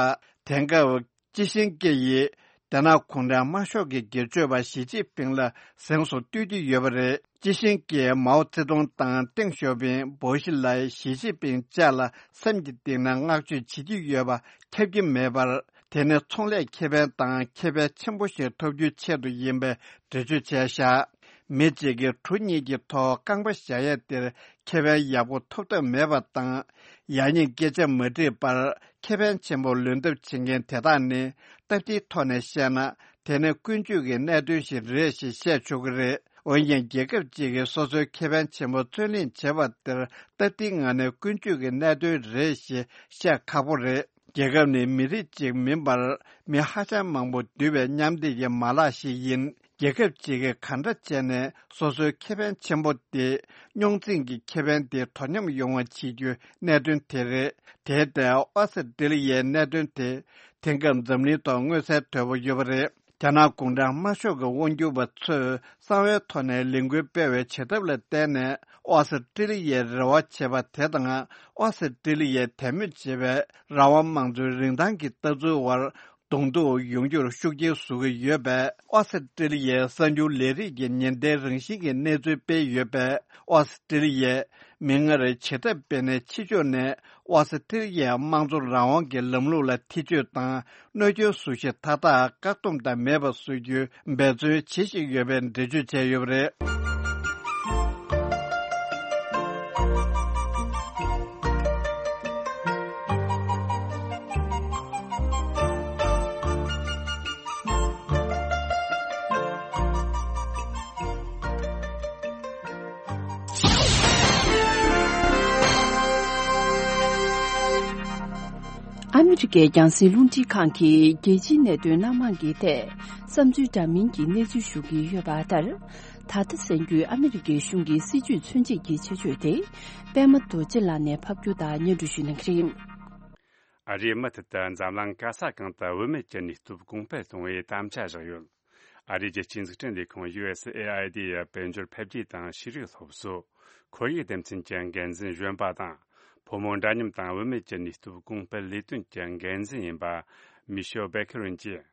དེང་སྐབས་ཅི་ཤིན་ཀེ་ཡིས་རྒྱ་ནག་གུང་ཁྲན་དམར་ཤོག་གི་སྒེར་གཅོད་པ་ཞི་ཅིན་ཕིང་ལ་གཟེངས་སུ་བསྟོད་ཀྱི་ཡོད་པ་རེད། ཅི་ཤིན་ཀེས་མའོ་ཙེ་ཏུང་དང་ཏེང་ཞའོ་ཕིང་། བོ་ཤི་ལའི། ཞི་ཅིན་ཕིང་བཅས་ལ་སེམས་ཀྱི་གཏིང་ནས་བསྔགས་བརྗོད་བྱེད་ཀྱི་ཡོད་པ་ཁྱབ་ཀྱི་མེད་པར། དེ་ནི་ཚོང་ལས་ཁེ་ཕན་དང་ཁེ་ཕན་ཆེན་པོ་ཞིག་ཐོབ་རྒྱུའི་ཆེད་དུ་ཡིན་པའི་འགྲེལ་བརྗོད་བྱས་བཞག་མི་གཅིག་གིས་གྲུ་གཉིས་ཀྱི་ཐོག་རྐང་པ་བཞག་ཡས་དེར་ཁེ་ཕན་ཡག་པོ་ཐོབ་ཐབས་མེད་པ་དང་། ཡག་ཉེས་སྐད་ཆ་མ་དྲིས་པར་ཁེ་ཕན་ཆེན་པོ་ལོན་ཐབས་བྱེད་མཁན་དེ་དག་ནི། སྟབས་བདེའི་ཐོག་ནས་བཤད་ན། དེ་ནི་ཀུན་སྤྱོད་ཀྱི་གནད་དོན་ཞིག་རེད་ཞེས་བཤད་ཆོག་གི་རེད། འོན་ཀྱང་། རྒྱལ་ཁབ་ཅིག་གིས་སོ་སོའི་ཁེ་ཕན་ཆེན་པོ་རྩོད་ལེན་བྱེད་པ་དེར་སྟབས་བདེའི་ངང་ནས་ཀུན་སྤྱོད་ཀྱི་གནད་དོན་རེད་ཞེས་བཤད་ཁག་པོ་རེད། རྒྱལ་ཁབ་ནི་མི་རིགས་གཅིག་མིན་པར། མི་ཧ་ཅང་མང་པོ་འདུས་པའི་མཉམ་སྡེབ་ཀྱི་མ་ལག་ཞིག་ཡིན། རྒྱལ་ཁབ་ཅིག་གིས་ག་འདྲ་བྱས་ནས་སོ་སོའི་ཁེ་ཕན་ཆེན་པོ་དེ། རྙོག་འཛིང་གི་ཁེ་ཕན་དེ་དོ་མཉམ་ཡོང་བ་བྱེད་རྒྱུའི་གནད་དོན་དེ་རེད། དེར་བརྟེན། ཨོ་སི་ཀྲི་ལི་ཡའི་གནད་དོན་དེ། དེང་སྐབས་འཛམ་གླིང་ཐོག་མངོན་གསལ་དོད་པོ་ཡོད་པ་རེད། རྒྱ་ནག་གུང་ཁྲན་དམར་ཤོག་གི་དབང་སྒྱུར་པ་ཚོས་གསང་བའི་ཐོག་ནས་ལས་འགུལ་སྤེལ་བའི་བྱེད་ཐབས་ལ་བརྟེན་ནས། ཨོ་སི་ཀྲི་ལི་ཡའི་རེ་བ་བྱེད་པ་དེ་དང་། ཨོ་སི་ཀྲི་ལི་ཡའི་དད་མོས་བྱེད་པའི་རང་དབང་དམངས་གཙོའི་རིན་ཐང་གི་ལྟ་ཚུལ་བར་གདོང་ཐུག་ཡོང་རྒྱུར་ཤུགས་རྐྱེན་བཟོ་གི་ཡོད་པས། ཨོ་སི་ཀྲི་ལི་ཡའི་གསར་འགྱུར་ལས་རིགས་ཀྱི་ཉེན་བརྡའི་རང་བཞིན་གྱི་གནས་ཚུལ་སྤེལ་ཡོད་པས། ཨོ་སི་ཀྲི་ལི་ཡས་མིག་སྔར་བྱེད་ཐབས་སྤེལ་ནས། ཕྱི་ཕྱོགས་ནས་ཨོ་སི་ཀྲི་ལི་ཡའི་དམངས་གཙོ་རང་དབང་གི་ལམ་ལུགས་ལ་ཐེ་བྱུས་དང་། གནོད་སྐྱོན་བཟོ་གཞི་མཐའ་དག་བཀག་སྡོམ་དང་མེད་པ་བཟོ་རྒྱུའི་འབད་བརྩོན་བྱེད་བཞིན་ཡོད་པའི་འགྲེལ་བརྗོད་བྱས་ཡོད་པ་རེད། ཨ་མི་རི་ཀའི་རྒྱང་སྲིང་རླུང་འཕྲིན་ཁང་གིས་རྒྱལ་སྤྱིའི་གནད་དོན་སྣ་མང་གི་ཐད་བསམ་ཚུལ་འདྲ་མིན་གྱི་གནས་ཚུལ་ཞུ་གི་ཡོད་པ་ལྟར། ད་ལྟ་གསན་རྒྱུའི་ཨ་མི་རི་ཀའི་གཞུང་གི་སྲིད་བྱུས་མཚོན་བྱེད་ཀྱི་ཆེད་བརྗོད་དེ། པད་མ་རྡོ་རྗེ་ལགས་ནས་ཕབ་སྒྱུར་དང་སྙན་སྒྲོན་ཞུ་གནང་གི་རེད། ཨ་རིའི་མུ་མཐུད་དུ་འཛམ་གླིང་ག་ས་གང་དུ་བུད་མེད་ཀྱི་ནུས་སྟོབས་གོང་སྤེལ་གཏོང་བའི་དམ་བཅའ་བཞག་ཡོད། ཨ་རིའི་རྒྱལ་སྤྱིའི་འཛུགས་སྐྲུན་ལས་ཁུངས་ཡུ་ཨེས་ཨེ་ཨའི་ཌི་ཡི་དཔལ་འབྱོར་འཕེལ་རྒྱས་དང་ཤེས་རིག་སློབ་གསོ། ཁོར་ཡུག་སྡེ་ཚན་གྱི་འགན་འཛིན་གཞོན་པ་དང་། ཕོ་མོ་འདྲ་མཉམ་དང་བུད་མེད་ཀྱི་ནུས་སྟོབས་གོང་སྤེལ་ལས་དོན་གྱི་འགན་འཛིན་ཡིན་པ། མི་ཤེལ་བེ་ཁེ་རུན་གྱིས།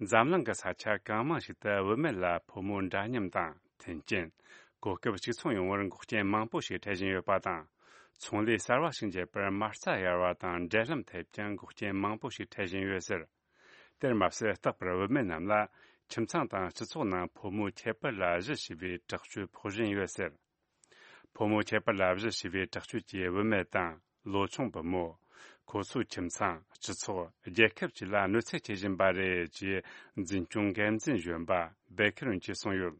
འཛམ་གླིང་གི་ས་ཆ་གང་མང་ཞིག་ཏུ་བུད་མེད་ལ་ཕོ་མོ་འདྲ་མཉམ་དང་། མཐུན་རྐྱེན། གོ་སྐབས་གཅིག་མཚུངས་ཡོང་བར་འགོག་རྐྱེན་མང་པོ་ཞིག་འཕྲད་བཞིན་ཡོད་པ་དང་། ཚོང་ལས་གསར་བ་ཞིག་འབྱེད་པར་མ་རྩ་གཡར་བ་དང་འབྲེལ་ལམ་ཐེབས་ཀྱང་འགོག་རྐྱེན་མང་པོ་ཞིག་འཕྲད་བཞིན་ཡོད་ཟེར། དེར་མ་ཟད། རྟག་པར་བུད་མེད་རྣམས་ལ་ཁྱིམ་ཚང་དང་སྤྱི་ཚོགས་ནང་ཕོ་མོའི་ཁྱད་པར་ལ་གཞི་བྱས་པའི་དྲག་སྤྱོད་ཕོག་བཞིན་ཡོད་ཟེར། ཕོ་མོའི་ཁྱད་པར་ལ་གཞི་བྱས་པའི་དྲག་སྤྱོད་ཀྱིས་བུད་མེད་དང་ལོ་ཆུང་བུ་མོ། ཁོ་ཚོའི་ཁྱིམ་ཚང་། སྤྱི་ཚོགས། རྒྱལ་ཁབ་བཅས་ལ་གནོད་འཚེ་བྱེད་བཞིན་པ་རེད། ཅེས་འཛིན་སྐྱོང་འགན་འཛིན་གཞོན་པ་བེ་ཁེ་རུན་གྱིས་གསུངས་ཡོད།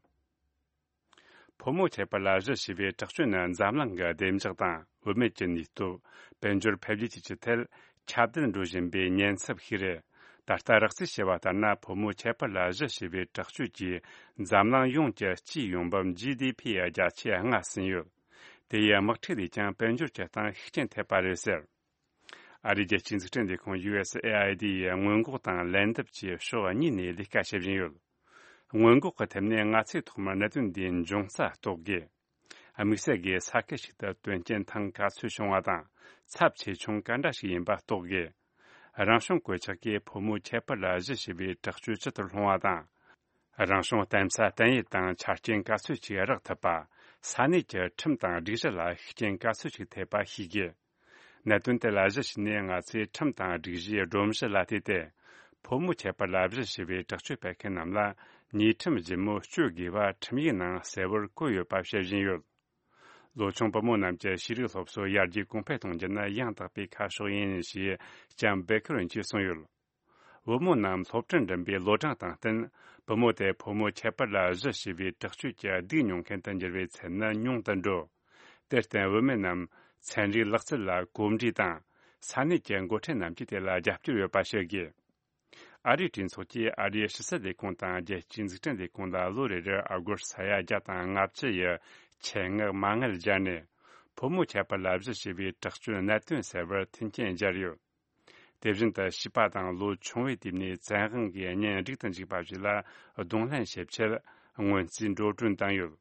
ཕོ་མོའི་ཁྱད་པར་ལ་གཞི་བྱས་པའི་དྲག་སྤྱོད་ནི་འཛམ་གླིང་གི་བདེ་འཇགས་དང་བུད་མེད་ཀྱི་ནུས་སྟོབས། དཔལ་འབྱོར་འཕེལ་རྒྱས་བཅས་ཀྱི་ཐད་ ཁྱབ་གདལ་འགྲོ་བཞིན་པའི་ཉེན་ཚབས་ཤིག་རེད། ད་ལྟ་རགས་རྩིས་བྱས་པ་ལྟར་ན། ཕོ་མོ་ཁྱད་པར་ལ་གཞི་བྱས་པའི་དྲག་སྤྱོད་ཀྱིས་འཛམ་གླིང་ཡོངས་ཀྱི་སྤྱིའི་ཡོང་འབབ་ཇི་ཌི་ཕི་ཡི་བརྒྱ་ཆ་ལྔ་ཟིན་ཡོད། དེ་ཡིས་དམག་འཁྲུག་ལས་ཀྱང་དཔལ་འབྱོར་གྱི་སྟེང་ཤུགས་རྐྱེན་ཐེབས་པ་རེད་ཟེར། ཨ་རིའི་རྒྱལ་སྤྱིའི་འཛུགས་སྐྲུན་ལས་ཁུངས་ཡུ་ཨེ་སི་ཨེ་ཨའི་ཌི་ཡིས་སྔོན་འགོག་དང་ལན་འདེབས་ཀྱི་ཕྱོགས་གཉིས་ནས་ལས་ཀ་བྱེད་བཞིན་ཡོད། སྔོན་འགོག་གི་ཐད་ནས་ང་ཚོས་ཐོག་མར་གནད་དོན་འདིའི་འབྱུང་རྩ་རྟོགས་དགོས། དམིགས་བསལ་གྱིས་ས་ཁུལ་ཞིག་ཏུ་དོན་རྐྱེན་ཐེངས་ག་ཚོད་བྱུང་བ་དང་། ཚབས་ཆེ་ཆུང་ག་འདྲ་ཞིག་ཡིན་པ་རྟོགས་དགོས། རང་བྱུང་གོད་ཆག་གིས་ཕོ་མོ་ཁྱད་པར་ལ་གཞི་བྱས་པའི་དྲག་སྤྱོད་ཇི་ལྟར་སློང་བ་དང་། རང་བྱུང་གཏམ་ས་བསྟན་ཡུལ་དང་ཆ་རྐྱེན་ག་ཚོད་ཅིག་རག་ཐུབ་པ། ས་གནས་ཀྱི་ཁྲིམས་དང་སྒྲིག་གཞི་ལ་ཤུགས་རྐྱེན་ག་ཚོད་ཅིག་ཐེབས་པ་ཤེས་དགོས། གནད་དོན་དེ་ལ་གཞི་བྱས་ནས་ང་ཚོས་ཁྲིམས་དང་སྒྲིག་གཞིའི་སྒྲོམ་གཞི་ལ་བལྟས་ཏེ། ཕོ་མོ་ཁྱད་པར་ལ་གཞི་བྱས་པའི་དྲག་སྤྱོད་སྤེལ་མཁན་རྣམས་ལ་ཉེས་ཁྲིམས་ལྗིད་མོ་གཅོད་དགོས་པ་ཁྲིམས་ཡིག་ནང་གསལ་བོར་བཀོད་ཡོད་པ་བཤད་བཞིན་ཡོད། ལོ་ཆུང་བུ་མོ་རྣམས་ཀྱི་ཤེས་རིག་སློབ་གསོ་ཡར་རྒྱས་གོང་འཕེལ་གཏོང་རྒྱུ་ནི་ཡང་དག་པའི་ཁ་ཕྱོགས་ཡིན་ཞེས་ལྕམ་བེ་ཁེར་ཝིན་གྱིས་གསུངས་ཡོད། བུ་མོ་རྣམས་སློབ་གྲྭར་འགྲིམ་པའི་ལོ་གྲངས་དང་བསྟུན། བུ་མོ་དེ་ཕོ་མོ་ཁྱད་པར་ལ་གཞི་བྱས་པའི་དྲག་སྤྱོད་ཀྱི་སྡུག་མྱོང་མཁན་དུ་འགྱུར་བའི་ཚད་ནི་ཉུང་དུ་འགྲོ། དེར་བརྟེན། བུད་མེད་རྣམས་ཚན་རིག་ལག་རྩལ་ལ་གོམས་འདྲིས་དང་། ས་གནས་ཀྱི་འགོ་ཁྲིད་རྣམས་ཀྱིས་དེ་ལ་རྒྱབ་སྐྱོར་ཡོད་པ་བྱེད་དགོས། ཨ་རིའི་གྲོས་ཚོགས་ཀྱིས་ཨ་རིའི་ཕྱི་སྲིད་ལས་ཁུངས་དང་རྒྱལ་སྤྱིའི་འཛུགས་སྐྲུན་ལས་ཁུངས་ལ་ལོ་རེ་རེར་ཨ་སྒོར་ས་ཡ་བརྒྱ་དང་ལྔ་བཅུ་ཡི་ཆེད་མངགས་མ་དངུལ་སྦྱར་ནས། ཕོ་མོ་ཁྱད་པར་ལ་གཞི་བྱས་པའི་དྲག་སྤྱོད་གནད་དོན་སེལ་བར་མཐུན་རྐྱེན་སྦྱར་ཡོད། དེ་བཞིན་དུ་བྱིས་པ་དང་ལོ་ཆུང་བའི་དུས་ནས་བཙན་དབང་གིས་གཉེན་སྒྲིག་ཏུ་འཇུག་པ་ཞིག་ལ་གདོང་ལེན་བྱེད་ཆེད་སྔོན་རྩིས་འགྲོ་གྲོན་བཏང་ཡོད།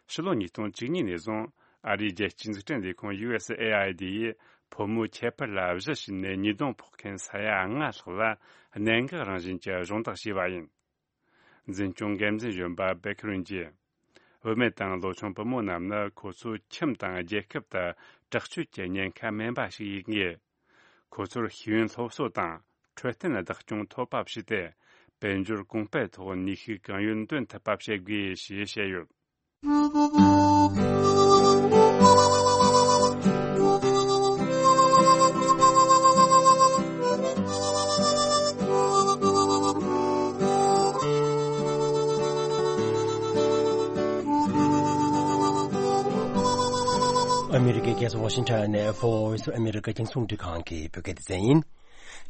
ཕྱི་ལོ་ཉིས་སྟོང་བཅུ་གཉིས་ནས་བཟུང་ཨ་རིའི་རྒྱལ་སྤྱིའི་འཛུགས་སྐྲུན་ལས་ཁུངས་ཡུ་ཨེ་སི་ཨེ་ཨའི་ཌི་ཡིས་ཕོ་མོ་ཁྱད་པར་ལ་གཞི་བྱས་ནས་ཉེས་རྡུང་ཕོག་མཁན་ས་ཡ་ལྔ་ལྷག་ལ་གནད་འགག་རང་བཞིན་གྱི་སྦྱོང་བརྡར་བྱས་པ་ཡིན། འཛིན་སྐྱོང་འགན་འཛིན་གཞོན་པ་བེ་ཁེར་ཝིན་གྱིས། བུད་མེད་དང་ལོ་ཆུང་བུ་མོ་རྣམས་ནི་ཁོ་ཚོའི་ཁྱིམ་དང་རྒྱལ་ཁབ་ཏུ་དྲག་སྤྱོད་ཀྱི་ཉེན་ཁ་མིན་པ་ཞིག་ཡིན་ངེས། ཁོ་ཚོར་ཤེས་ཡོན་སློབ་གསོ་དང་འཕྲོད་བསྟེན་བདག་སྐྱོང་ཐོབ་པ་བྱས་ཏེ། དཔལ་འབྱོར་གོང་འཕེལ་ཐོག་ནུས་ཤུགས་གང་ཡོད་འདོན་ཐུབ་པ་བྱེད་དགོས་ཞེས་བཤད་ཡོད། ཨ་མི་རི་ཀའི་རྒྱལ་ས་ཝ་ཤིང་ཊོན་ནས་Voice of America རྒྱང་སྲིང་རླུང་འཕྲིན་ཁང་གི་བོད་སྐད་སྡེ་ཚན་ཡིན།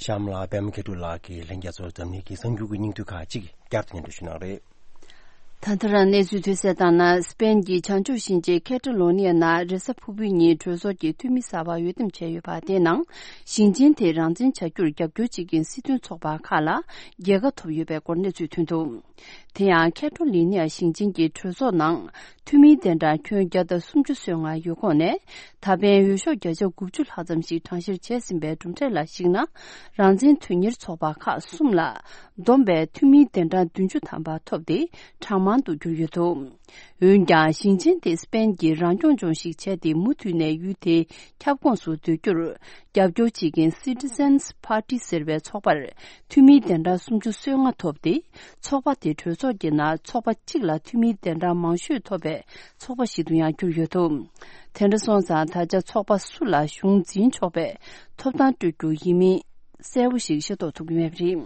གཤམ་ལ་པད་མ་མཁས་གྲུབ་ལགས་ཀྱིས་ལྷན་རྒྱས་ཚོར་འཛམ་གླིང་གི་གསར་འགྱུར་གྱི་སྙིང་བསྡུས་ཁག་ཅིག་བསྐྱར་དུ་སྙན་སྒྲོན་ཞུ་གནང་རེད། ད་ལྟ་རང་གནས་ཚུལ་ཐོན་གསལ་ལྟར་ན། སི་པེན་གྱི་བྱང་ཕྱོགས་ཞིང་ཆེན་ཁེ་ཏ་ལོ་ནི་ཡ་ནང་རེས་གཟའ་ཕུར་བུའི་ཉིན་གྲོས་ཚོགས་ཀྱི་འཐུས་མི་གསར་པ་འོས་འདེམས་བྱས་ཡོད་པ་དེའི་ནང་། ཞིང་ཆེན་དེ་རང་བཙན་བྱ་རྒྱུར་རྒྱབ་སྐྱོར་བྱེད་མཁན་སྲིད་དོན་ཚོགས་པ་ཁག་ལ་རྒྱལ་ཁ་ཐོབ་ཡོད་པའི་སྐོར་གནས་ཚུལ་ཐོན་འདུག་དེ་ཡང་ཁེ་ཏ་ལོ་ནི་ཡ་ཞིང་ཆེན་གྱི་གྲོས་ཚོགས་ནང་། འཐུས་མིའི་གདན་གྲངས་ཁྱོན་བརྒྱ་དང་སུམ་ཅུ་སོ་ལྔ་ཡོད་ཁོངས་ནས། ད་ཕན་འོས་ཤོག་བརྒྱ་ཆ་དགུ་བཅུ་ལྷག་ཙམ་ཞིག་གྲངས་བཤེར་བྱས་ཟིན་པའི་གྲུབ་འབྲས་ལ་གཞིགས་ན། རང་བཙན་དོན་གཉེར་ཚོགས་པ་ཁག་གསུམ་ལ་བསྡོམས་པའི་འཐུས་མིའི་གདན་གྲངས་བདུན་ཅུ་ཐམ་པ་ཐོབ་སྟེ། གྲངས་མང་དུ་གྱུར་ཡོད་འདུག་འོན་ཀྱང་། ཞིང་ཆེན་དེ་སི་པེན་གྱི་རང་སྐྱོང་ལྗོངས་ཤིག་བྱས་ཏེ། མུ་མཐུད་ནས་ཡུལ་དེའི་ཁྱབ་ཁོངས་སུ་སྡོད་རྒྱུར་རྒྱབ་སྐྱོར་བྱེད་མཁན་Citizens Party ཟེར་བའི་ཚོགས་པར། འཐུས་མིའི་གདན་གྲངས་སུམ་ཅུ་སོ་ལྔ་ཐོབ་སྟེ། ཚོགས་པ་དེ་གྲོས་ཚོགས་ཀྱི་ནང་ཚོགས་པ་གཅིག་ལ་འཐུས་མིའི་གདན་གྲངས་མང་ཤོས་ཐོབ་པའི་ཚོགས་པ་ཞིག་ཏུ་ཡང་གྱུར་ཡོད་འདུག་དེ་འདྲ་སོང་ཙང་། ད་ཆ་ཚོགས་པ་སུ་ལ་གཞུང་འཛིན་ཆོག་པའི་ཐོབ་ཐང་སྤྲོད་རྒྱུ་ཡིན་མིན་གསལ་པོ་ཞིག་ཤེས་རྟོགས་ཐུབ་ཀྱི་མེད་པ་རེད།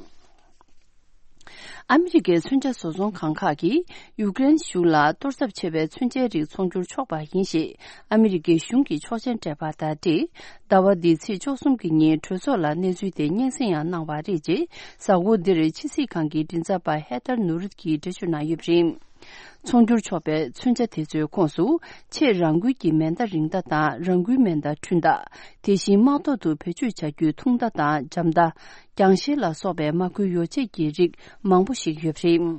ཨ་མི་རི་ཀའི་མཚོན་ཆ་བཟོ་ཚོང་ཁང་ཁག་གིས་ཡུཀ་རེན་གཞུང་ལ་གཏོར་ཚབས་ཆེ་བའི་མཚོན་ཆའི་རིགས་ཚོང་སྒྱུར་ཆོག་པ་ཡིན་ཞེས་ཨ་མི་རི་ཀའི་གཞུང་གིས་ཆོག་མཆན་སྤྲད་པ་དང་འབྲེལ། ཟླ་བ་འདིའི་ཚེས་བཅུ་གསུམ་གྱི་ཉིན་གྲོས་ཚོགས་ལ་གནས་ཚུལ་དེ་སྙན་སེང་ཡང་གནང་བ་རེད། ཅེས་གཟའ་འཁོར་འདིར་ཕྱི་སྲིད་ཁང་གི་མགྲིན་ཚབ་པ་ཧེ་ཐར་ནུ་རུད་ཀྱིས་འགྲེལ་བརྗོད་གནང་ཡོད་པ་རེད། ཚོང་སྒྱུར་ཆོག་པའི་མཚོན་ཆ་དེ་ཚོའི་ཁོངས་སུ། ཆེས་རང་འགུལ་གྱི་མེ་མདའ་རིང་མདའ་དང་རང་འགུལ་མེ་མདའ་འཕྲུལ་མདའ། དེ་བཞིན་དམག་ཐོག་ཏུ་བེད་སྤྱོད་བྱ་རྒྱུའི་ཐུང་མདའ་དང་འཇམ་མདའ། རྒྱང་ཤེལ་ལ་སོགས་པའི་དམག་ཁུལ་ཡོ་བྱད་ཀྱི་རིགས་མང་པོ་ཞིག་ཡོད་པ་རེད།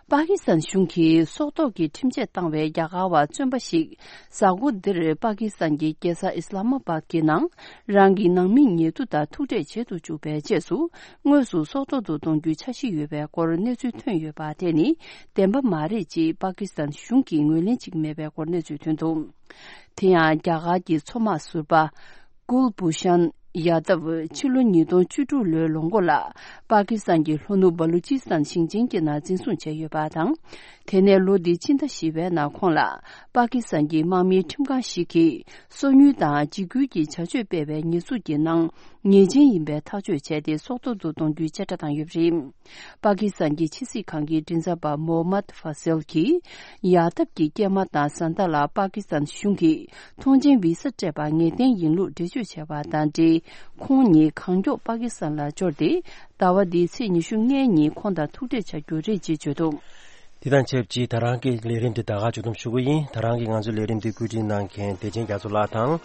པ་ཀི་སི་ཐན་གཞུང་གིས་སྲོག་ཐོག་གི་ཁྲིམས་ཆད་བཏང་བའི་རྒྱ་གར་བ་བཙོན་པ་ཞིག་གཟའ་འཁོར་འདིར་པ་ཀི་སི་ཐན་གྱི་རྒྱལ་ས་ཨི་སི་ལ་མ་པཱད་ཀྱི་ནང་རང་གི་ནང་མིའི་ཉེ་དུ་དང་ཐུག་འཕྲད་བྱེད་དུ་བཅུག་པའི་རྗེས་སུ། དངོས་སུ་སྲོག་ཐོག་ཏུ་གཏོང་རྒྱུའི་འཆར་གཞི་ཡོད་པའི་སྐོར་གནས་ཚུལ་ཐོན་ཡོད་པ་དེ་ནི་བདེན་པ་མ་རེད་ཅེས་པ་ཀི་སི་ཐན་གཞུང་གིས་ངོས་ལེན་བྱེད་ཀྱི་མེད་པའི་སྐོར་གནས་ཚུལ་ཐོན་འདུག་དེ་ཡང་རྒྱ་གར་གྱི་མཚོ་དམག་ཟུར་པ་ཀུལ་བྷུ་ཤན་ཡ་དབ་ཕྱི་ལོ་ཉིས་སྟོང་བཅུ་དྲུག་ལོའི་ལོ་མགོ་ལ་པ་ཀི་སི་ཐན་གྱི་ལྷོ་ནུབ་བ་ལུ་ཅི་སི་ཐན་ཞིང་ཆེན་གྱི་ནང་འཛིན་བཟུང་བྱས་ཡོད་པ་དང་། དེ་ནས་ལོ་འདིའི་ཕྱི་ཟླ་བཞི་པའི་ནང་ཁོང་ལ་པ་ཀི་སི་ཐན་གྱི་དམག་མིའི་ཁྲིམས་ཁང་ཞིག་གིས་སོ་ཉུལ་དང་འཇིགས་སྐུལ་གྱི་བྱ་སྤྱོད་སྤེལ་བའི་ཉེས་འཛུགས་ཀྱི་ནང་ཉེས་ཅན་ཡིན་པའི་ཐག་གཅོད་བྱས་ཏེ་སྲོག་ཐོག་ཏུ་གཏོང་རྒྱུའི་བཅད་ཁྲ་བཏང་ཡོད་པ་རེད། པ་ཀི་སི་ཐན་གྱི་ཕྱི་སྲིད་ཁང་གི་མགྲིན་ཚབ་པ་མོ་མད་ཧྥ་སེལ་གྱིས་ཡག་ཐབས་ཀྱི་སྐྱེལ་མ་དང་བཟའ་ཟླ་ལ་པ་ཀི་སི་ཐན་གཞུང་གིས་ཐོངས་མཆན་བི་ས་སྤྲད་པ་ངེས་གཏན་ཡིན་ལུགས་འགྲེལ་བརྗོད་བྱས་པ་དང་འབྲེལ། ཁོང་ཉིད་གང་མགྱོགས་པ་ཀི་སི་ཐན་ལ་འབྱོར་ཏེ། ཟླ་བ་འདིའི་ཚེས་ཉི་ཤུ་ལྔའི་ཉིན་ཁོང་དང་ཐུག་འཕྲད་བྱ་རྒྱུ་རེད་ཅེས་བརྗོད་འདུག་དེ་དང་ཆབས་ཅིག་ད་རང་གི་ལས་རིམ་འདི་ད་ག་མཇུག་བསྡོམས་ཞུ་གི་ཡིན། ད་རང་གི་ང་ཚོའི་ལས་རིམ་འདི་བཀོད་སྒྲིག་གནང་མཁན་བདེ་ཆེན་རྒྱ་མཚོ་ལགས་དང་།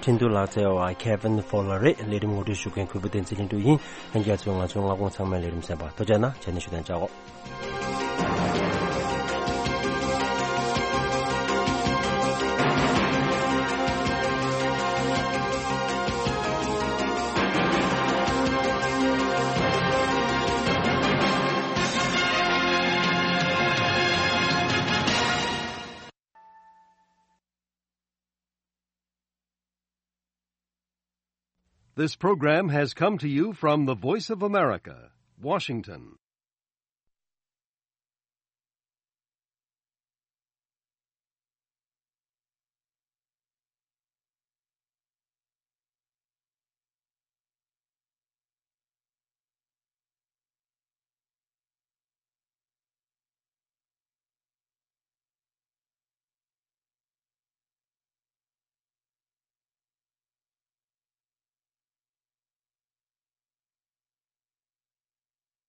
འཕྲིན་གཏོང་ལག་རྩལ་བ་Kevin Fowler་རེད། ལས་རིམ་ངོ་སྤྲོད་ཞུ་མཁན་གུས་པ་བསྟན་འཛིན་ལྷུན་གྲུབ་ཡིན། ལྷན་རྒྱས་ཚོས་ང་ཚོའི་མངའ་ཁོངས་ཚང་མའི་ལས་རིམ་གསན་པར་ཐུགས་རྗེ་གནང་། ཇ་ནི་ཞུ་དན་ཅག་གོ། This program has come to you from the Voice of America, Washington.